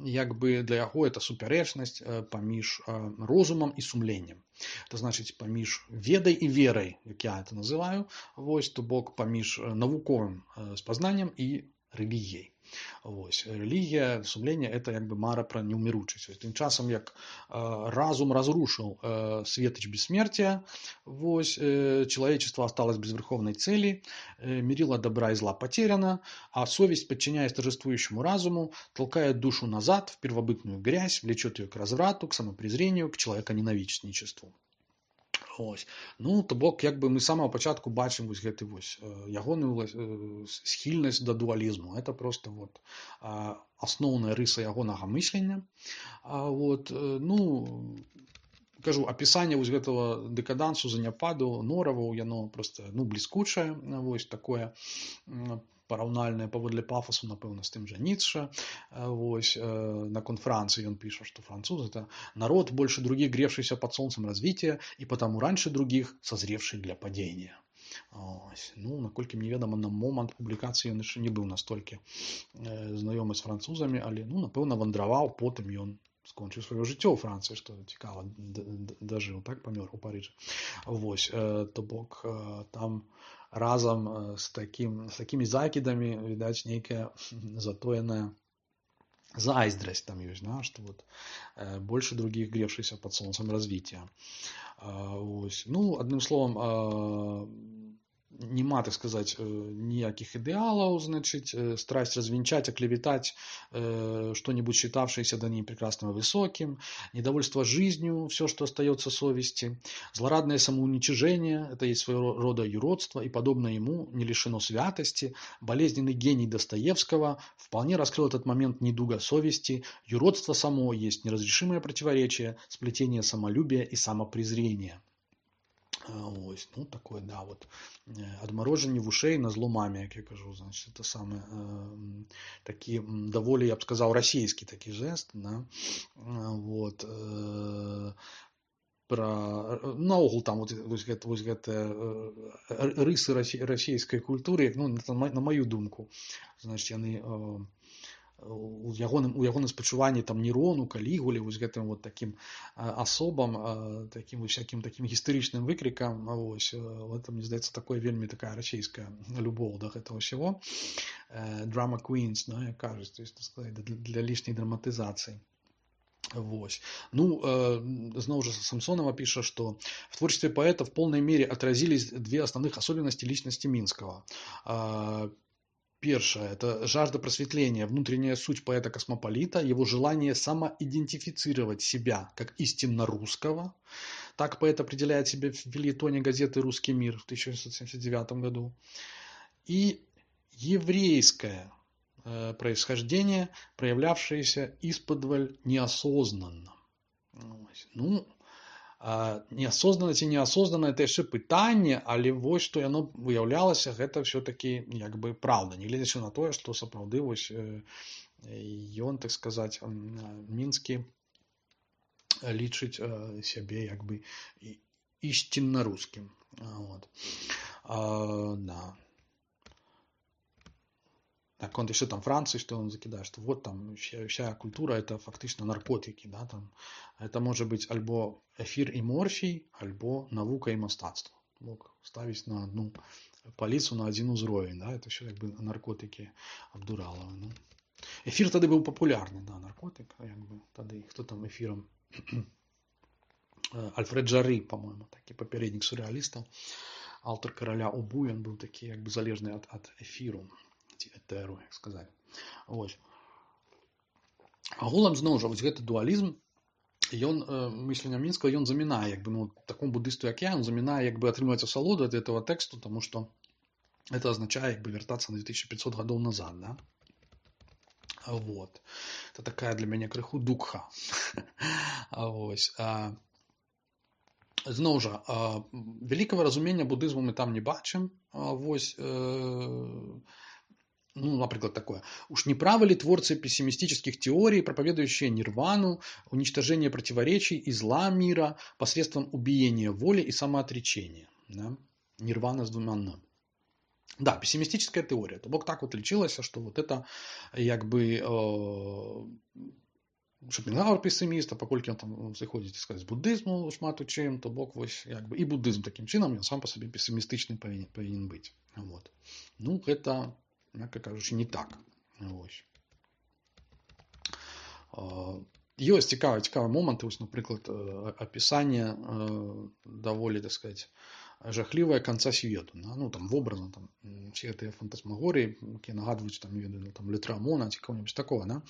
як бы для яго это супярэчнасць паміж розумам і сумленнем. Это значыць паміж ведай і верай, як я это называю, вось, то бок паміж навуковым спазнаннем і рэлігіяй. Вось. Рэлігія, сумленне – это як бы мара пра неўміручасць. Тым часам, як разум разрушил светоч бессмертия, вось, человечество осталось без верховной цели, мерило добра и зла потеряно, а совесть, подчиняясь торжествующему разуму, толкает душу назад в первобытную грязь, влечет ее к разврату, к самопрезрению, к человеконенависничеству. Ось. Ну, то бок, як бы мы з самого пачатку бачым вось гэты вось ягоную схільнасць да дуалізму. Это просто вот асноўная рыса ягонага мыслення. Вот, ну, кажу, апісанне вось гэтага дэкадансу, заняпаду нораваў, яно просто, ну, бліскучае, вось такое параўнальнае паводле пафасу, напэўна, з тым жа Ніцше. Вось, наконт Франции он пишет, что француз – это народ, больше других гревшийся под солнцем развития и потому раньше других созревший для падения. Ось. Ну, наколькі мне ведомо, на момант публікацыі ён яшчэ не быў настолькі знаёмы з французамі, але, ну, напэўна, вандраваў, потым ён скончыў сваё жыццё ў Францыі, што цікава, дажыў, так, памёр у Парыжы. Вось, то бок, там разом с, таким, с такими закидами, видать, некая затоенная зайздрасць там есть, да, что вот э, больше других гревшихся под солнцем развития. Э, ось. Ну, одним словом, э, нема, так сказать, ніяких ідэалаў, значит, страсть развенчать, оклеветать э, что-нибудь, считавшееся до ней прекрасным и высоким, недовольство жизнью, все, что остается совести, злорадное самоуничижение, это есть своего рода юродство, и подобное ему не лишено святости, болезненный гений Достоевского вполне раскрыл этот момент недуга совести, юродство само есть неразрешимое противоречие, сплетение самолюбия и самопрезрения. Ось, ну, такое, да, вот, адмарожанне вушэй на зло маме, як я кажу, значит, это самое, э, такі, даволі, я б сказаў, расійскі такі жест, да, вот, э, пра, наогул там, вот, вось гэта, вось гэта э, рысы расійскай культуры, ну, на маю думку, значит, яны, э, у ягоным, у ягоным спачуванні там Нерону, Калігуле, вось гэтым вот таким асобам, таким всяким таким гістарычным выкрикам, вось, это, мне здаецца, такое вельмі такая расійская любоў да гэтага всего. Drama queens, да, як кажуць, то есть, так сказать, для, для лишней драматизации. Вось. Ну, э, зноў жа Самсонова пишет, что в творчестве поэта в полной мере отразились две основных особенности личности Минского. Первое – это жажда просветления, внутренняя суть поэта-космополита, его желание самоидентифицировать себя как истинно русского. Так поэт определяет себя в фельетоне газеты «Русский мир» в тысяча девятьсот семьдесят девятом году. И еврейское э, происхождение, проявлявшееся исподволь неосознанно. Ну, неасознанна ці неасознанна это яшчэ пытанне, але вось што яно выяўлялася, гэта все-таки як бы праўда, не гледзячы на тое, што сапраўды вось ён, так сказаць, Мінскі лічыць сябе як бы ісцінна рускім. Вот. А, да. Так, он еще там Франции, что он закидает, что вот там вся, вся культура это фактично наркотики, да, там. Это может быть альбо эфир и морфий, альбо наука и мастацтво. Мог ставить на одну полицу, на один узровень, да, это все как бы наркотики Абдуралова. Ну. Эфир тогда был популярный, да, наркотик, как бы, тогда кто там эфиром Альфред Жары, по-моему, такі папярэднік сюррэалістаў, аўтар караля Убу, ён быў такі як бы залежны ад, ад эфіру ці этэру, як сказаць. Вось. Агулам зноў жа вось гэты дуалізм, ён мыслення Мінскага ён замінае як бы ну такому буддысту як я, ён замінае як бы атрымліваць асалоду ад этого тэксту, тому што это означае як бы вяртацца на две тысячи пятьсот гадоў назад, да? Вот. Это такая для мяне крыху дукха. Вось. Зноў жа, вялікага разумення буддызму мы там не бачым. Вось, ну, например, такое. Уж не правы ли творцы пессимистических теорий, проповедующие нирвану, уничтожение противоречий и зла мира посредством убиения воли и самоотречения? Да? Нирвана с двумя «н». Да, пессимистическая теория. То бок так вот лечилось, что вот это как бы Шопенгауэр пессиміст, а паколькі ён там зыходзіць сказаць, з буддызму шмат у чым, то бок вось як бы і буддызм такім чынам ён сам па сабе пессімістычны павінен, павінен быць. Вот. Ну, гэта, мякка кажучы, не так. Вось. Ёсць цікавыя цікавыя моманты, вось, напрыклад, апісанне даволі, так сказаць, жахлівая конца свету. Ну, там, вобразно, там, все эти фантасмагории, которые нагадывают, там, не ведаю, там, Летрамона, кого-нибудь такого, да?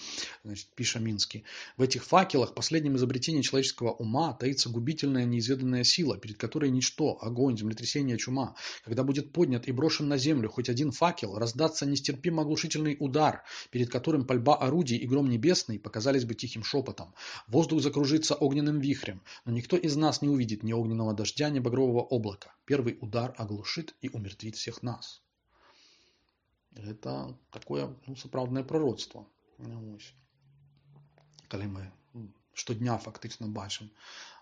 Значит, пишет Минский. В этих факелах, последнем изобретении человеческого ума, таится губительная неизведанная сила, перед которой ничто, огонь, землетрясение, чума. Когда будет поднят и брошен на землю хоть один факел, раздастся нестерпимо оглушительный удар, перед которым пальба орудий и гром небесный показались бы тихим шепотом. Воздух закружится огненным вихрем, но никто из нас не увидит ни огненного дождя, ни багрового облака. Первый удар оглушит и умертвит всех нас. Это такое, ну, сапраўднае пророцтво. Калі мы штодня фактично бачым,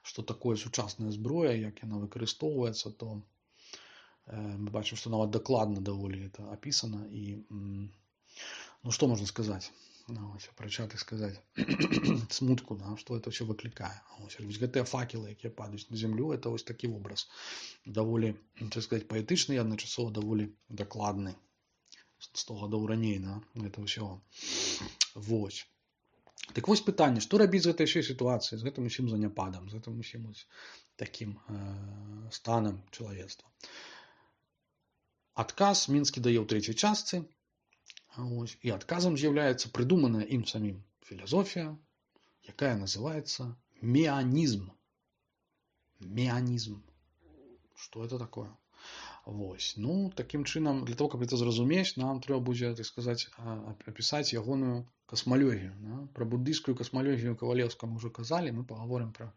што такое сучасная зброя, як яна выкарыстоўваецца, то мы бачым, што нават дакладна даволі это апісана. І, ну, што можна сказаць? Апрача, так сказаць, смутку, да, што это все выклікае. Вось гэтыя факелы, якія падаюць на зямлю, это вось такі вобраз даволі, так сказаць, паэтычны і адначасова даволі дакладны. сто гадоў раней, да, гэта ўсё. Вось. Так вось пытанне, што рабіць з гэтай ўсёй сітуацыяй, з гэтым усім заняпадам, з гэтым усім такім э, станам чалавецтва. Адказ Мінскі дае ў трэцяй частцы. Ось. І адказам з'яўляецца прыдуманая ім самім філасофія, якая называецца меанізм. Меанізм. Што это такое? Вось. Ну, такім чынам, для того, каб это зразумець, нам трэба будзе, так сказаць, апісаць ягоную касмалогію. Да? Пра буддыйскую касмалогію Кавалеўскага мы ўжо казалі, мы пагаворым пра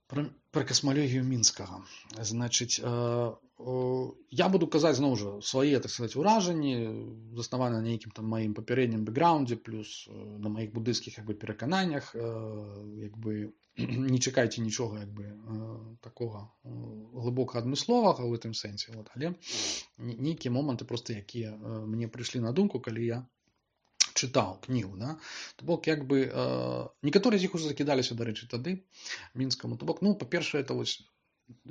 Пра, пра касмалогію Мінскага. Значыць, э, э, я буду казаць, зноў жа, свае, так сказаць, уражанні, заснаваны на нейкім там маім папярэднім бэкграўндзе, плюс э, на маіх буддыйскіх як бы, перакананнях, э, як бы, не чакайце нічога як бы, э, такога э, глыбока адмысловага ў гэтым сэнсе. Вот. Але нейкія моманты, просто якія э, мне прыйшлі на думку, калі я чытаў кнігу, да? То бок, як бы, э, некаторыя з іх уже закідаліся, дарэчы, тады, Мінскаму. То бок, ну, па-першае, это вось,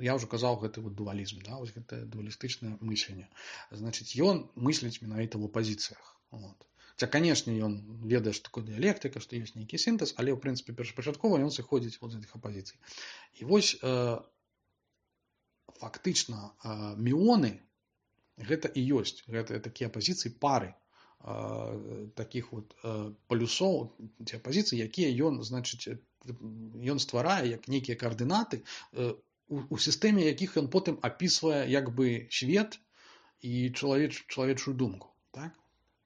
я ўжо казаў, гэты вот дуалізм, да? Вось гэта дуалістычнае мысленне. Значыць, ён мысліць менавіта ў апазіцыях. Вот. Хаця, канешне, ён ведае, што такое дыялектыка, што ёсць нейкі сінтэз, але, ў прынцыпе, першапачаткова ён сыходзіць вот з гэтых апазіцый. І вось, э, фактычна, э, міоны, гэта і ёсць, гэта такія апазіцыі пары, таких вот полюсов, ці апозіцый, якія ён, значыць, ён стварае як нейкія каардынаты, у, у сістэме якіх ён потым апісвае як бы свет і чалавеч, чалавечую думку, так?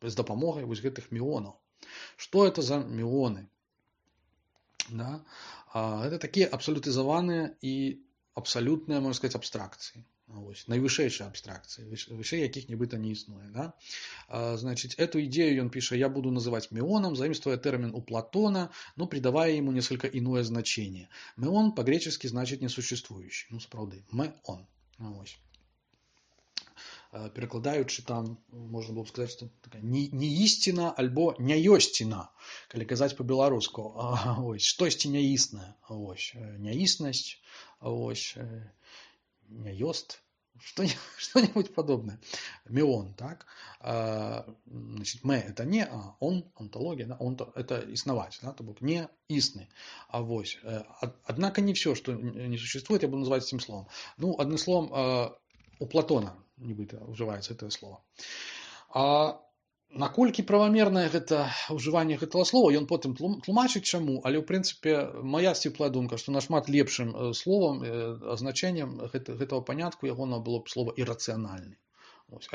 З дапамогай вось гэтых міонаў. Што это за міоны? Да? Гэта такія абсалютызаваныя і абсалютныя, можна сказаць, абстракцыі. Ось, найвышэйшая абстракцыя, вышэй якіх нібыта не існуе. Да? А, значит, эту идею он пишет, я буду называть меоном, заимствуя термин у Платона, но придавая ему несколько иное значение. Меон по-гречески значит несуществующий. Ну, справді, меон. Ось. Перакладаючы там, можна было б сказаць, што такая не, не істина, альбо няёсціна, калі казаць по-беларуску. Ось, штосьці няіснае. Ось, няіснасць, ось, няёст, что-нибудь подобное. Мион, так? А, значит, мэ это не, а он, онтология, да? Он это иснавать, да? То бок не истный. А вось. Однако не все, что не существует, я буду называть этим словом. Ну, одним словом, у Платона нібыта ўжываецца это слово. А наколькі правамернае гэта ўжыванне гэтага слова, ён потым тлумачыць чаму, але ў прынцыпе моя сціплая думка, што нашмат лепшым словам, азначэннем гэтага панятку ягона было б слова ірацыянальны.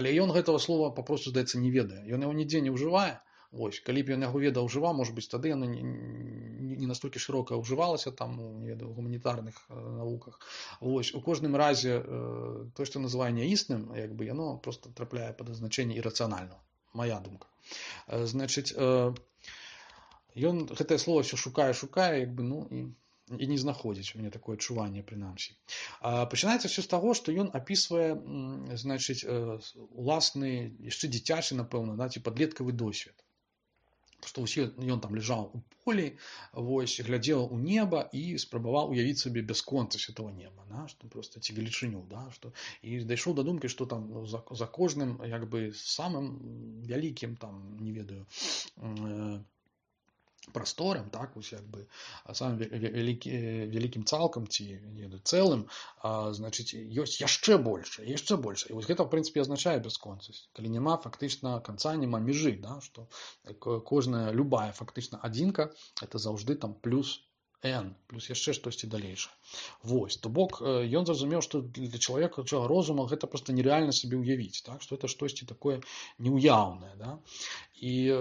Але ён гэтага слова папросту, здаецца, не ведае. Ён яго нідзе не ўжывае. Вось, калі б ён яго ведаў ўжываў, можа быць, тады яно не, не настолькі шырока ўжывалася там у, не ведаю, гуманітарных э, навуках. Вось, у кожным разе э, то, што называе няісным, як бы яно просто трапляе пад азначэнне ірацыянальнага. Моя думка. Значыць, ён гэтае слово все шукае, шукае, як бы, ну, і, і не знаходзіць. У мяне такое адчуванне, прынамсі. Пачынаецца все з таго, што ён апісвае, значыць, уласны, яшчэ дзіцячы, напэўна, да, ці падлеткавы досвед. Што ён там ляжаў у полі, вось, глядзеў у неба і спрабаваў уявіць сабе бясконцасць этого неба, да, што проста ці велічыню, да, што, і дайшоў да думкі, што там за, за кожным, як бы, самым вялікім, там, не ведаю, э, прасторам, так, вось, як бы, самым вялікі, вялікім цалкам ці, не ведаю, цэлым, а, значыць, ёсць яшчэ больш, яшчэ больш. І вось гэта, в прынцыпе, азначае бясконцасць. Калі няма фактычна канца, няма межы, да, што кожная, любая фактычна адзінка, это заўжды там плюс n, плюс яшчэ штосьці далейшае. Вось, то бок, ён зразумеў, што для чалавека розума гэта проста нереальна сабе ўявіць, так, што это штосьці такое неўяўнае, да, і,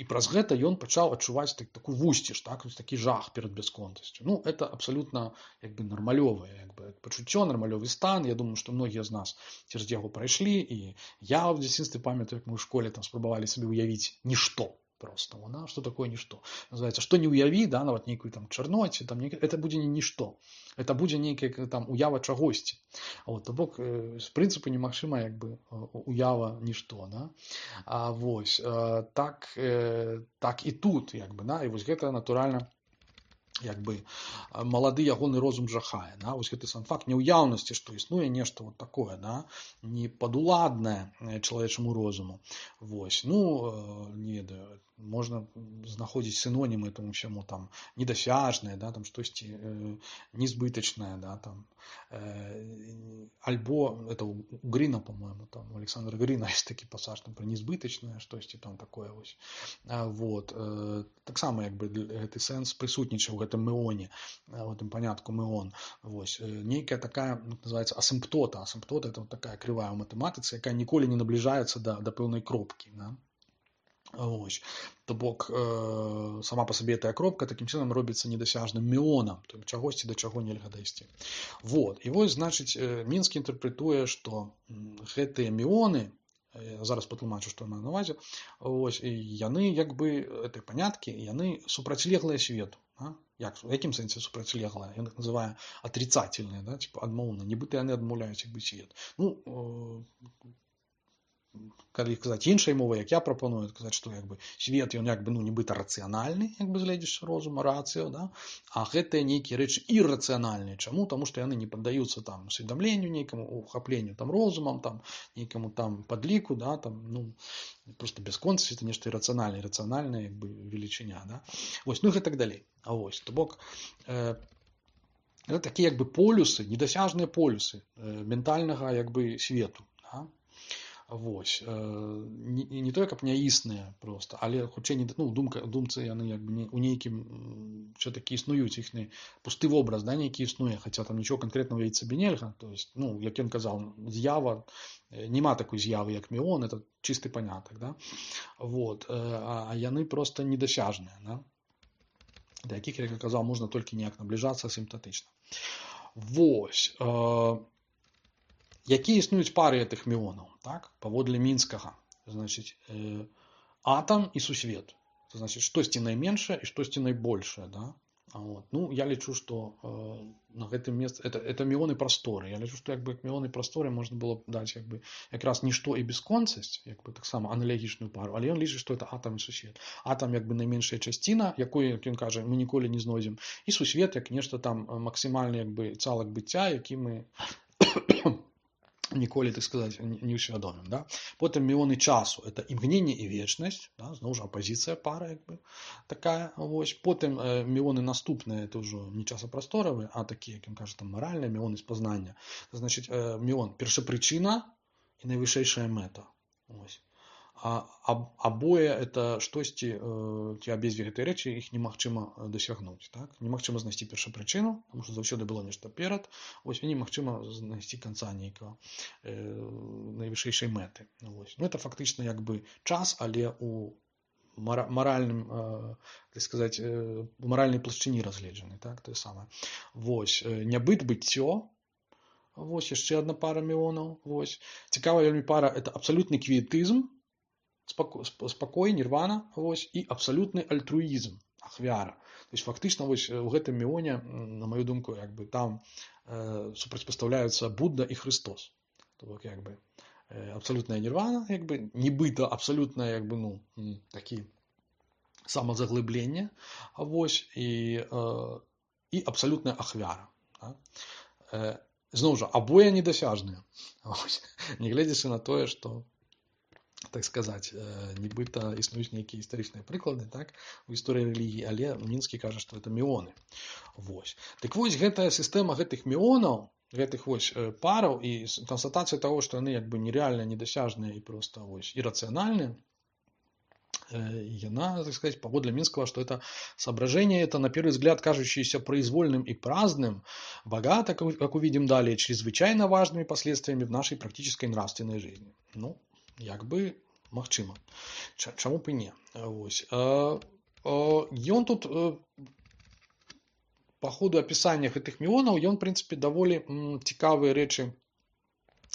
і праз гэта ён пачаў адчуваць так, такую вусціш, так, такі жах перад бясконцасцю. Ну, это абсалютна, як бы, нармалёвае, як бы, пачуццё, нармалёвы стан. Я думаю, што многія з нас цераз яго прайшлі, і я ў дзяцінстве памятаю, як мы ў школе там спрабавалі сабе ўявіць нішто. Просто, да? Что такое ничто? Называется, что не уяви, да, нават нейкую там чарноці, там, это будзе не нішто. Это будзе нейкая там уява чагосьці. Вот, то бок, з прынцыпу немагчыма, як бы, уява нішто, да? А вось, так, так і тут, як бы, да, і вось гэта, натуральна, як бы, малады ягоны розум жахае, да? Вось гэты сам факт няўяўнасці, што існуе нешта вот такое, да, не падуладнае чалавечаму розуму. Вось, ну, не ведаю, можна знаходзіць синонімы этому всему, там, недосяжнае, да, там, штосьці э, незбытачнае, да, там, э, альбо, это у Грина, по-моему, там, у Александра Грина есть такі пасаж, там, про незбытачнае, штосьці там такое, вось. А, вот, э, таксама, як бы, гэты сэнс прысутнічаў у гэтым меоне, у гэтым панятку меон, вось, нейкая такая, называется, асімптота, асімптота, это вот такая крывая ў матэматыцы, якая ніколі не набліжаецца да, да пэўнай кропкі, да. Ось. То бок, э, сама по сабе гэтая кропка такім чынам робіцца недасяжным меонам, то есть чагосьці да чаго нельга дайсці. Вот. І вось, значыць, Мінскі інтэрпрэтуе, што гэтыя меоны, я зараз патлумачу, што маю на ўвазе, ось, і яны, як бы, гэтыя паняткі, яны супрацьлеглыя свету. А? Як, у якім сэнсе супрацьлеглыя? Ён их называе атрицательныя, да? Типа адмоўна, нібыта яны адмаўляюць, як бы, свет. Ну, э, калі казаць іншай мовай, як я прапаную, казаць, што, як бы, свет, ён, як бы, ну, нібыта рацыянальны, як бы, гледзячы розума, рацыё, да? А гэтыя нейкія рэчы іррацыянальныя. Чаму? Таму што яны не паддаюцца там усведамленню нейкаму, ухапленню там розумам, там, нейкаму там падліку, да, там, ну, просто бясконцасць, это нешта іррацыянальнае, іррацыянальная, як бы, велічыня, да? Вось, ну, і гэтак далей. А вось, то бок, э, это такія, як бы, полюсы, недасяжныя полюсы э, ментальнага, як бы, свету, да? Вось, не, не тое, каб няісныя просто, але хутчэй не, ну, думка, думцы яны, як бы, не, у нейкім все-таки існуюць іхні пусты вобраз, да, нейкі існуе, хаця там нічого канкрэтна ўявіць сабе нельга, то есть, ну, як ён казаў, з'ява, нема такой з'явы, як меон, это чысты панятак, да, вот, а, а яны просто недасяжныя, да, да якіх, як я казаў, можна толькі неяк набліжацца асімптатычна. Вось, э, якія існуюць пары гэтых меонаў, так, паводле Мінскага, значыць, э, атам і сусвет, это значыць, штосьці найменшае і штосьці найбольшае, да, а вот, ну, я лічу, што э, на гэтым месцы, это, это меоны прасторы, я лічу, што, як бы, меоны прасторы можна было б даць, як бы, якраз нішто і бесконцасць, як бы, таксама аналагічную пару, але ён лічыць, што это атам і сусвет. Атам, як бы, найменшая часціна, якую, як ён кажа, мы ніколі не знойдзем, і сусвет, як нешта там максімальны, як бы, цалак быцця, які мы ніколі, так сказаць, не ўсвядомім. Да? Потым міёны часу, это імгненне і вечнасць, да? Зноў жа апазіцыя пара, як бы, такая, вось. Потым э, міёны наступныя, это ўжо не часапрасторавыя, а такія, як ён кажа, там маральныя, міёны спазнання. Значыць, э, міён першапрычына і найвышэйшая мэта. Вось. А, аб, абое это штосьці, э, ці абедзве гэтыя рэчы, іх немагчыма дасягнуць. Так? Немагчыма знайсці першапрычыну, тому што заўсёды было нешта перад, вось, і немагчыма знайсці канца нейкага э, найвышэйшай мэты. Вось. Ну, это фактычна як бы час, але у маральным, э, так сказаць, э, у маральнай плашчыні разгледжаны. Так? Тое самае. Вось. Нябыт, быццё. Вось, яшчэ адна пара міёнаў. Вось. Цікавая вельмі пара, это абсалютны квіетызм, спакой, нірвана, вось, і абсалютны альтруізм, ахвяра. То есть фактычна вось у гэтым міёне, на маю думку, як бы там э, супрацьпастаўляюцца Будда і Христос. То бок як бы э, абсалютная нірвана, як бы нібыта абсалютная, як бы, ну, такі самазаглыбленне, вось, і э, і абсалютная ахвяра. Да? Э, зноў жа, абое недасяжныя. Нягледзячы на тое, што, так сказаць, нібыта існуюць нейкія гістарычныя прыклады, так, у гісторыі рэлігіі, але Мінскі кажа, што гэта міёны. Вось. Так вось, гэтая сістэма гэтых міёнаў, гэтых вось параў і канстатацыя таго, што яны як бы нерэальныя, недасяжныя і проста вось иррациональныя, яна, так сказать, паводле Минского, что это соображение, это на первый взгляд кажущееся произвольным и праздным, богато, как увидим далее, чрезвычайно важными последствиями в нашей практической нравственной жизни. Ну, як бы магчыма. Чаму б і не? Вось. Ён тут по ходу апісання гэтых міёнаў, ён, в принципе, даволі цікавыя рэчы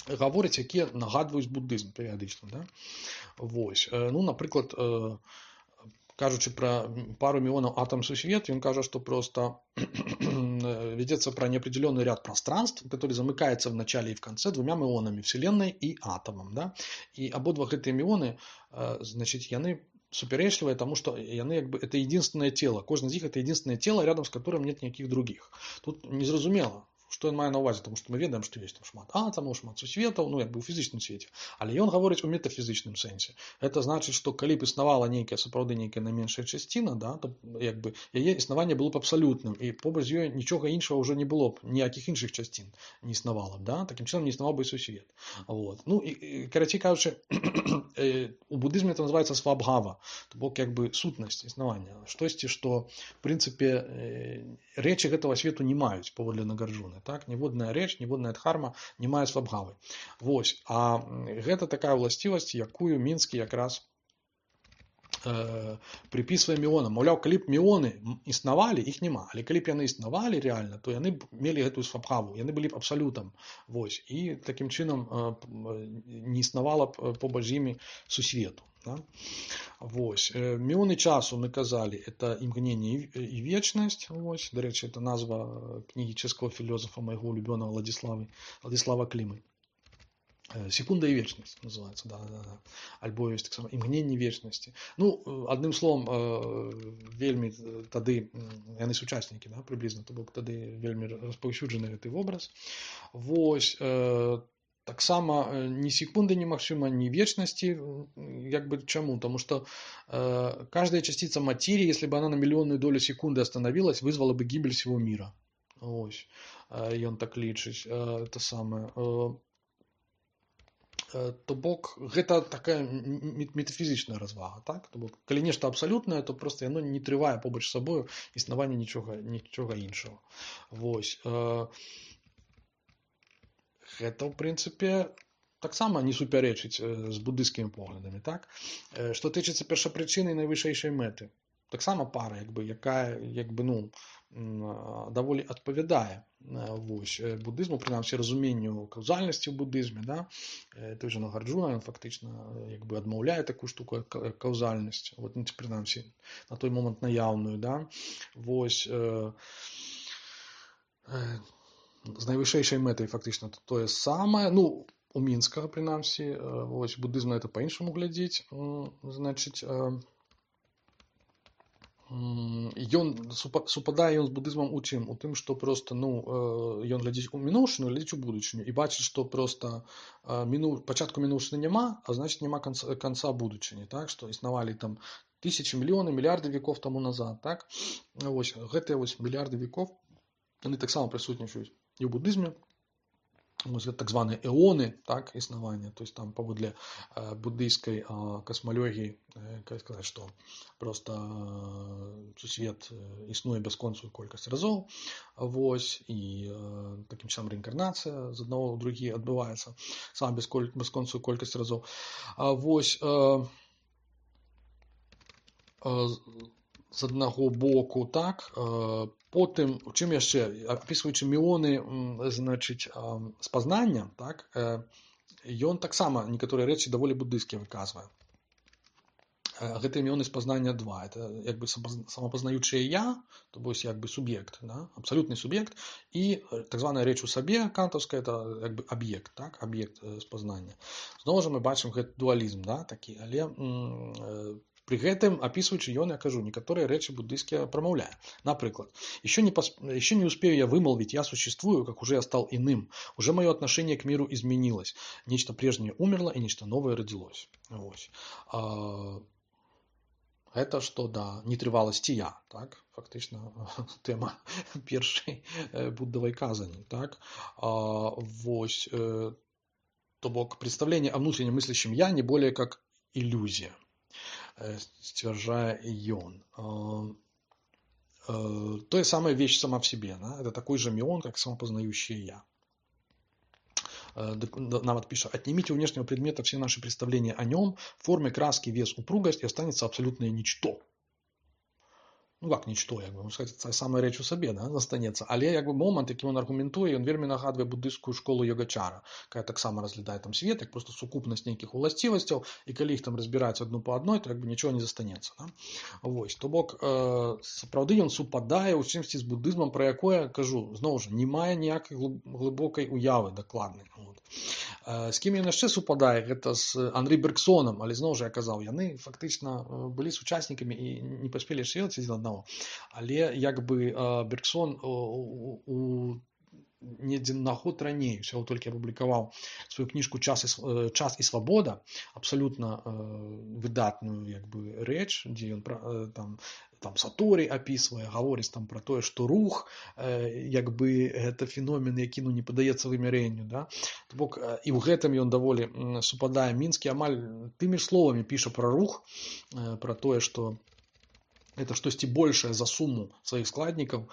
гаворыць, якія нагадваюць буддызм перыядычна. Да? Вось. Ну, напрыклад, кажучы пра пару миллионов атом сусвет, он кажет, что просто ведется про неопределенный ряд пространств, который замыкается в начале и в конце двумя миллионами, Вселенной и атомом. Да? И ободва гэтыя миллионы, значит, яны суперечлівыя, тому что яны, як бы, это единственное тело. Кожны из них это единственное тело, рядом с которым нет никаких других. Тут незразумела, што ён мае на ўвазе, тому што мы ведаем, што ёсць там шмат атамаў, шмат сусветаў, ну, як бы ў фізычным свеце. Але ён гаворыць у метафізычным сэнсе. Гэта значыць, што калі б існавала нейкая, сапраўды нейкая найменшая часціна, да, то як бы яе існаванне было б абсалютным, і побач з ёй нічога іншага ўжо не было б, ніякіх іншых часцін не існавала б, да? Такім чынам не існаваў бы і сусвет. Вот. Ну, і, і карацей кажучы, у буддызме это называется свабхава, то бок як бы сутнасць існавання, штосьці, што в прынцыпе рэчы гэтага свету не маюць паводле Нагарджуны. Так? Ніводная рэч, ніводная дхарма не мае свабхавы. Вось. А гэта такая ўласцівасць, якую Мінскі якраз э, припісвае міёнам. Маўляў, калі б міёны існавалі, іх няма. Але калі б яны існавалі рэальна, то яны б мелі гэтую свабхаву. Яны былі б абсалютам. Вось. І такім чынам э, не існавала б побач з імі сусвету. Да? Вось. Міёны часу, мы казалі, это імгненне і вечнасць. Вось. Дарэчы, это назва кнігі чэшскага філосафа майго улюбёнага Владислава, Владислава Клімы. Секунда і вечнасць называется, да, да, да. Альбо ёсць таксама імгненне вечнасці. Ну, адным словом, вельмі тады яны сучаснікі, да, прыблізна, то бок тады вельмі распаўсюджаны гэты вобраз. Вось. Таксама ні секунды немагчыма, ні вечнасці, як бы чаму? Тому что э, каждая частица материи, если бы она на миллионную долю секунды остановилась, вызвала бы гибель всего мира. Ось. Э, ён так лічыць. Э, это самое. Э, э, то бок, гэта такая метафізічная развага. Так? То бок, калі нешта абсалютнае, то просто яно не трывае побач з сабою існаванне нічога, нічога іншага. Вось. Э, Гэта, ў прынцыпе, таксама не супярэчыць з буддыйскімі поглядамі. Так? Што тычыцца першапрычыны і найвышэйшай мэты. Таксама пара, як бы, якая як бы, ну, даволі адпавядае вось, буддызму, прынамсі разуменню каўзальнасці ў буддызме. Да? Той же Нагарджуна, ён фактычна як бы адмаўляе такую штуку, як каўзальнасць. Вот, ну, прынамсі, на той момант наяўную. Да? Вось, э, э, з найвышэйшай мэтай фактычна тое самае. Ну, у Мінскага, прынамсі, вось, буддызм на это па-іншаму глядзіць. Значыць, ён супадае ён з будызмам у чым? У тым, што проста ну ён глядзіць у мінуўшчыну, глядзіць у будучыню і бачыць, што проста міну пачатку мінуўшчыны няма, а значыць няма канца, канца будучыні, так, што існавалі там тысячи, мільёны, мільярды веков таму назад, так. Вось гэтыя вось мільярды веков яны таксама прысутнічаюць і ў будызме. Вось гэта так званыя эоны, так, існавання, то есть там паводле э, буддыйскай э, касмалогіі, э, как сказаць, што проста э, сусвет э, існуе бясконцую колькасць разоў, вось, і э, такім чынам рэінкарнацыя з аднаго ў другі адбываецца сама бясконцую колькасць разоў. А вось э, э, з аднаго боку, так, э, потым, у чым яшчэ, апісваючы міоны, значыць, спазнання, так, ён таксама некаторыя рэчы даволі буддыйскія выказвае. Гэтыя міоны спазнання два. Это як бы самапазнаючае я, то бось як бы суб'ект, да, абсалютны суб'ект, і так званая рэч у сабе, кантаўская, это як бы аб'ект, так, аб'ект спазнання. Зноў жа мы бачым гэты дуалізм, да, такі, але м, пры гэтым, апісваючы ён, я кажу, некаторыя рэчы буддыйскія прамаўляе. Напрыклад, еще не, посп... еще не успею я вымолвить «я существую», как уже я стал иным. Уже мое отношение к миру изменилось. Нечто прежнее умерло, и нечто новое родилось. Вот. А... Это что, да, нетрываласці я, так, фактично тема першай буддавай казані, так. А, вось, э, то бок представление о внутренне мыслящем я не более как иллюзия. Сцвярджае ён. Тое самая вещь сама в себе. Да? Это такой же мион, как самопознающее я. Нават пишет: отнимите у внешнего предмета все наши представления о нем, формы, краски, вес, упругость, и останется абсолютное ничто. Ну как ничто, як бы, можна сказати, це саме реч у собі, да, застанеться. Але якби момент, який він аргументує, він вельми нагадує буддистську школу Йогачара, яка так само розглядає там світ, як просто сукупність нейких властивостей, і коли їх там розбирають одну по одной, то якби нічого не застанеться. Да? Ось, то бок, е, справді він супадає у чимсь з буддизмом, про яке я кажу, знову ж, немає ніякої глибокої уяви докладної. От. Е, з ким він ще супадає, це з Андрій Бергсоном, але знову ж я казав, вони фактично були сучасниками і не поспіли шилити з одного. Але як би Бергсон у, у недзе на год раней усяго толькі апублікаваў сваю кніжку «Час і, час і свабода», абсалютна выдатную як бы рэч, дзе ён там там Саторі апісвае, гаворыць там пра тое, што рух як бы гэта феномен, які ну не падаецца вымярэнню, да? То бок і ў гэтым ён даволі супадае. Мінскі амаль тымі ж словамі піша пра рух, пра тое, што это штосьці большае за суму сваіх складнікаў,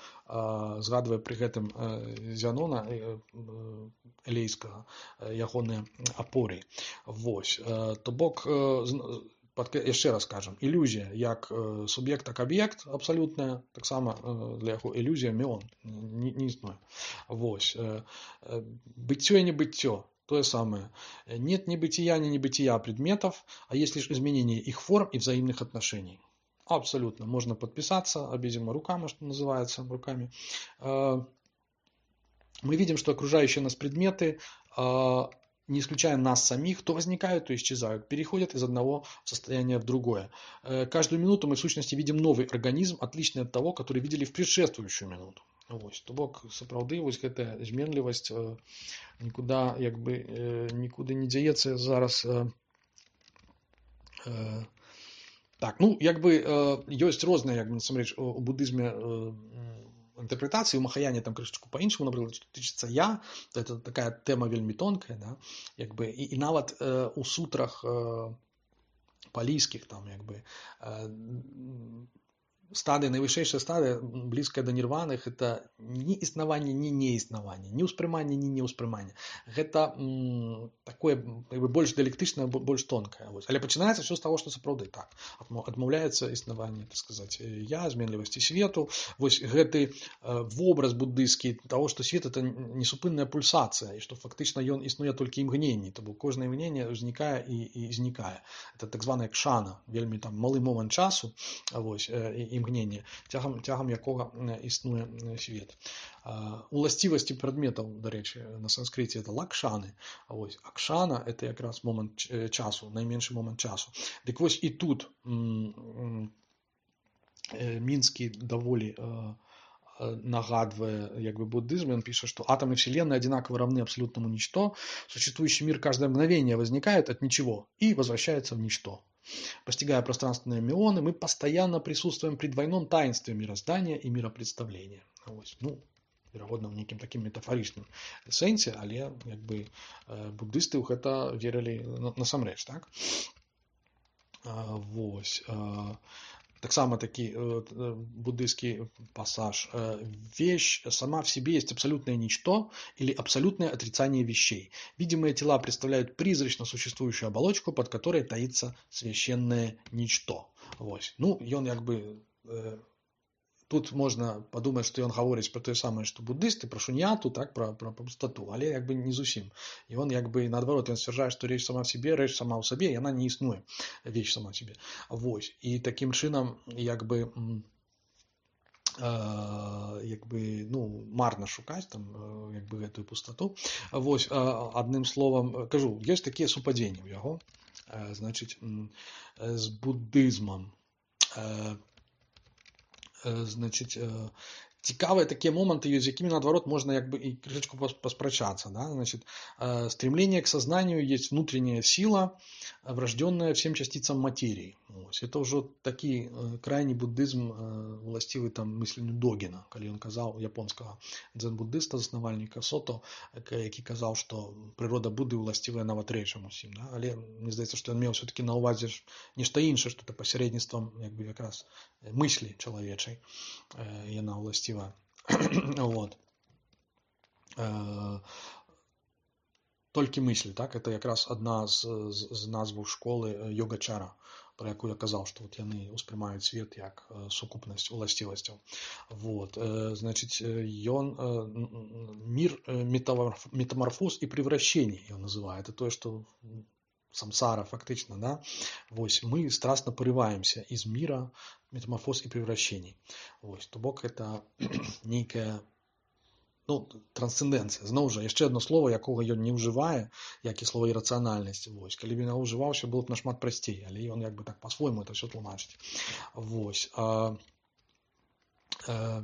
згадвае пры гэтым Зянона элейскага, ягоныя апоры. Вось. То бок, яшчэ раз кажам, ілюзія як суб'ект, так аб'ект абсалютная, таксама для яго ілюзія міон не, не існуе. Вось. Быццё і небыццё. То же самое. Нет ни бытия, ни небытия предметов, а есть лишь изменение их форм и взаимных отношений. Абсолютно. Можно подписаться обеими руками, что называется, руками. Мы видим, что окружающие нас предметы, не исключая нас самих, то возникают, то исчезают, переходят из одного состояния в другое. Каждую минуту мы в сущности видим новый организм, отличный от того, который видели в предшествующую минуту. Ось, то бок, сапраўды, вось гэтая зменлівасць нікуды, як бы, нікуды не дзяецца зараз. Так, ну, як бы, ёсць розныя, як бы, насамрэч, у буддызме інтэрпрэтацыі, у махаяне там крышачку па-іншаму, напрыклад, што тычыцца я, то это такая тэма вельмі тонкая, да, як бы, і, і нават э, у сутрах э, палійскіх, там, як бы, э, стадыя, найвышэйшая стадыя, блізкая да нірваны, гэта ні існаванне, ні неіснаванне, ні ўспрыманне, ні неўспрыманне. Гэта м, такое бы, больш дыялектычнае, больш тонкае. Вось. Але пачынаецца ўсё з таго, што сапраўды так. Адмаўляецца існаванне, так сказаць, я, зменлівасці свету. Вось гэты э, вобраз буддыйскі таго, што свет это несупынная пульсацыя, і што фактычна ён існуе толькі імгненні, то бок кожнае імгненне узнікае і, і знікае. Это так званая кшана, вельмі там малы момант часу, вось, і імгненне, цягам, цягам якога існуе свет. Уласцівасці прадметаў, дарэчы, на санскрыце это лакшаны, а вось акшана это якраз момант часу, найменшы момант часу. Дык вось і тут Мінскі даволі нагадывая як бы буддизм, он пишет, что атомы Вселенной одинаково равны абсолютному ничто, существующий мир каждое мгновение возникает от ничего и возвращается в ничто. Постигая пространственные мионы, мы постоянно присутствуем при двойном таинстве мироздания и миропредставления. Ось. Ну, верагодна, в некім такім метафарычным сэнсе, але як бы буддысты ў гэта верылі насамрэч, так? Вось. Таксама такі буддийский пассаж. Вещь сама в себе есть абсолютное ничто или абсолютное отрицание вещей. Видимые тела представляют призрачно существующую оболочку, под которой таится священное ничто. Вось. Ну, ён як бы... Тут можна падумаць, што ён гаворыць пра тое самае, што буддысты, пра шуньяту, так, пра, пра пустоту, але як бы не зусім. І он як бы наадварот, ён сцвярджае, што рэч сама в себе, рэч сама ў сабе, яна не існуе, вещь сама в себе. Вось. І такім чынам, як бы, э, як бы, ну, марна шукаць там, як бы, гэтую пустоту. Вось, адным словам, кажу, ёсць такія супадзенні ў яго, значыць, з буддызмам. Значить, цікавыя такія моманты ёсць, з якімі, наадварот, можна як бы і крышечку паспрачацца. Да? Значит, стремление к сознанию есть внутренняя сила, врожденная всем частицам материи. Ось. Это ўжо такі крайні буддызм, уласцівы там мысленню Догіна, калі ён казаў, японскага дзен-буддыста, заснавальніка Сото, які казаў, што прырода Будды уласцівая нават рэчам усім. Да? Але мне здаецца, што ён меў все-таки на ўвазе нешта іншае, што это пасярэдніцтвам як бы якраз мыслі чалавечай яна уласціва. Вот. Толькі мысль, так, это якраз адна з, з, з назваў школы йогачара, про якую я казаў, што вот яны ўспрымаюць свет як сукупнасць уласцівасцяў. Вот. Значит, ён мир метаморфоз и превращений ён называе. Это тое, што самсара фактично, да, вось, мы страстно порываемся из мира метаморфоз и превращений. Вось, то бок это нейкая, ну, трансценденцыя. Зноў жа, яшчэ одно слово, якога ён не ўжывае, як і слово ірацыянальнасць. Вось, калі б ён ўжываўся, было б нашмат прасцей, але ён як бы так по-свойму это все тлумачыць. Вось. А, а,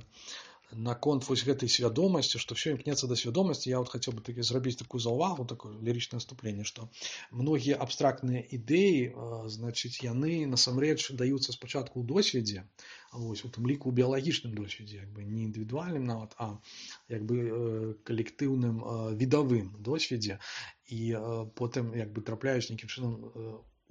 наконт вось гэтай свядомасці, што все імкнецца да свядомасці, я вот хацеў бы такі зрабіць такую заўвагу, такое лірычнае наступленне, што многія абстрактныя ідэі, значыць, яны насамрэч даюцца спачатку ў досведзе, вось, у тым ліку ў біялагічным досведзе, як бы не індывідуальным нават, а як бы калектыўным відавым досведзе, і потым як бы трапляюць нейкім чынам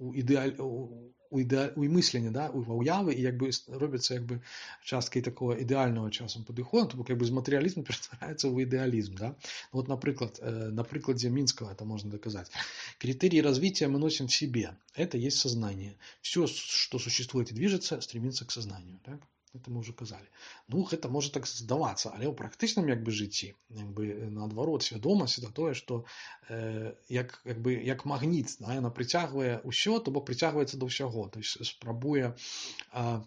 у ідэаль у іде... у мысленні, да, у уявы, і як бы робіцца як бы часткай такого ідэального часам падыходу, то бок як бы з матэрыялізму ператвараецца ў ідэалізм, да. Вот, напрыклад, на прыкладзе Минского это можно доказать. Критерии развития мы носим в себе. Это есть сознание. Все, что существует и движется, стремится к сознанию, так? Это мы уже казали. Ну, это может так здавацца, але ў практычным як бы жыцці, як бы наадварот, свядомасць это тое, што э, як, як бы як магніт, да, яна прыцягвае ўсё, то бок прыцягваецца да ўсяго, то есть спрабуе э,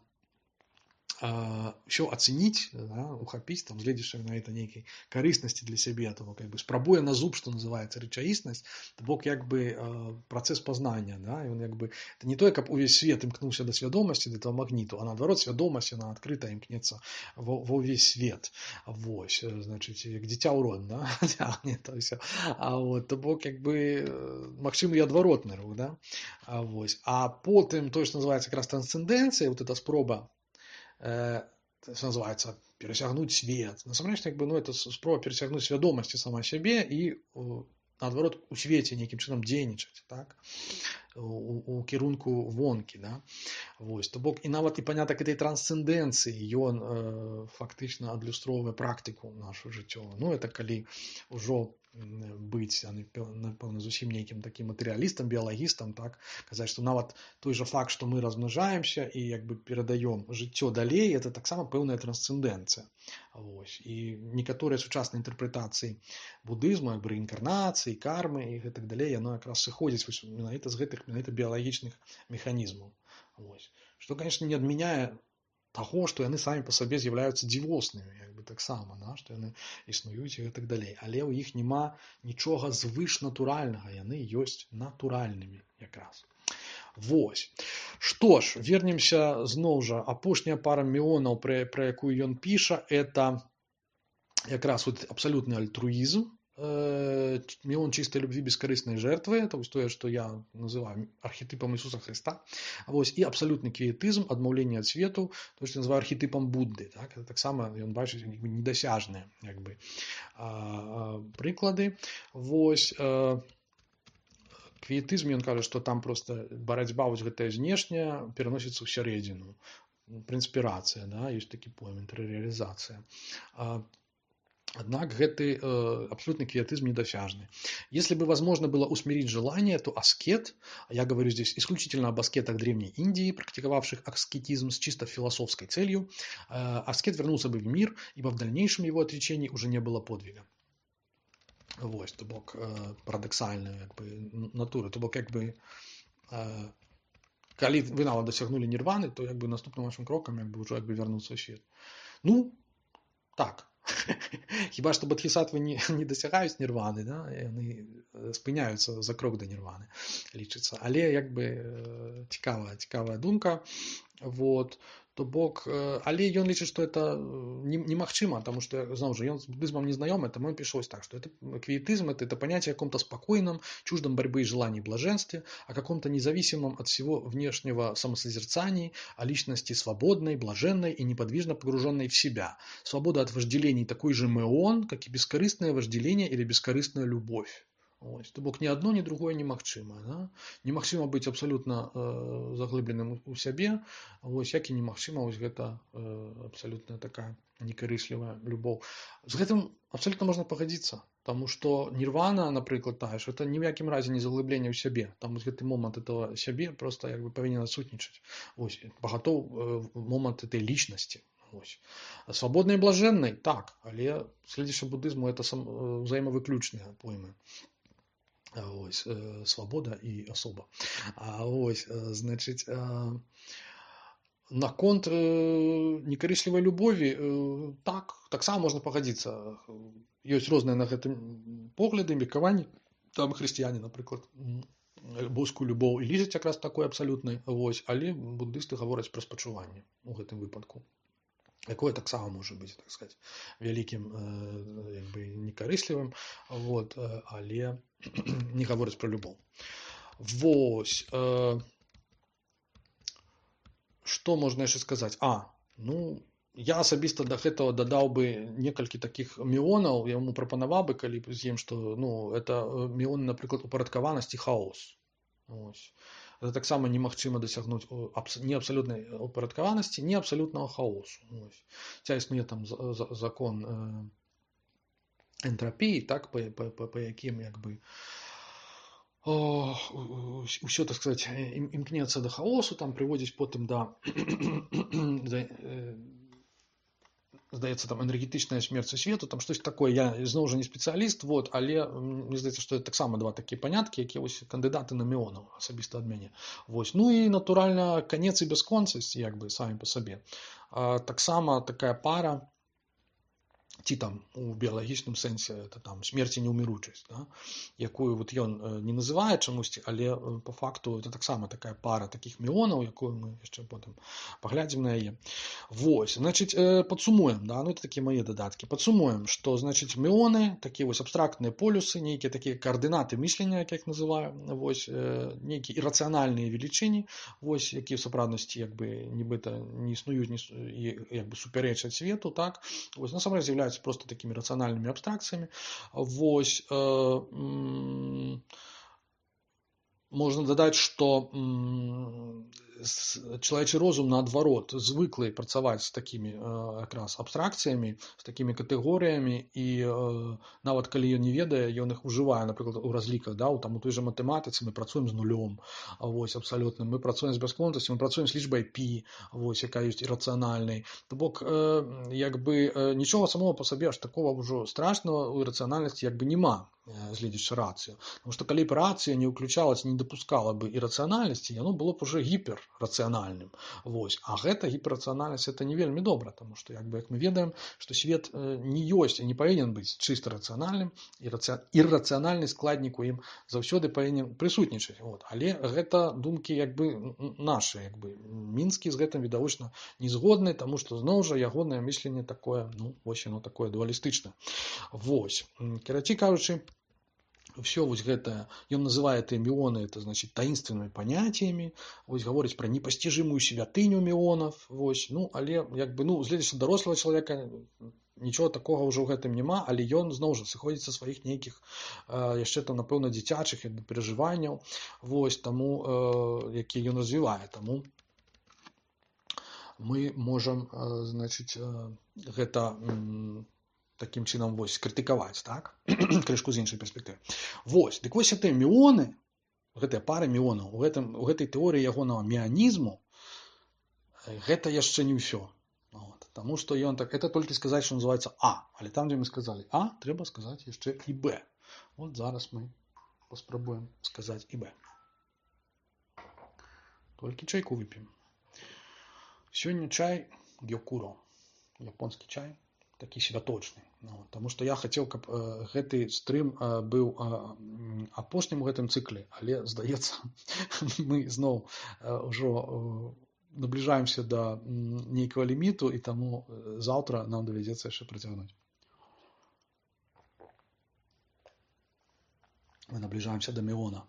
все оценить, да, ухапіць, там, гледзячы на это нейкай карыснасці для сябе, то бок, як бы спрабуе на зуб, што называецца рэчаіснасць, то бок як бы працэс пазнання, да, і он як бы это не тое, каб увесь свет імкнуўся да свядомасці, да этого магніту, а наадварот свядомасць яна адкрыта імкнецца ва ўвесь свет. Вось, значыць, як дзіця ў рот, да, цягне то ўсё. А вот, то бок як бы магчымы і адваротны рух, да. А вось, а потым тое, што называецца якраз трансцэндэнцыя, вот эта спроба, это называется пересягнуть свет. Насамрэч, як бы, ну, это спроба пересягнуть свядомасці сама сябе і наадварот у свеце нейкім чынам дзейнічаць, так, у, у кірунку вонкі, да. Вось, то бок і нават і панятак этой трансцэндэнцыі ён э, фактычна адлюстроўвае практыку нашу жыццёвую. Ну, это калі ўжо быць, напэўна, зусім нейкім такім матэрыялістам, біялагістам, так, казаць, што нават той жа факт, што мы размнажаемся і як бы перадаём жыццё далей, это таксама пэўная трансцэндэнцыя. Вось. І некаторыя сучасныя інтэрпрэтацыі будызму, як бы рэінкарнацыі, кармы і гэтак далей, яно якраз сыходзіць вось менавіта з гэтых менавіта біялагічных механізмаў. Вось. Што, конечно, не адмяняе таго, што яны самі па сабе з'яўляюцца дзівоснымі, як бы таксама, да, што яны існуюць і гэтак далей. Але ў іх няма нічога звышнатуральнага, яны ёсць натуральнымі якраз. Вось. Што ж, вернемся зноў жа, апошняя пара меонаў, пра, пра якую ён піша, это якраз вот абсалютны альтруізм, меон чистой любви, бескорыстной жертвы, это вось тое, што я называю архетипом Ісуса Христа. Вось, і абсалютны квіетызм, адмаўленне ад свету, то, што называю архетипом Будды. Так? Это таксама ён бачыць недасяжныя як бы, прыклады. Вось, квіетызм, ён кажа, што там просто барацьба вось гэтая знешняя пераносіцца ў сярэдзіну. Прынспірацыя, да? Ёсць такі пойм, інтэрыярызацыя. Однако гэты э, абсолютный квиетизм недосяжный. Если бы возможно было усмирить желание, то аскет, я говорю здесь исключительно об аскетах Древней Индии, практиковавших аскетизм с чисто философской целью, э, аскет вернулся бы в мир, ибо в дальнейшем его отречении уже не было подвига. Вот, то бок э, парадоксальная как бы, натура, то бок как бы э, коли вы нават досягнули нирваны, то как бы наступным вашим кроком как бы, уже как бы вернуться в свет. Ну, так. Хіба што бодхісаттвы не, не дасягаюць нірваны, да? Яны спыняюцца за крок да нірваны, лічыцца. Але як бы цікавая, цікавая думка. Вот. То бок, але ён лічыць, што это немагчыма, таму што, зноў жа, ён з буддызмом не знаёмы, таму ён піша ось так, што это квиетизм, это, это понятие о каком-то спокойном, чуждом борьбы и желаний блаженстве, о каком-то независимом от всего внешнего самосозерцании, о личности свободной, блаженной и неподвижно погруженной в себя. Свобода от вожделений такой же меон, как и бескорыстное вожделение или бескорыстная любовь. Ось. То бок ні одно, ні другое немагчыма. Да? Немагчыма быць абсалютна э, заглыбленым у сябе, ось, як і немагчыма ось гэта э, абсалютна такая некарыслівая любоў. З гэтым абсалютна можна пагадзіцца, таму што нірвана, напрыклад, тая ж, это ні ў якім разе не заглыбленне ў сябе. Там вось гэты момант этого сябе просто як бы павінен адсутнічаць. Ось, пагатоў э, момант этой лічнасці. Ось. Свабоднай і блажэннай, так, але следзячы буддызму это сам, э, взаимовыключныя поймы. Ось, э, свобода и особа. А ось, э, значит, э, наконт э, некарыслівай любові, э, так, таксама можна пагадзіцца. Ёсць розныя на гэтым погляды, меркаванні. Там хрысціяне, напрыклад, боскую любоў і лічаць якраз такой абсалютнай, ось, але буддысты гавораць пра спачуванне у гэтым выпадку. Якое таксама можа быць, так сказать, вялікім э, як бы некарыслівым, вот, э, але не гаворыць пра любоў. Вось. Э, што можна яшчэ сказаць? А, ну, я асабіста да гэтага дадаў бы некалькі такіх меонаў, я яму прапанаваў бы, калі з ім, што, ну, это меоны, напрыклад, упарадкаванасць і хаос. Ось. Это таксама немагчыма дасягнуць ні абсалютнай упарадкаванасці, ні абсалютнага хаосу. Ця існуе там закон э, энтропіі, так, па, па, па, па якім як бы ўсё, так сказать, імкнецца да хаосу, там прыводзіць потым да, да э, здаецца, там энергетычная смерць свету, там штось такое, я зноў жа не спецыяліст, вот, але мне здаецца, што это таксама два такія паняткі, якія вось кандыдаты на меонаў асабіста ад мяне. Вось. Ну і натуральна канец і бясконцасць, як бы самі па сабе. А, таксама такая пара, ці там у біялагічным сэнсе это там смерць і неўміручасць, да? Якую вот ён не называе чамусьці, але по факту это таксама такая пара такіх меонаў, якую мы яшчэ потым паглядзім на яе. Вось, значыць, падсумуем, да? Ну это такія мае дадаткі. Падсумуем, што, значыць, меоны, такія вось абстрактныя полюсы, нейкія такія координаты мыслення, як я іх называю, вось, нейкія ірацыянальныя велічыні, вось, якія в сапраўднасці як бы нібыта не існуюць, не, як бы супярэчаць свету, так? Вось, насамрэч з'яўляюцца просто такими рациональными абстракциями. Вось, э, м, можно додать, что м, чалавечы розум, наадварот, звыклы працаваць з такімі якраз абстракцыямі, з такімі катэгорыямі, і э, нават калі ён не ведае, ён іх ужывае, напрыклад, у разліках, да, у, там, у той жа матэматыцы мы працуем з нулём, вось, абсалютна, мы працуем з бясконцасцю, мы працуем з лічбай пі, вось, якая ёсць ірацыянальнай. То бок, э, як бы, э, нічога самого па сабе аж такого ўжо страшного у ірацыянальнасці як бы нема, гледзячы рацыю. Потому што калі б рацыя не ўключалась, не дапускала бы ірацыянальнасці, яно было б уже гіперрацыянальным. Вось. А гэта гіперрацыянальнасць это не вельмі добра, тому што як бы як мы ведаем, што свет не ёсць і не павінен быць чыста рацыянальным, і іррацыянальны складнік у ім заўсёды павінен прысутнічаць. Вот. Але гэта думкі як бы нашы, як бы Мінскі з гэтым відавочна не згодны, таму што зноў жа ягонае мысленне такое, ну, вось яно такое дуалістычнае. Вось. Карацей кажучы, все вось гэтае, ён называе эти міоны, это значит таинственными понятиями, вось гаворыць про непостижимую святыню міонов, вось, ну, але як бы, ну, з гледаючы дарослага чалавека нічого такого ўжо ў гэтым няма, але ён зноў жа сыходзіць са сваіх нейкіх э, яшчэ там, напэўна, дзіцячых перажыванняў, вось, таму, э, які ён развівае, таму мы можам, э, значит, э, гэта э, таким чынам вось крытыкаваць, так? Крышку з іншай перспектывы. Вось, дык вось гэтыя міоны, гэтыя пары міонаў, у, гэтым, у гэтай тэорыі ягонага міанізму гэта яшчэ не ўсё. Вот. Таму што ён так, это толькі сказаць, што называецца А, але там, дзе мы сказалі А, трэба сказаць яшчэ і Б. Вот зараз мы паспрабуем сказаць і Б. Толькі чайку вып'ем. Сёння чай гёкуро, японскі чай, такі святочны. Ну, таму што я хацеў, каб э, гэты стрым э, быў э, апошнім у гэтым цыкле, але, здаецца, мы зноў э, ўжо э, набліжаемся да нейкага ліміту, і таму э, заўтра нам давядзецца яшчэ працягнуць. Мы набліжаемся да міона.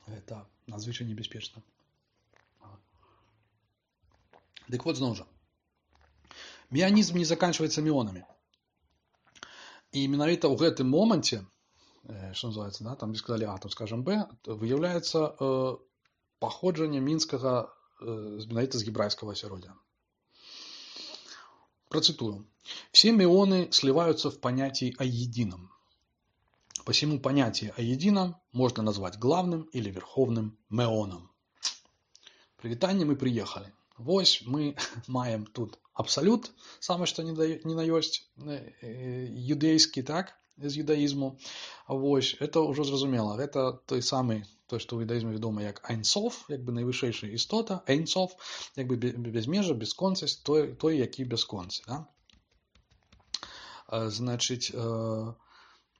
Гэта надзвычай небяспечна. Дык вот зноў жа. Міанізм не заканчивается міонамі. І менавіта ў гэтым моманце, што называецца, да, там сказалі А, тут скажем Б, выяўляецца э, паходжанне мінскага э, менавіта з гебрайского асяроддзя. Процитую. Все мионы сливаются в понятии о едином. Посему понятие о едином можно назвать главным или верховным меоном. Прывітанне, мы приехали. Вось мы маем тут абсолют, самое что не на ёсць, юдэйскі, так, з юдаізму. Вось, это ўжо зразумела. Гэта той самы, той, што ў юдаізме вядома як Айнсоф, як бы найвышэйшая істота, Айнсоф, як бы безмежа, бесконцасць, той, той які бесконцы, да? Значыць,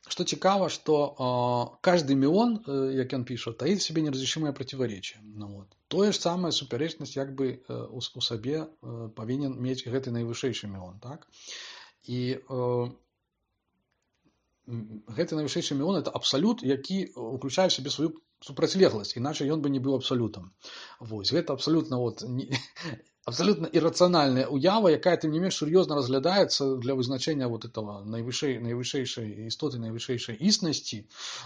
что цікава, что каждый мион, як ён піша, таит в себе неразрешимое противоречие. Ну, вот. Тое ж самая супярэчнасць як бы у, у сабе павінен мець гэты найвышэйшы міон, так? І э, гэты найвышэйшы міон это абсалют, які уключае в себе сваю супрацьлегласць, іначай ён бы не быў абсалютам. Вось, гэта абсалютна вот не, абсолютно иррациональная уява, якая, тем не менш, сур'ёзна разглядаецца для вызначэння вот этого найвышэй, найвышэйшай істоты, найвышэйшай існасці,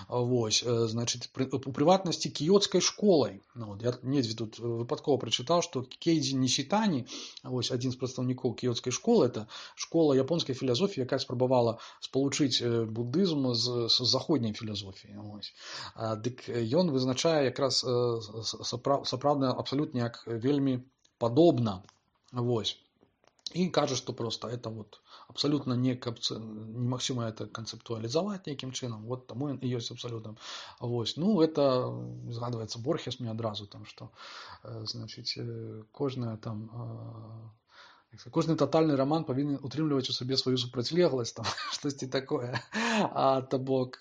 вось, значит, у прыватнасці кіёцкай школай. Ну, я недзе тут выпадкова прачытаў, што Кейдзі Нісітані, вось, адзін з прадстаўнікоў кіёцкай школы, это школа японскай філасофіі, якая спрабавала спалучыць буддызм з, з заходняй філасофіяй. Вось. Дык ён вызначае якраз сапраўдна абсалютна як вельмі подобно, вось. И кажа, что просто это вот абсолютно не немагчыма это концептуализовать неким чином, вот тому и есть абсолютно. Вось. Ну, это згадывается Борхес мне одразу, там, что, значит, кожная там, кожны тотальный роман павінен утрымліваць у сабе сваю супрацьлегласць, там, штосьці такое, а то бок,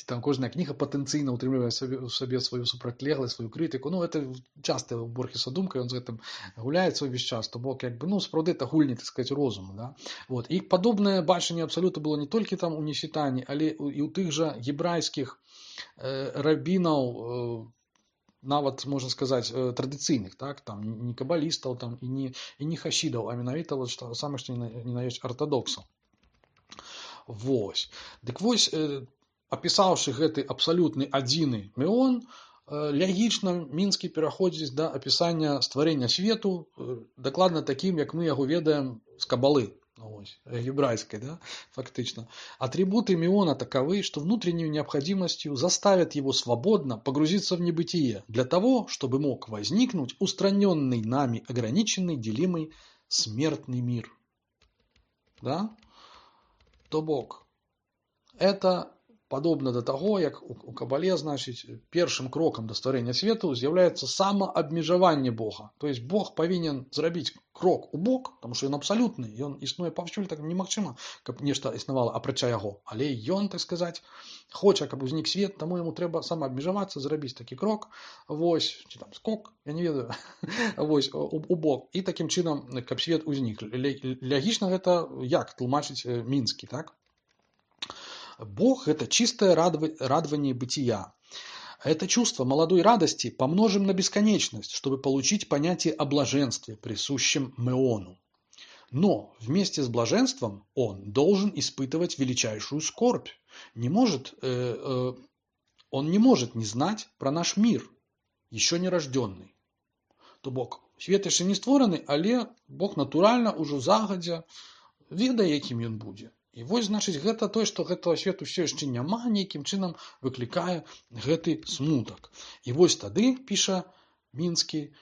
там кожная кніга патэнцыйна утрымлівае у сабе сваю супрацьлегласць, сваю крытыку. Ну, это часто у Борхеса думка, ён з гэтым гуляецца ўвесь час, то бок, як бы, ну, сапраўды это гульні, так сказать, розуму, да? Вот. І падобнае бачанне абсалюта было не толькі там у Нісітані, але і ў тых жа гебрайскіх э, рабінаў, э, нават, можна сказаць, традыцыйных, так, там, не кабалістаў, там, і не, і не хасідаў, а менавіта вот, што самае, што не на ёсць артадоксаў. Вось. Дык вось, э, апісаўшы гэты абсалютны адзіны міон, лягічна Мінскі пераходзіць да апісання стварэння свету, дакладна такім, як мы яго ведаем з кабалы, ось, гебрайской, да, фактично. Атрибуты миона таковы, что внутренней необходимостью заставят его свободно погрузиться в небытие для того, чтобы мог возникнуть устраненный нами ограниченный, делимый смертный мир. Да? То бок, это падобна да таго, як у кабале, значыць, першым крокам да стварэння свету з'яўляецца самаабмежаванне Бога. То есть Бог павінен зрабіць крок у бок, тому што ён абсалютны, ён існуе паўсюль, так немагчыма, каб нешта існавала апрача яго. Але ён, так сказаць, хоча, каб узнік свет, таму яму трэба самаабмежавацца, зрабіць такі крок, вось, ці там скок, я не ведаю, вось, у, у бок. І такім чынам, каб свет узнік. Лягічна гэта як тлумачыць Мінскі, так? Бог – это чистое радование бытия. Это чувство молодой радости помножим на бесконечность, чтобы получить понятие о блаженстве, присущем Меону. Но вместе с блаженством он должен испытывать величайшую скорбь. Не может, э, э, он не может не знать про наш мир, еще не рожденный. То Бог свет яшчэ не створаны, але Бог натуральна ўжо загадзя ведае, якім ён будзе. І вось, значыць, гэта тое, што гэтага свету ўсё яшчэ няма, нейкім чынам выклікае гэты смутак. І вось тады, піша Мінскі,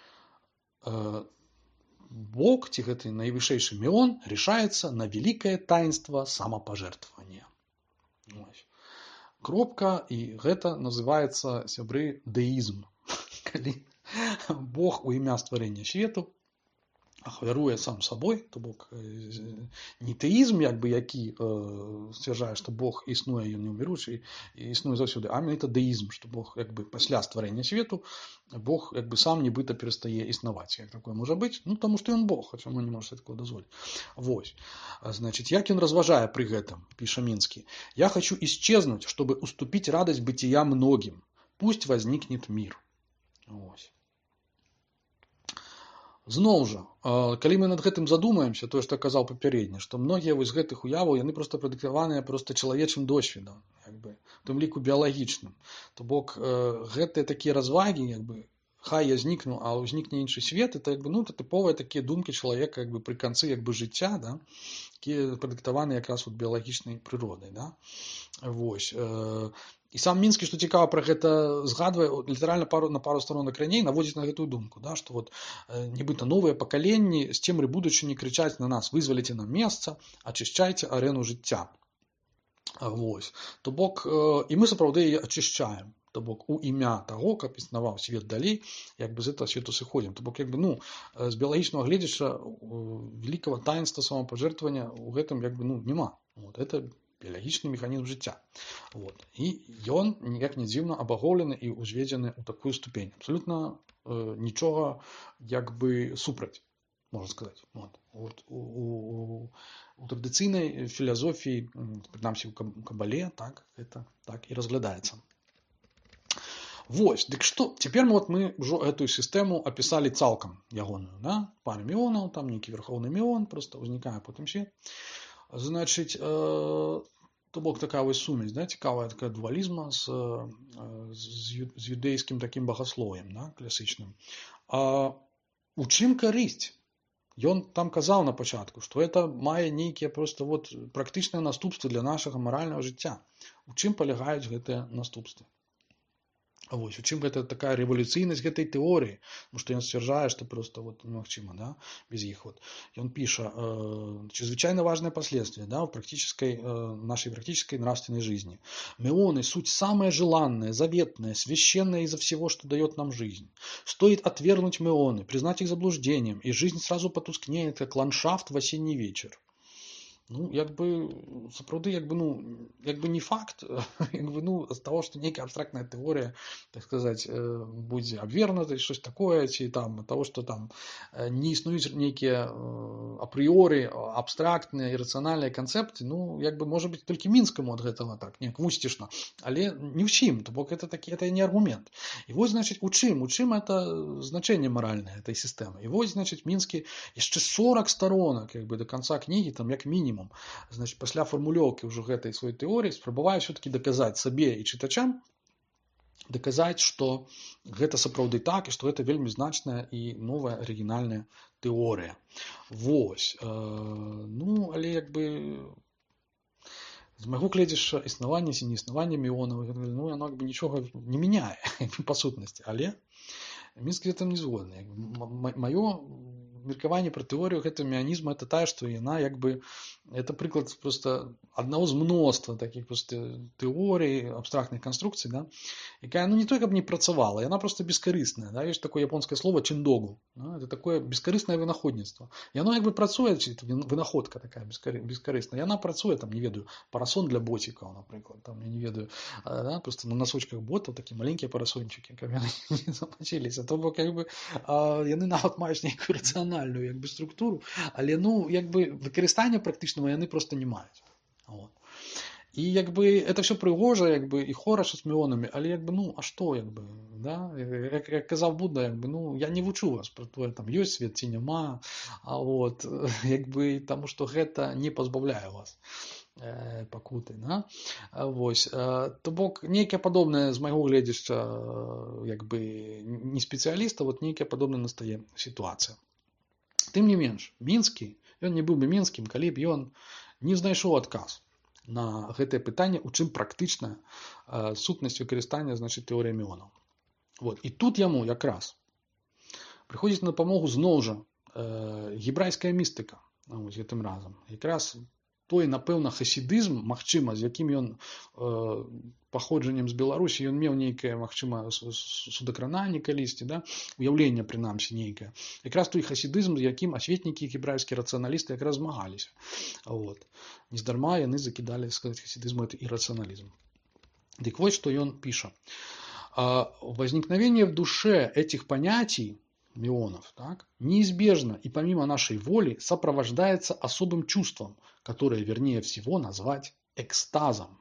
Бог, ці гэты найвышэйшы Меон, решается на великое таинство самопожертвования. Кропка, і гэта называецца, сябры, дэізм. Калі Бог у імя стварэння свету ахвяруе сам сабой, то бок не тэізм, як бы, які э, сцвярджае, што Бог існуе, ён неўміручы, і існуе заўсёды, а менавіта дэізм, што Бог, як бы, пасля стварэння свету Бог, як бы, сам нібыта перастае існаваць. Як такое можа быць? Ну, таму што ён Бог, хаця мы не можа такого дазволіць. Вось. Значыць, як ён разважае пры гэтым, піша Мінскі. «Я хочу исчезнуть, чтобы уступить радость бытия многим. Пусть возникнет мир». Вось. Зноў жа, калі мы над гэтым задумаемся, тое, што казаў папярэдне, што многія вось гэтых уяваў, яны проста прадыктаваныя проста чалавечым досведам, як бы, у тым ліку біялагічным. То бок, гэтыя такія развагі, як бы, хай я знікну, а ўзнікне іншы свет, это, як бы, ну, это тыповыя такія думкі чалавека, як бы, пры канцы, як бы, жыцця, да, якія прадыктаваныя якраз вот біялагічнай прыродай, да. Вось. І сам Мінскі, што цікава, пра гэта згадвае, літаральна пару, на пару сторонак раней наводзіць на гэтую думку, да, што вот, э, нібыта новыя пакаленні з цемры будучыні крычаць на нас: вызваліце нам месца, ачышчайце арэну жыцця. Вось. То бок, э, і мы сапраўды яе ачышчаем. То бок, у імя таго, каб існаваў свет далей, як бы з гэтага свету сыходзім. То бок, як бы, ну, з біялагічнага гледзяча великого таинства самопожертвования у гэтым, як бы, ну, няма. Вот, это біялагічны механізм жыцця. Вот. І ён, ніяк не дзіўна, абагоўлены і ўзведзены ў такую ступень. Абсалютна э, нічога, як бы, супраць, можна сказаць. Вот. Вот. У, у, у традыцыйнай філасофіі, прынамсі ў кабале, так, это так і разглядаецца. Вось, дык што, цяпер вот мы ўжо гэтую сістэму апісалі цалкам ягоную, да? Пара меонаў, там нейкі верхоўны меон, проста ўзнікае потым свет. Значыць, э, то бок такая вось сумесь, да, цікавая такая дуалізма з, з, з юдэйскім такім багаслов'ем, да, класічным. А у чым карысць? Ён там казаў на пачатку, што это мае нейкія проста вот практычныя наступствы для нашага маральнага жыцця. У чым палягаюць гэтыя наступствы? Вось, у чым гэта такая рэвалюцыйнасць гэтай тэорыі, тому што ён сцвярджае, што просто вот немагчыма, да, без іх. Вот. Ён піша, э, чрезвычайно важное последствие, да, в практической, э, нашей практической нравственной жизни. Меоны – суть самое желанное, заветное, священное изо всего, что дает нам жизнь. Стоит отвергнуть меоны, признать их заблуждением, и жизнь сразу потускнеет, как ландшафт в осенний вечер. Ну, як бы, сапраўды, як бы, ну, як бы не факт, як бы, ну, з таго, што нейкая абстрактная тэорыя, так сказаць, будзе абвернута, щось такое, ці там, ад таго, што там не існуюць нейкія апрыоры, абстрактныя, ірацыянальныя канцэпты, ну, як бы, можа быць, толькі Мінскаму ад гэтага так, неяк вусцішна, але не ўсім, то бок это такі, это не аргумент. І вось, значыць, у чым, у чым это значэнне маральнае этой сістэмы. І вось, значыць, Мінскі яшчэ сорок сторонак, як бы, до конца кнігі, там, як мінімум, значит, пасля фармулёўкі ўжо гэтай сваёй тэорыі спрабаваю все-таки доказаць сабе і чытачам, доказаць, што гэта сапраўды так і што гэта вельмі значная і новая арыгінальная тэорыя. Вось. Ну, але як бы з майго гледзяшча існаванне ці неіснаванне меонаў, ну, яно як бы нічога не мяняе па сутнасці, але Мінскі гэтым не згодны. Маё меркаванне пра тэорыю гэтага меанізму это тая, што яна як бы это прыклад просто аднаго з мноства такіх просто тэорый, абстрактных канструкцый, да, якая ну не той, каб не працавала, яна просто бескарысная, да, ёсць такое японскае слово чиндогу, да, это такое бескарыснае вынаходніцтва. Яно як бы працуе, вынаходка такая бескарысная, яна працуе, там, не ведаю, парасон для боцікаў, напрыклад, там, я не ведаю, да, просто на носочках ботаў такія маленькія парасончыкі, каб яны не замачыліся, то бок як бы яны нават маюць нейкую рацыянальную як бы структуру, але ну як бы выкарыстання практычнага яны просто не маюць. Вот. І як бы это все прыгожа, як бы і хораша з меонамі, але як бы ну а што як бы, да? Як, як казаў Будда, як бы ну я не вучу вас пра тое, там ёсць свет ці няма, а вот як бы таму што гэта не пазбаўляе вас э, пакуты, да? Вось, э, то бок нейкае падобнае з майго гледзяшча як бы не спецыяліста, вот нейкае падобнае настае сітуацыя. Тым не менш, Мінскі, ён не быў бы мінскім, калі б ён не знайшоў адказ на гэтае пытанне, у чым практычная э, сутнасць выкарыстання, значыць, тэорыі меонаў. Вот. І тут яму якраз прыходзіць на дапамогу зноў жа э, гебрайская містыка, вось гэтым разам. Якраз той, напэўна, хасідызм, магчыма, з якім ён э, паходжаннем з Беларусі, ён меў нейкае, магчыма, судакрананне калісьці, да? Уяўленне, прынамсі, нейкае. Якраз той хасідызм, з якім асветнікі гебрайскія рацыяналісты якраз змагаліся. Вот. Нездарма яны закідалі, сказаць, хасідызму это иррационализм. Дык вот, что он пишет. Возникновение в душе этих понятий, меонов, так, неизбежно и помимо нашей воли сопровождается особым чувством, которое, вернее всего, назвать экстазом.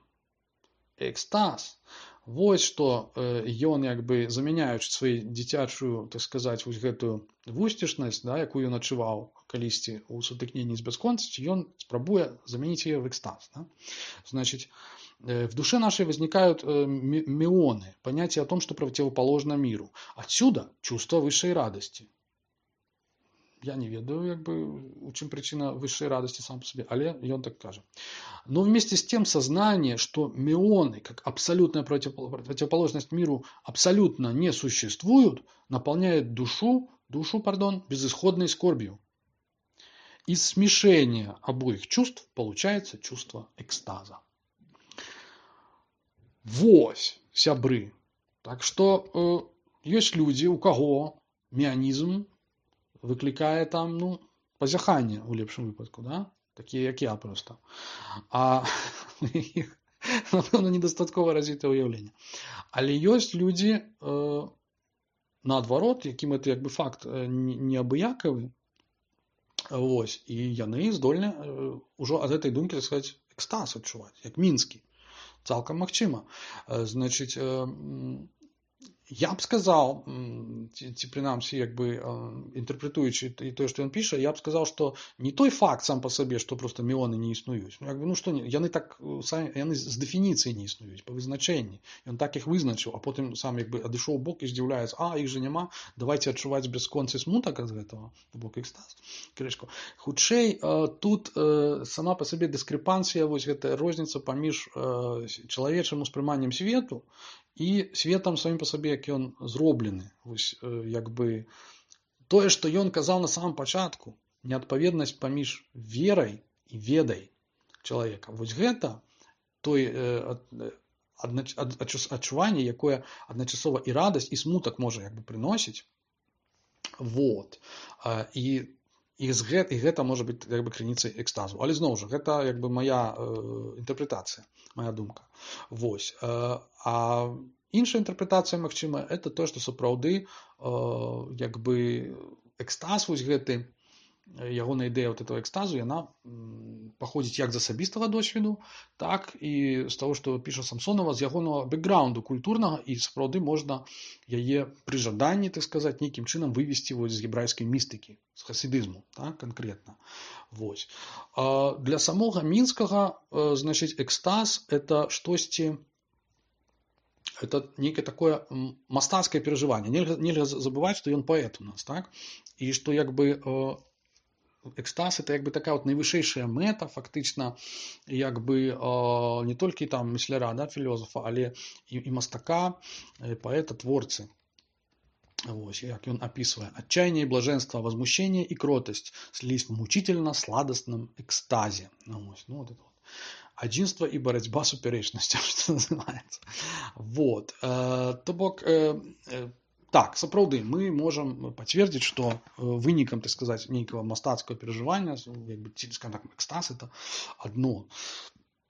Экстаз. Вот что ён як бы замяняючы сваю дзіцячую, так сказаць, вось гэтую вусцішнасць, да, якую ён адчуваў калісьці ў сутыкненні з бясконцасцю, ён спрабуе заменить ее в экстаз. Да? Значит, в душе нашей возникают меоны, понятие о том, что противоположно миру. Отсюда чувство высшей радости. Я не ведаю, як бы, у чым причина высшей радости сам по себе, але ён так кажа. Но вместе с тем сознание, что меоны, как абсолютная противоположность миру, абсолютно не существуют, наполняет душу, душу, пардон, безысходной скорбью. Из смешения обоих чувств получается чувство экстаза. Вось, сябры. Так что э, есть люди, у кого меанизм выкликае там, ну, пазяханне у лепшым выпадку, да? Такія, як я просто. А напэўна, недастаткова развітае ўяўленне. Але ёсць людзі, э, наадварот, якім это як бы факт неабыякавы, вось, і яны здольны э, ўжо ад гэтай думкі, так сказаць, экстаз адчуваць, як мінскі. Цалкам магчыма. Значыць, э, я б сказал, ці прынамсі, як бы інтэрпрэтуючы і тое, што ён піша, я б сказал, што не той факт сам па сабе, што просто меоны не існуюць. Ну, як бы, ну што, яны так самі, яны з дэфініцыі не існуюць, па вызначэнні. Ён так іх вызначыў, а потым сам як бы адышоў у бок і здзіўляецца: а, іх жа няма, давайте адчуваць бясконцы смутак ад гэтага, у бок экстаз. Крышку. Хутчэй, тут сама па сабе дыскрэпанцыя, вось гэтая розніца паміж чалавечым успрыманнем свету і светам самім па сабе, як ён зроблены. Вось, як бы, тое, што ён казаў на самом пачатку, неадпаведнасць паміж верай і ведай чалавека. Вось гэта той э, аднач, ад, адчуванне, якое адначасова і радасць, і смутак можа як бы прыносіць. Вот. І І, гэта, і гэта можа быць як бы крыніцай экстазу. Але зноў жа, гэта як бы моя э, інтэрпрэтацыя, моя думка. Вось. Э, а іншая інтэрпрэтацыя, магчыма, это то, што сапраўды э, як бы экстаз вось гэты, ягоная ідэя вот этого экстазу, яна паходзіць як з асабістага досведу, так і з таго, што піша Самсонова, з ягонага бэкграунду культурнага, і сапраўды можна яе пры жаданні, так сказаць, нейкім чынам вывесці вось з гебрайскай містыкі, з хасідызму, так, канкрэтна. Вось. А для самога мінскага, значыць, экстаз это штосьці, это некое такое мастацкае перажыванне. Нельга, нельга забываць, што ён паэт у нас, так? І што як бы экстаз это як бы такая вот найвышэйшая мэта, фактычна, як бы э, не толькі там мысляра, да, філёзафа, але і, і мастака, і паэта, творцы. Вось, як ён описывае. Отчаяние и блаженство, возмущение и кротость слились в мучительно-сладостном экстазе. Ну, вось, ну, вот это вот. Адзінства і барацьба супярэчнасцяў, што называецца. Вот. Э, то бок, э, э, так, сапраўды, мы можам пацвердзіць, што вынікам, так сказаць, нейкага мастацкага перажывання, як бы, скажем так, экстаз, это адно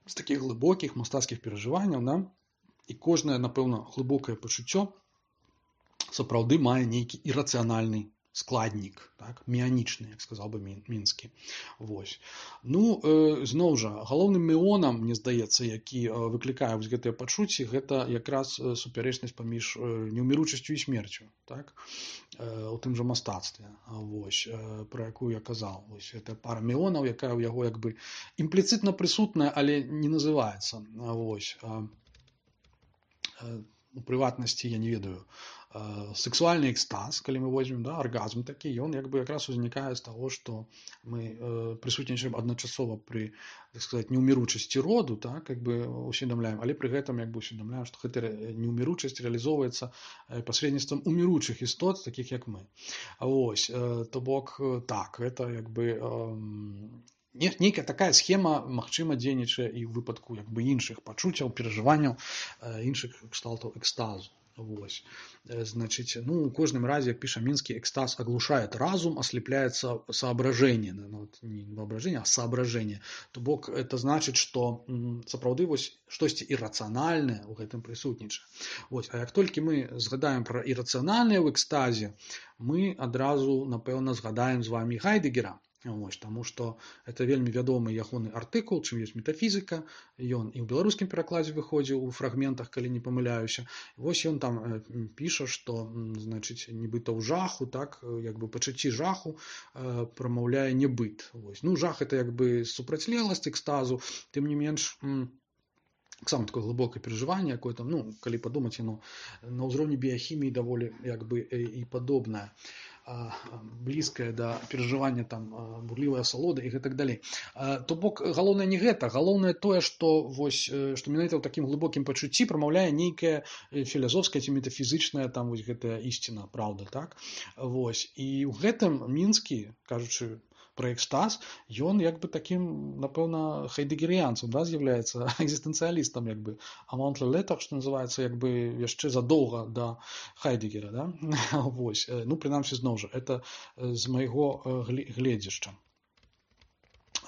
з такіх глыбокіх мастацкіх перажыванняў, да? І кожнае, напэўна, глыбокае пачуццё сапраўды мае нейкі ірацыянальны складнік, так, меанічны, як сказаў бы Мінскі. Вось. Ну, э, зноў жа, галоўным меонам, мне здаецца, які э, выклікае вось гэтыя пачуцці, гэта якраз супярэчнасць паміж э, неўміручасцю і смерцю, так, э, у тым жа мастацтве, вось, э, пра якую я казаў. Вось, гэта пара меонаў, якая ў яго як бы імпліцытна прысутная, але не называецца. Вось. Э, э, у прыватнасці, я не ведаю, сексуальны экстаз, калі мы возьмем, да, аргазм такі, ён як бы якраз узнікае з таго, што мы э, прысутнічаем адначасова пры, так сказаць, неўміручасці роду, так, як бы усведамляем, але пры гэтым як бы усведамляем, што гэта неўміручасць рэалізоўваецца пасредніцтвам уміручых істот, такіх як мы. Вось, э, то бок, так, гэта як бы э, нейкая такая схема, магчыма, дзейнічае і ў выпадку як бы іншых пачуццяў, перажыванняў, э, іншых кшталтаў экстазу. Вось. Значит, ну, в каждом разе, как пишет Минский, экстаз оглушает разум, ослепляет соображение. Ну, вот, не воображение, а соображение. То бок, это значит, что сапраўды вось штосьці іррацыянальнае ў гэтым прысутнічае. Вось. А як толькі мы згадаем пра іррацыянальнае ў экстазе, мы адразу, напэўна, згадаем з вами Гайдэгера. Вось, таму што это вельмі вядомы ягоны артыкул, чым ёсць метафізіка, ён і ў беларускім перакладзе выходзіў у фрагментах, калі не памыляюся. Вось ён там э, піша, што, значыць, нібыта ў жаху, так, як бы пачуцці жаху э, прамаўляе небыт. Вось. Ну, жах это як бы супрацьлегласць экстазу, тым не менш, таксама такое глыбокае перажыванне, якое там, ну, калі падумаць, яно на ўзроўні біяхіміі даволі як бы і падобнае, блізкае да перажывання там бурлівая асалода і гэтак далей. То бок, галоўнае не гэта, галоўнае тое, што вось, што менавіта ў такім глыбокім пачуцці прамаўляе нейкая філазофская ці метафізычная там вось гэтая ісціна, праўда, так? Вось. І ў гэтым Мінскі, кажучы пра экстаз, ён як бы такім, напэўна, хайдэгерыянцам, да, з'яўляецца экзістэнцыялістам, як бы, амонт летах, што называецца, як бы яшчэ задоўга да Хайдэгера, да? Вось. Ну, прынамсі, зноў жа, это з майго гледзішча.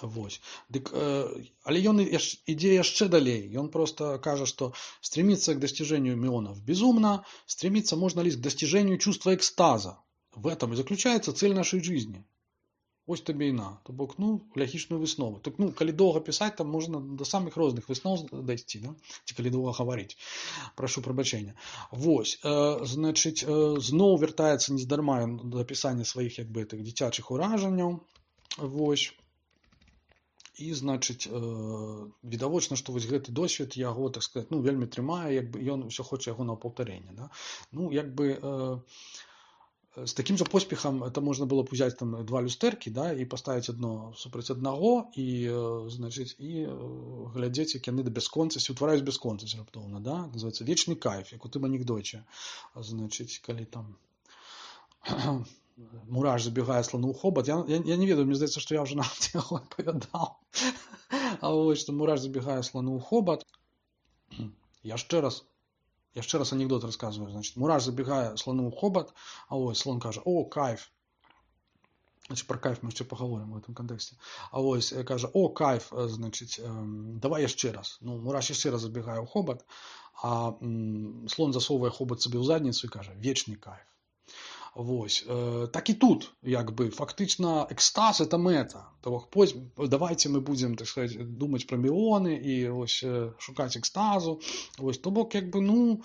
Вось. Дык, э, але ён ідзе яшчэ далей. Ён просто кажа, што стремиться к достижению меонов безумно, стремиться можно лишь к достижению чувства экстаза. В этом и заключается цель нашей жизни. Ось табе і на. То бок, ну, лягічную выснову. Так, ну, калі доўга пісаць, там можна да самых розных высноў дайсці, да? Ці калі доўга гаварыць. Прашу прабачэння. Вось, э, значыць, э, зноў вяртаецца нездарма да пісання сваіх, як бы, тых дзіцячых уражанняў. Вось. І, значыць, э, відавочна, што вось гэты досвед яго, так сказаць, ну, вельмі трымае, як бы ён усё хоча яго на паўтарэнне, да? Ну, як бы, э, с таким же поспехом это можно было б взять там два люстэркі, да, і паставіць адно супраць аднаго і, значыць, і глядзець, як яны да бясконцасці утвараюць бясконцасць раптоўна, да, называется вечны кайф, як у тым анекдоце. Значыць, калі там мураш забегае слону ў хобат, я, я, я не ведаю, мне здаецца, што я ўжо нават яго апавядаў. А вось, што мураш забегае слону ў хобат. Яшчэ раз Яшчэ раз анекдот рассказываю. Значит, мураш забегае слону ў хобат, а ось слон кажа: "О, кайф". Значит, про кайф мы яшчэ пагаворым в этом контексте. А ось кажа: "О, кайф", значит, давай яшчэ раз. Ну, мураш яшчэ раз забегае ў хобат, а слон засовывае хобат сабе ў задніцу і кажа: "Вечны кайф". Вось. Так і тут, як бы, фактычна экстаз это мэта. То бок, давайте мы будем, так сказать, думаць пра меоны і ось шукаць экстазу. Вось, то бок, як бы, ну,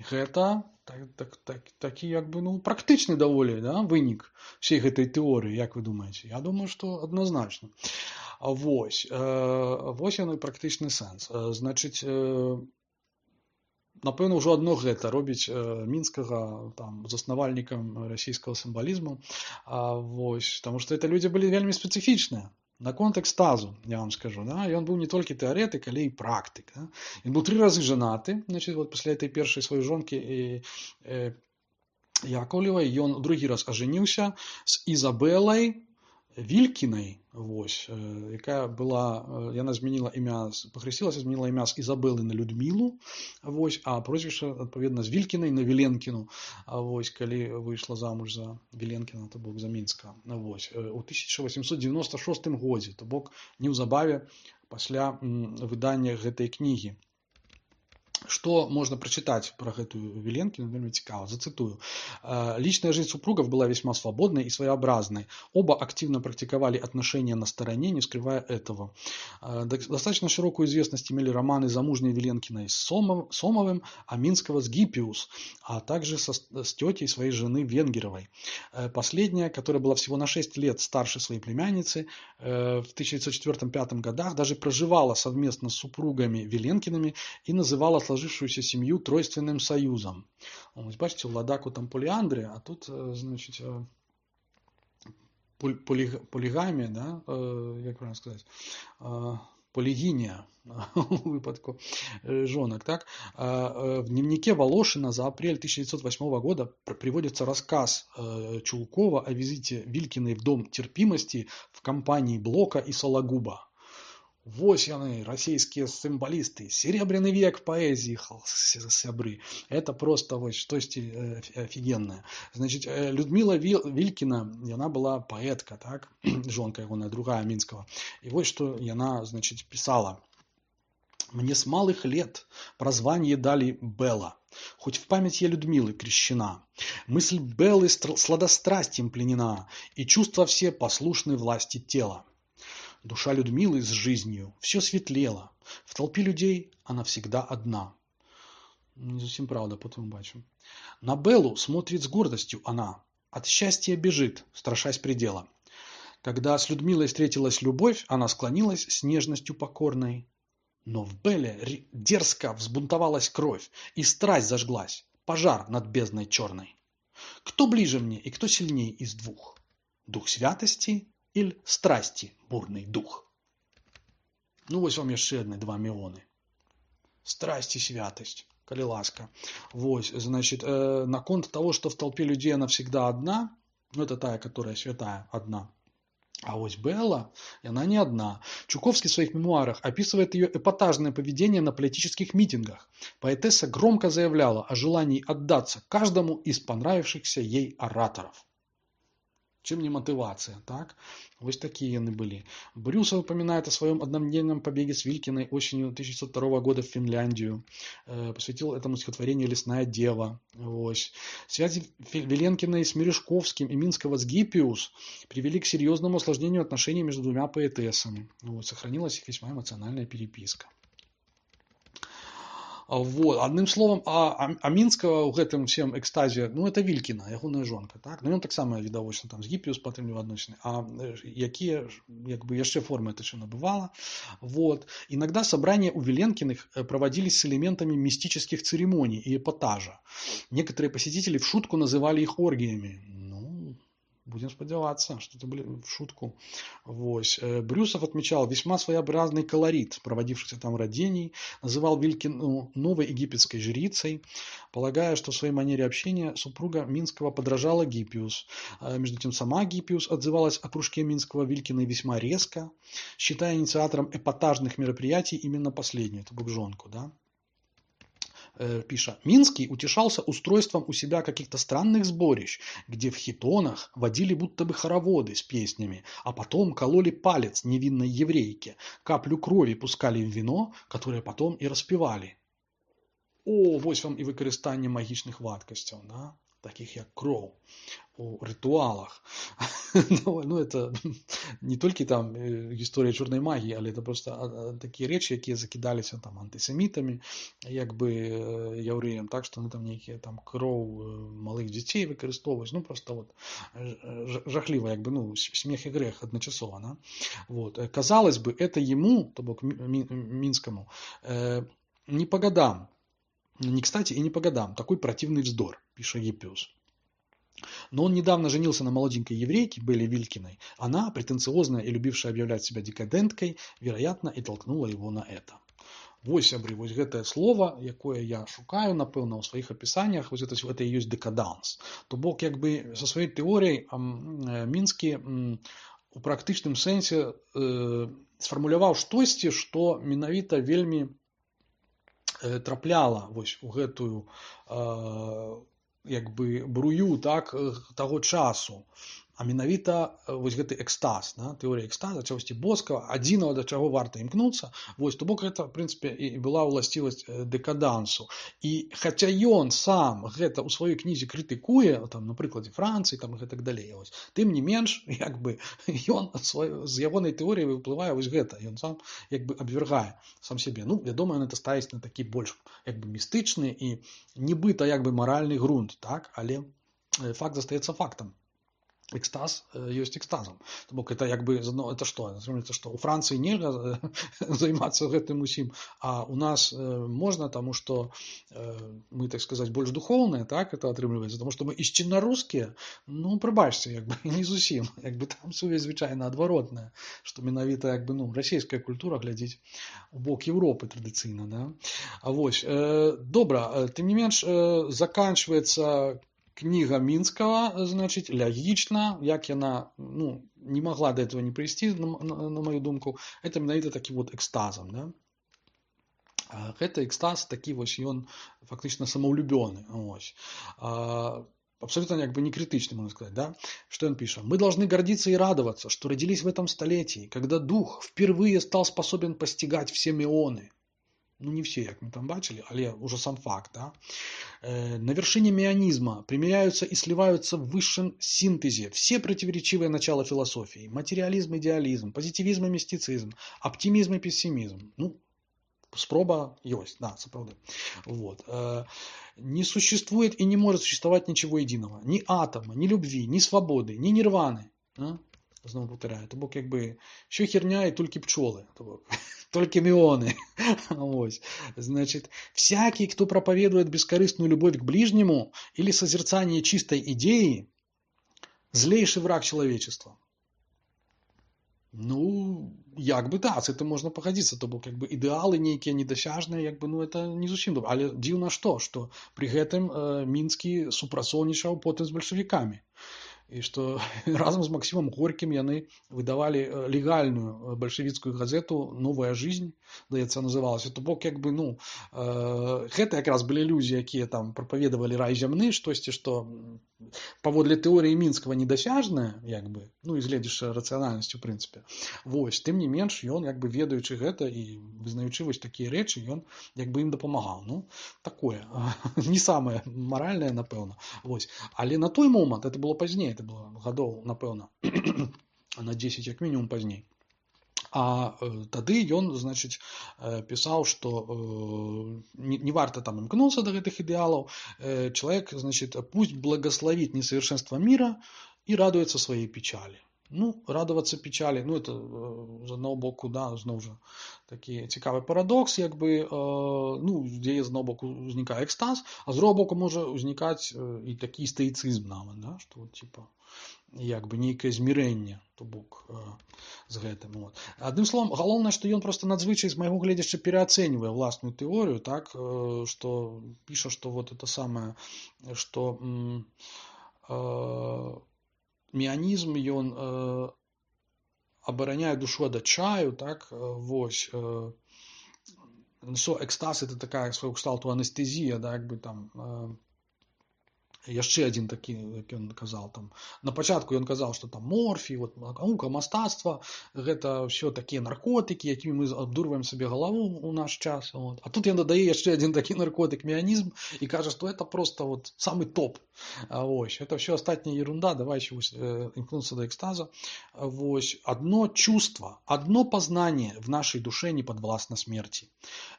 гэта так, так, так, такі, як бы, ну, практычны даволі, да, вынік всей гэтай тэорыі, як вы думаеце? Я думаю, што адназначна. Вось. Вось яно і практычны сэнс. Значыць, напэўна, ўжо адно гэта робіць э, Мінскага там заснавальнікам расійскага сімвалізму. А, вось, таму што это людзі былі вельмі спецыфічныя. Наконт экстазу, я вам скажу, да? Ён быў не толькі тэарэтык, але і практык. Да? Ён быў тры разы жанаты, значит, вот пасля этой першай сваёй жонкі і, і Яковлевай, ён другі раз ажаніўся з Ізабелай Вількінай, вось, якая была, яна змяніла імя, пахрысцілася, змяніла імя з Ізабелы на Людмілу, вось, а прозвішча, адпаведна, з Вількінай на Віленкіну, вось, калі выйшла замуж за Віленкіна, то бок за Мінска, вось, у тысяча восемьсот девяносто шостым годзе, то бок неўзабаве пасля выдання гэтай кнігі. Что можно прочитать про эту Виленкину, вельми цікаво, зацитую. Личная жизнь супругов была весьма свободной и своеобразной. Оба активно практиковали отношения на стороне, не скрывая этого. Достаточно широкую известность имели романы замужней Виленкиной с Сомовым, а Минского с Гиппиус, а также со, с тетей своей жены Венгеровой. Последняя, которая была всего на шесть лет старше своей племянницы, в тысяча девятьсот четвёртом — пятом годах даже проживала совместно с супругами Виленкиными и называла сложившуюся семью тройственным союзом. Ось, бачите, у Ладаку там поліандрія, а тут, значить, полігамія, да? Як правильно сказати, полигиния у випадку жонок. Так? В дневнике Волошина за апрель тысяча девятьсот восьмого года приводится рассказ Чулкова о визите Вилькиной в дом терпимости в компании Блока и Сологуба. Вось яны, российские символисты, серебряный век поэзии, сябры. Это просто вот что-то офигенное. Значит, Людмила Вилькина, она была поэтка, так? Жонка его, другая Минского. И вот что она, значит, писала. «Мне с малых лет прозвание дали Белла, хоть в память я Людмилы крещена. Мысль Беллы сладострастием пленена, и чувства все послушны власти тела. Душа Людмилы с жизнью все светлела. В толпе людей она всегда одна». Не совсем правда, потом бачим. На Беллу смотрит с гордостью она. От счастья бежит, страшась предела. Когда с Людмилой встретилась любовь, она склонилась с нежностью покорной. Но в Белле дерзко взбунтовалась кровь, и страсть зажглась, пожар над бездной черной. Кто ближе мне и кто сильней из двух? Дух святости или страсти бурный дух? Ну, вось вам яшчэ адны два меоны. Страсть и святость, коли ласка. Вось, значит, э, наконт того, что в толпе людей она всегда одна, ну, это тая, которая святая, одна. А ось Белла, и она не одна. Чуковский в своих мемуарах описывает ее эпатажное поведение на политических митингах. Поэтесса громко заявляла о желании отдаться каждому из понравившихся ей ораторов. Чем не мотивация, так? Вот такие они были. Брюсов упоминает о своем однодневном побеге с Вилькиной осенью тысяча девятьсот второго года в Финляндию. Э, посвятил этому стихотворению «Лесная дева». Ось. Связи Виленкиной с Мережковским и Минского с Гиппиус привели к серьезному осложнению отношений между двумя поэтессами. Вот. Сохранилась их весьма эмоциональная переписка. Вот. Одним словом, а, а, а Мінскага ў гэтым всем экстазе, ну, это Вількіна, ягоная жонка, так? Ну, ён таксама відавочна там з Гіппіус падтрымліваў адносіны, а якія, як бы, яшчэ формы это все набывала. Вот. Иногда собрания у Виленкиных проводились с элементами мистических церемоний и эпатажа. Некоторые посетители в шутку называли их оргиями. Ну, будем сподеваться, что это были в шутку. Вось. Брюсов отмечал весьма своеобразный колорит проводившихся там родений, называл Вилькину новой египетской жрицей, полагая, что в своей манере общения супруга Минского подражала Гиппиус. Между тем сама Гиппиус отзывалась о кружке Минского Вилькиной весьма резко, считая инициатором эпатажных мероприятий именно последнюю, это букжонку, да. Пиша, Минский утешался устройством у себя каких-то странных сборищ, где в хитонах водили будто бы хороводы с песнями, а потом кололи палец невинной еврейке, каплю крови пускали в вино, которое потом и распивали. О, вось вам и выкарыстанне магічных вадкасцяў, да? Таких як кроў у ритуалах. Ну, это не только там история черной магии, але это просто такие речи, якія закидались там антисемитами, як бы яўрэям, так что ну там некие там кроў малых детей выкарыстоўваюць, ну просто вот жахливо, як бы, ну, смех и грех одночасово, да? Вот. Казалось бы, это ему, то бок Минскому, не по годам. Не кстати и не по годам. Такой противный вздор, пишет Гиппиус. Но он недавно женился на молоденькой еврейке Белле Вилькиной. Она, претенциозная и любившая объявлять себя декаденткой, вероятно, и толкнула его на это. Вось, сябры, вось гэтае слово, якое я шукаю, напэўна, у сваіх апісаннях, вось гэта, гэта і ёсць дэкаданс. То бок, як бы, са сваёй тэорыяй Мінскі у практычным сэнсе э, сфармуляваў штосьці, што менавіта вельмі э, трапляла вось у гэтую э, як бы брую, так, таго часу. А менавіта вось гэты экстаз, да, тэорыя экстаза, чагосьці боскага, адзінага, да чаго варта імкнуцца. Вось, то бок гэта, в прынцыпе, і была ўласцівасць дэкадансу. І хаця ён сам гэта ў сваёй кнізе крытыкуе, там, на прыкладзе Францыі, там, і гэтак далей, вось, тым не менш, як бы, ён з ягонай тэорыі выплывае вось гэта. Ён сам, як бы, абвяргае сам сябе. Ну, вядома, ён это ставіць на такі больш, як бы, містычны і нібыта, як бы, маральны грунт, так, але факт застаецца фактам. Экстаз ёсць экстазам. То бок это як бы, ну, это што? Это што? У Францыі нельга займацца гэтым усім, а у нас можна, таму што мы, так сказаць, больш духоўныя, так, это атрымліваецца, таму што мы ісчынна-рускія, ну, прабачце, як бы, не зусім, як бы там сувязь звычайна адваротная, што менавіта, як бы, ну, расійская культура глядзіць у бок Еўропы традыцыйна, да? А вось, добра, тым не менш, заканчваецца кніга Мінскага, значит, логічна, як яна, ну, не могла до этого не прийти, на, на, на мою думку, это менавіта такі вот экстазом, да? Гэта экстаз такі вось ён фактычна самаўлюбёны, ось. Абсолютно як бы не критичный, можно сказать, да? Что он пишет? Мы должны гордиться и радоваться, что родились в этом столетии, когда дух впервые стал способен постигать все меоны. Ну, не все, як мы там бачили, але уже сам факт, да? Э, на вершине меонизма примиряются и сливаются в высшем синтезе все противоречивые начала философии. Материализм, идеализм, позитивизм и мистицизм, оптимизм и пессимизм. Ну, спроба есть, да, сапраўды. Вот. Э, не существует и не может существовать ничего единого. Ни атома, ни любви, ни свободы, ни нирваны. А? Знову повторяю, то бок, якби, що херня і тільки пчоли, то бок, только мионы. Вот. Значит, всякий, кто проповедует бескорыстную любовь к ближнему или созерцание чистой идеи, злейший враг человечества. Ну, як би, да, з цим можна погодитися, то бок, якби, ідеали ніякі недосяжні, якби, ну, це не зовсім добре. Але дивно що, що при гэтым э, Мінскі супрацоўнічаў потым з бальшавікамі. І што разам з Максімам Горькім яны выдавалі легальную бальшавіцкую газету «Новая жизнь», здаецца, называлася. То бок, як бы, ну, э, гэта якраз былі людзі, якія там прапаведавалі рай зямны, штосьці, што паводле тэорыі Мінскага недасяжнае, як бы, ну, і гледзячы рацыянальнасць, у прынцыпе. Вось, тым не менш, ён, як бы, ведаючы гэта і вызнаючы вось такія рэчы, ён, як бы, ім дапамагаў. Ну, такое, не самае маральнае, напэўна. Вось. Але на той момант, это было пазней, это было гадоў, напэўна, на дзесяць як мінімум пазней. А э, тады ён, значит, э, пісаў, што э, не, не варта там імкнуцца до гэтых ідэалаў. Э, человек, значит, пусть благословит несовершенство мира и радуется своей печали. Ну, радоваться печали, ну, это э, з одного боку, да, зноў жа такі цікавы парадокс, як бы, э, ну, дзе з одного боку узнікае экстаз, а з другого боку можа узнікаць э, і такі стоицизм нават, да, што вот, типа, як бы нейкае змірэнне, то бок, э, з гэтым. Вот. Адным словам, галоўнае, што ён просто надзвычай з майго гледзяча пераацэньвае власную тэорыю, так, э, што піша, што вот это самае, што э, меанізм, ён э, абараняе душу ад адчаю, так, э, вось, э, so, экстаз это такая свайго кшталту анестезія, да, як бы там, э, яшчэ адзін такі, як ён казаў, там, на пачатку ён казаў, што там морфій, вот, наука, мастацтва, гэта ўсё такія наркотыкі, якімі мы абдурваем сабе галаву у наш час. Вот. А тут ён дадае яшчэ адзін такі наркотык, меанізм, і кажа, што это просто вот самый топ. А, вось, это все остатняя ерунда, давайте вось, э, імкнуцца до экстаза. Вось, одно чувство, одно познание в нашей душе не подвластно смерти.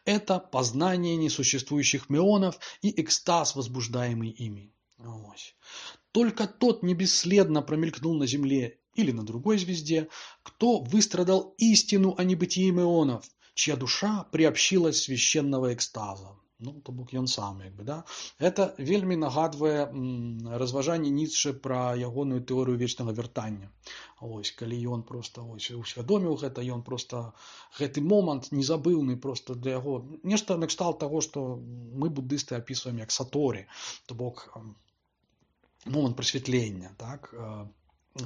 Это познание несуществующих меонов и экстаз, возбуждаемый ими. Ось. Только тот не бесследно промелькнул на Земле или на другой звезде, кто выстрадал истину о небытии меонов, чья душа приобщилась священного экстаза. Ну, то бок ён сам, як бы, да? Это вельмі нагадвае разважанне Ніцшэ пра ягоную тэорыю вечнага вяртання. Ось, калі ён просто ось, усвядоміў гэта, ён просто гэты момант незабыўны просто для яго. Нешта накшталт таго, што мы буддысты апісваем як саторі, то бок момант прасвятлення, так,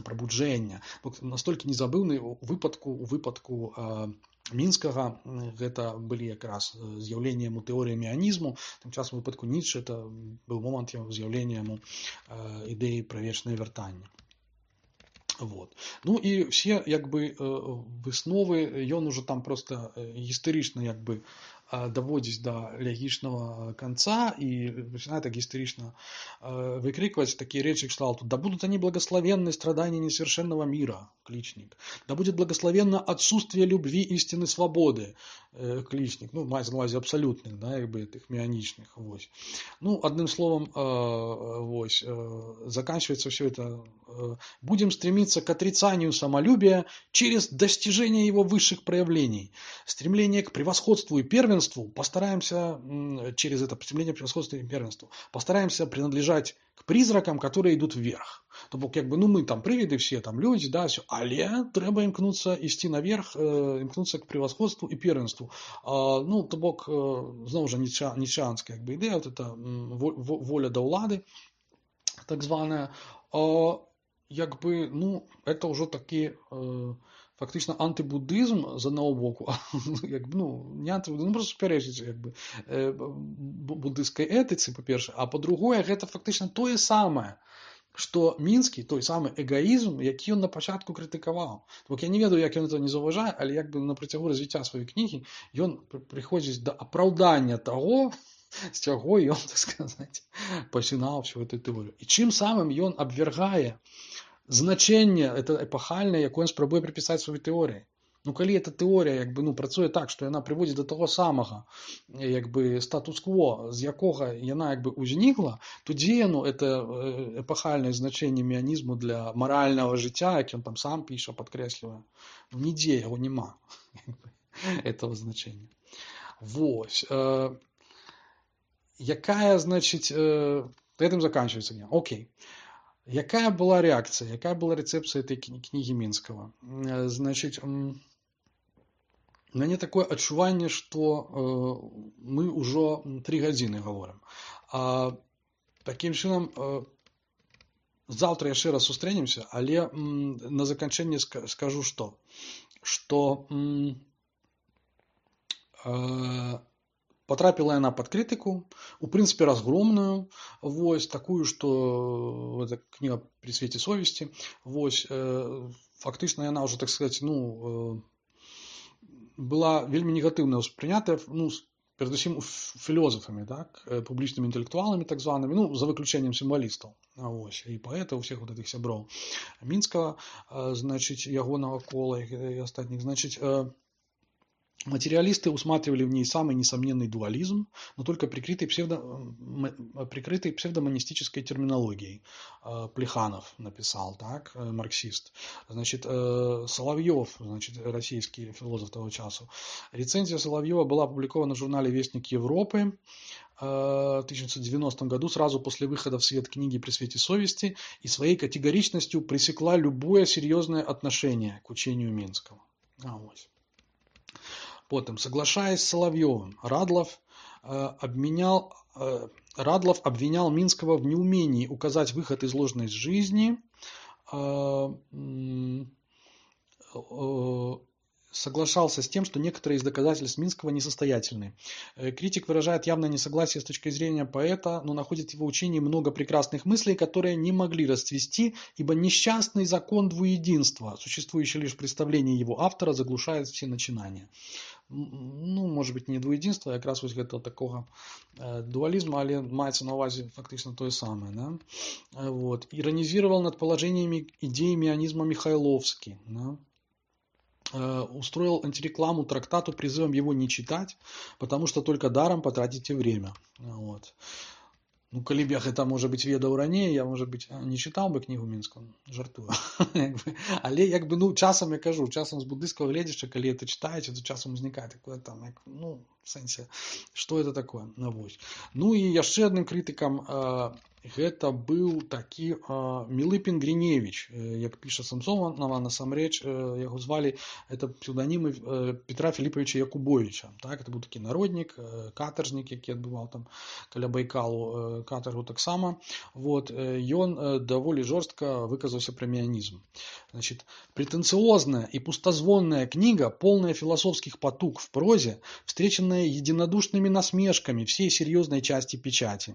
прабуджэння. Настолькі незабыўны у выпадку, у выпадку Мінскага гэта былі якраз з'яўленне яму тэорыі меанізму, тым часам у выпадку Ніцшэ это быў момант з'яўлення яму ідэі пра вечнае вяртанне. Вот. Ну і все як бы высновы ён ужо там просто гістарычна як бы доводить до логичного конца и начинает так истерично э, выкрикивать такие речи кшталту: «Да будут они благословенны страдания несовершенного мира», кличник. «Да будет благословенно отсутствие любви, истины, свободы», э, кличник. Ну, мається на увазі абсолютных, да, как бы этих меаничных. Вось. Ну, одним словом, э, вось, э, заканчивается все это: э, «Будем стремиться к отрицанию самолюбия через достижение его высших проявлений. Стремление к превосходству и первенству постараемся через это стремление к превосходству и первенству постараемся принадлежать к призракам, которые идут вверх». То бок, как бы, ну, мы там привиды все, там люди, да, все, але треба имкнуться идти наверх, э, имкнуться к превосходству и первенству. А, ну, то бок, э, знову же ніцшеанская, как бы, идея, вот это воля до улады, так званая, а, як бы, ну, это уже такие э, фактично антибуддизм з одного боку, як, ну, не антибуддизм, ну, просто суперечить як би, буддистській етиці, по-перше, а по-друге, гэта фактично тое самае, што мінскі, той самы эгоізм, які ён на пачатку крытыкаваў. Бо я не ведаю, як ён это не заўважае, але як бы на працягу развіцця сваёй кнігі ён прыходзіць да апраўдання таго, з чаго ён, так сказаць, пачынаў всю эту тэорыю. І чым самым ён абвяргае значение это эпохальное, якое он спрабуе приписать своей теории. Ну, калі эта теория, як бы, ну, працуе так, что она приводит до того самого, як бы, статус-кво, з якога яна, як бы, узнікла, то дзе яно, это эпохальное значение меанізму для морального жыцця, як ён там сам піша, падкрэслівае. Ну, нідзе яго нема, этого значения. Вось. Якая, значит, этим заканчивается дня. Окей. Якая была реакция, якая была рецепция этой книги Минского? Значит, у меня такое адчуванне, что мы уже три гадзіны говорим. А таким чынам, завтра яшчэ раз сустрэнемся, але на заканчэнне скажу, что, что потрапила яна под критику, у принципе разгромную, вось, такую, что эта книга «При свете совести», вось, э, фактично яна уже, так сказать, ну, э, была вельмі негативно воспринята, ну, передусім философами, так, публичными интеллектуалами, так зваными, ну, за выключением символистов, вось, и поэтов, всех вот этих сяброў Мінскага, э, значит, ягонага кола и остальных, значит, э, материалисты усматривали в ней самый несомненный дуализм, но только прикрытый, псевдо, прикрытый псевдомонистической терминологией. Плеханов написал, так, марксист. Значит, Соловьев, значит, российский философ того часу. Рецензия Соловьева была опубликована в журнале «Вестник Европы» в тысяча девятьсот девяностом году, сразу после выхода в свет книги «При свете совести», и своей категоричностью пресекла любое серьезное отношение к учению Минского. А, вот. Потом, соглашаясь с Соловьевым, Радлов, э, обменял, э, Радлов обвинял Минского в неумении указать выход из ложной жизни, э, э, соглашался с тем, что некоторые из доказательств Минского несостоятельны. Критик выражает явное несогласие с точки зрения поэта, но находит в его учении много прекрасных мыслей, которые не могли расцвести, ибо несчастный закон двуединства, существующий лишь в представлении его автора, заглушает все начинания. Ну, может быть, не двуединства, а якраз ось гэта такого э, дуализма, але маецца на увазе фактично то самое, да? Вот. Иронизировал над положениями идеи меанизма Михайловский, да? Э, устроил антирекламу трактату призывом его не читать, потому что только даром потратите время. Вот. Ну, калі б я гэта, можа быць, ведаў раней, я, можа быць, не чытаў бы кнігу Мінскую, жартую. Але, як бы, ну, часам, я кажу, часам з буддыйскага гледзяча, калі это чытаеце, то часам узнікае такое там, як, ну, в сэнсе, што это такое. Ну, вось. Ну і яшчэ адным крытыкам э, гэта быў такі э, Мілыпін Гріневіч, э, як піша Самсонова, насамрэч э, яго звалі, это псевданімы э, Петра Філіпавіча Якубовіча. Так? Это быў такі народнік, э, катаржнік, які адбываў там каля Байкалу э, катаргу таксама. Вот. Э, ён э, даволі жорстка выказаўся пра меанізм. Значит, претенциозная и пустозвонная книга, полная философских потуг в прозе, встреченная единодушными насмешками всей серьезной части печати.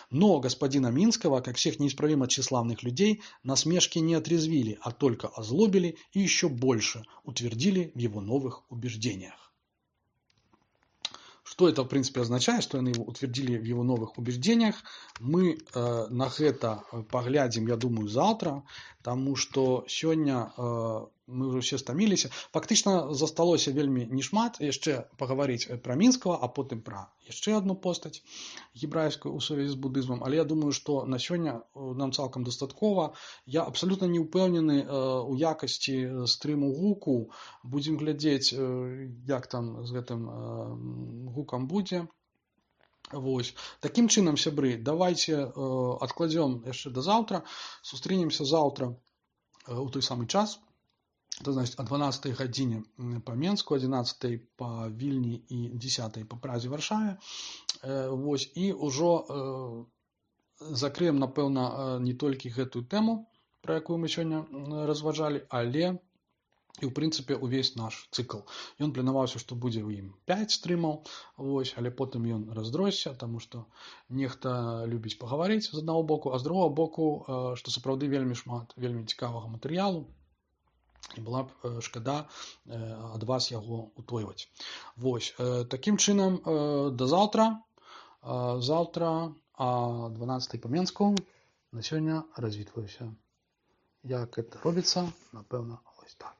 Но господина Минского, как всех неисправимо тщеславных людей, насмешки не отрезвили, а только озлобили и еще больше утвердили в его новых убеждениях. Что это, в принципе, означает, что они его утвердили в его новых убеждениях, мы э, на это поглядим, я думаю, завтра, потому что сегодня э, мы уже все стомились. Фактично засталося вельмі не шмат яшчэ паговорить про Минского, а потом про яшчэ одну постать гебрайскую у сувязі з буддызмом. Але я думаю, что на сегодня нам цалкам дастаткова. Я абсолютно не упэўнены э, у якасці стрыму гуку. Будем глядзець, э, як там з гэтым э, гукам будзе. Вось. Таким чынам, сябры, давайте э, откладем яшчэ до завтра. Сустрэнемся завтра э, у той самый час. Это значит о дванаццатай гадзіне по Менску, одиннадцатай по Вільні и десятай по Празе, Варшаве. Э, вось. И ўжо э, закрыем, напэўна, не толькі гэтую тэму, про якую мы сёння разважалі, але і, ў прынцыпе, увесь наш цыкл. Ён планаваўся, што будзе ў ім пяць стрымаў, вось, але потым ён раздросся, таму што нехта любіць пагаварыць з аднаго боку, а з другого боку, што сапраўды вельмі шмат вельмі цікавага матэрыялу, і была б шкада ад вас яго утойваць. Вось. Такім чынам, да заўтра. Заўтра о дванаццатай по Менску. На сёння развітваюся. Як гэта робіцца, напэўна, ось так.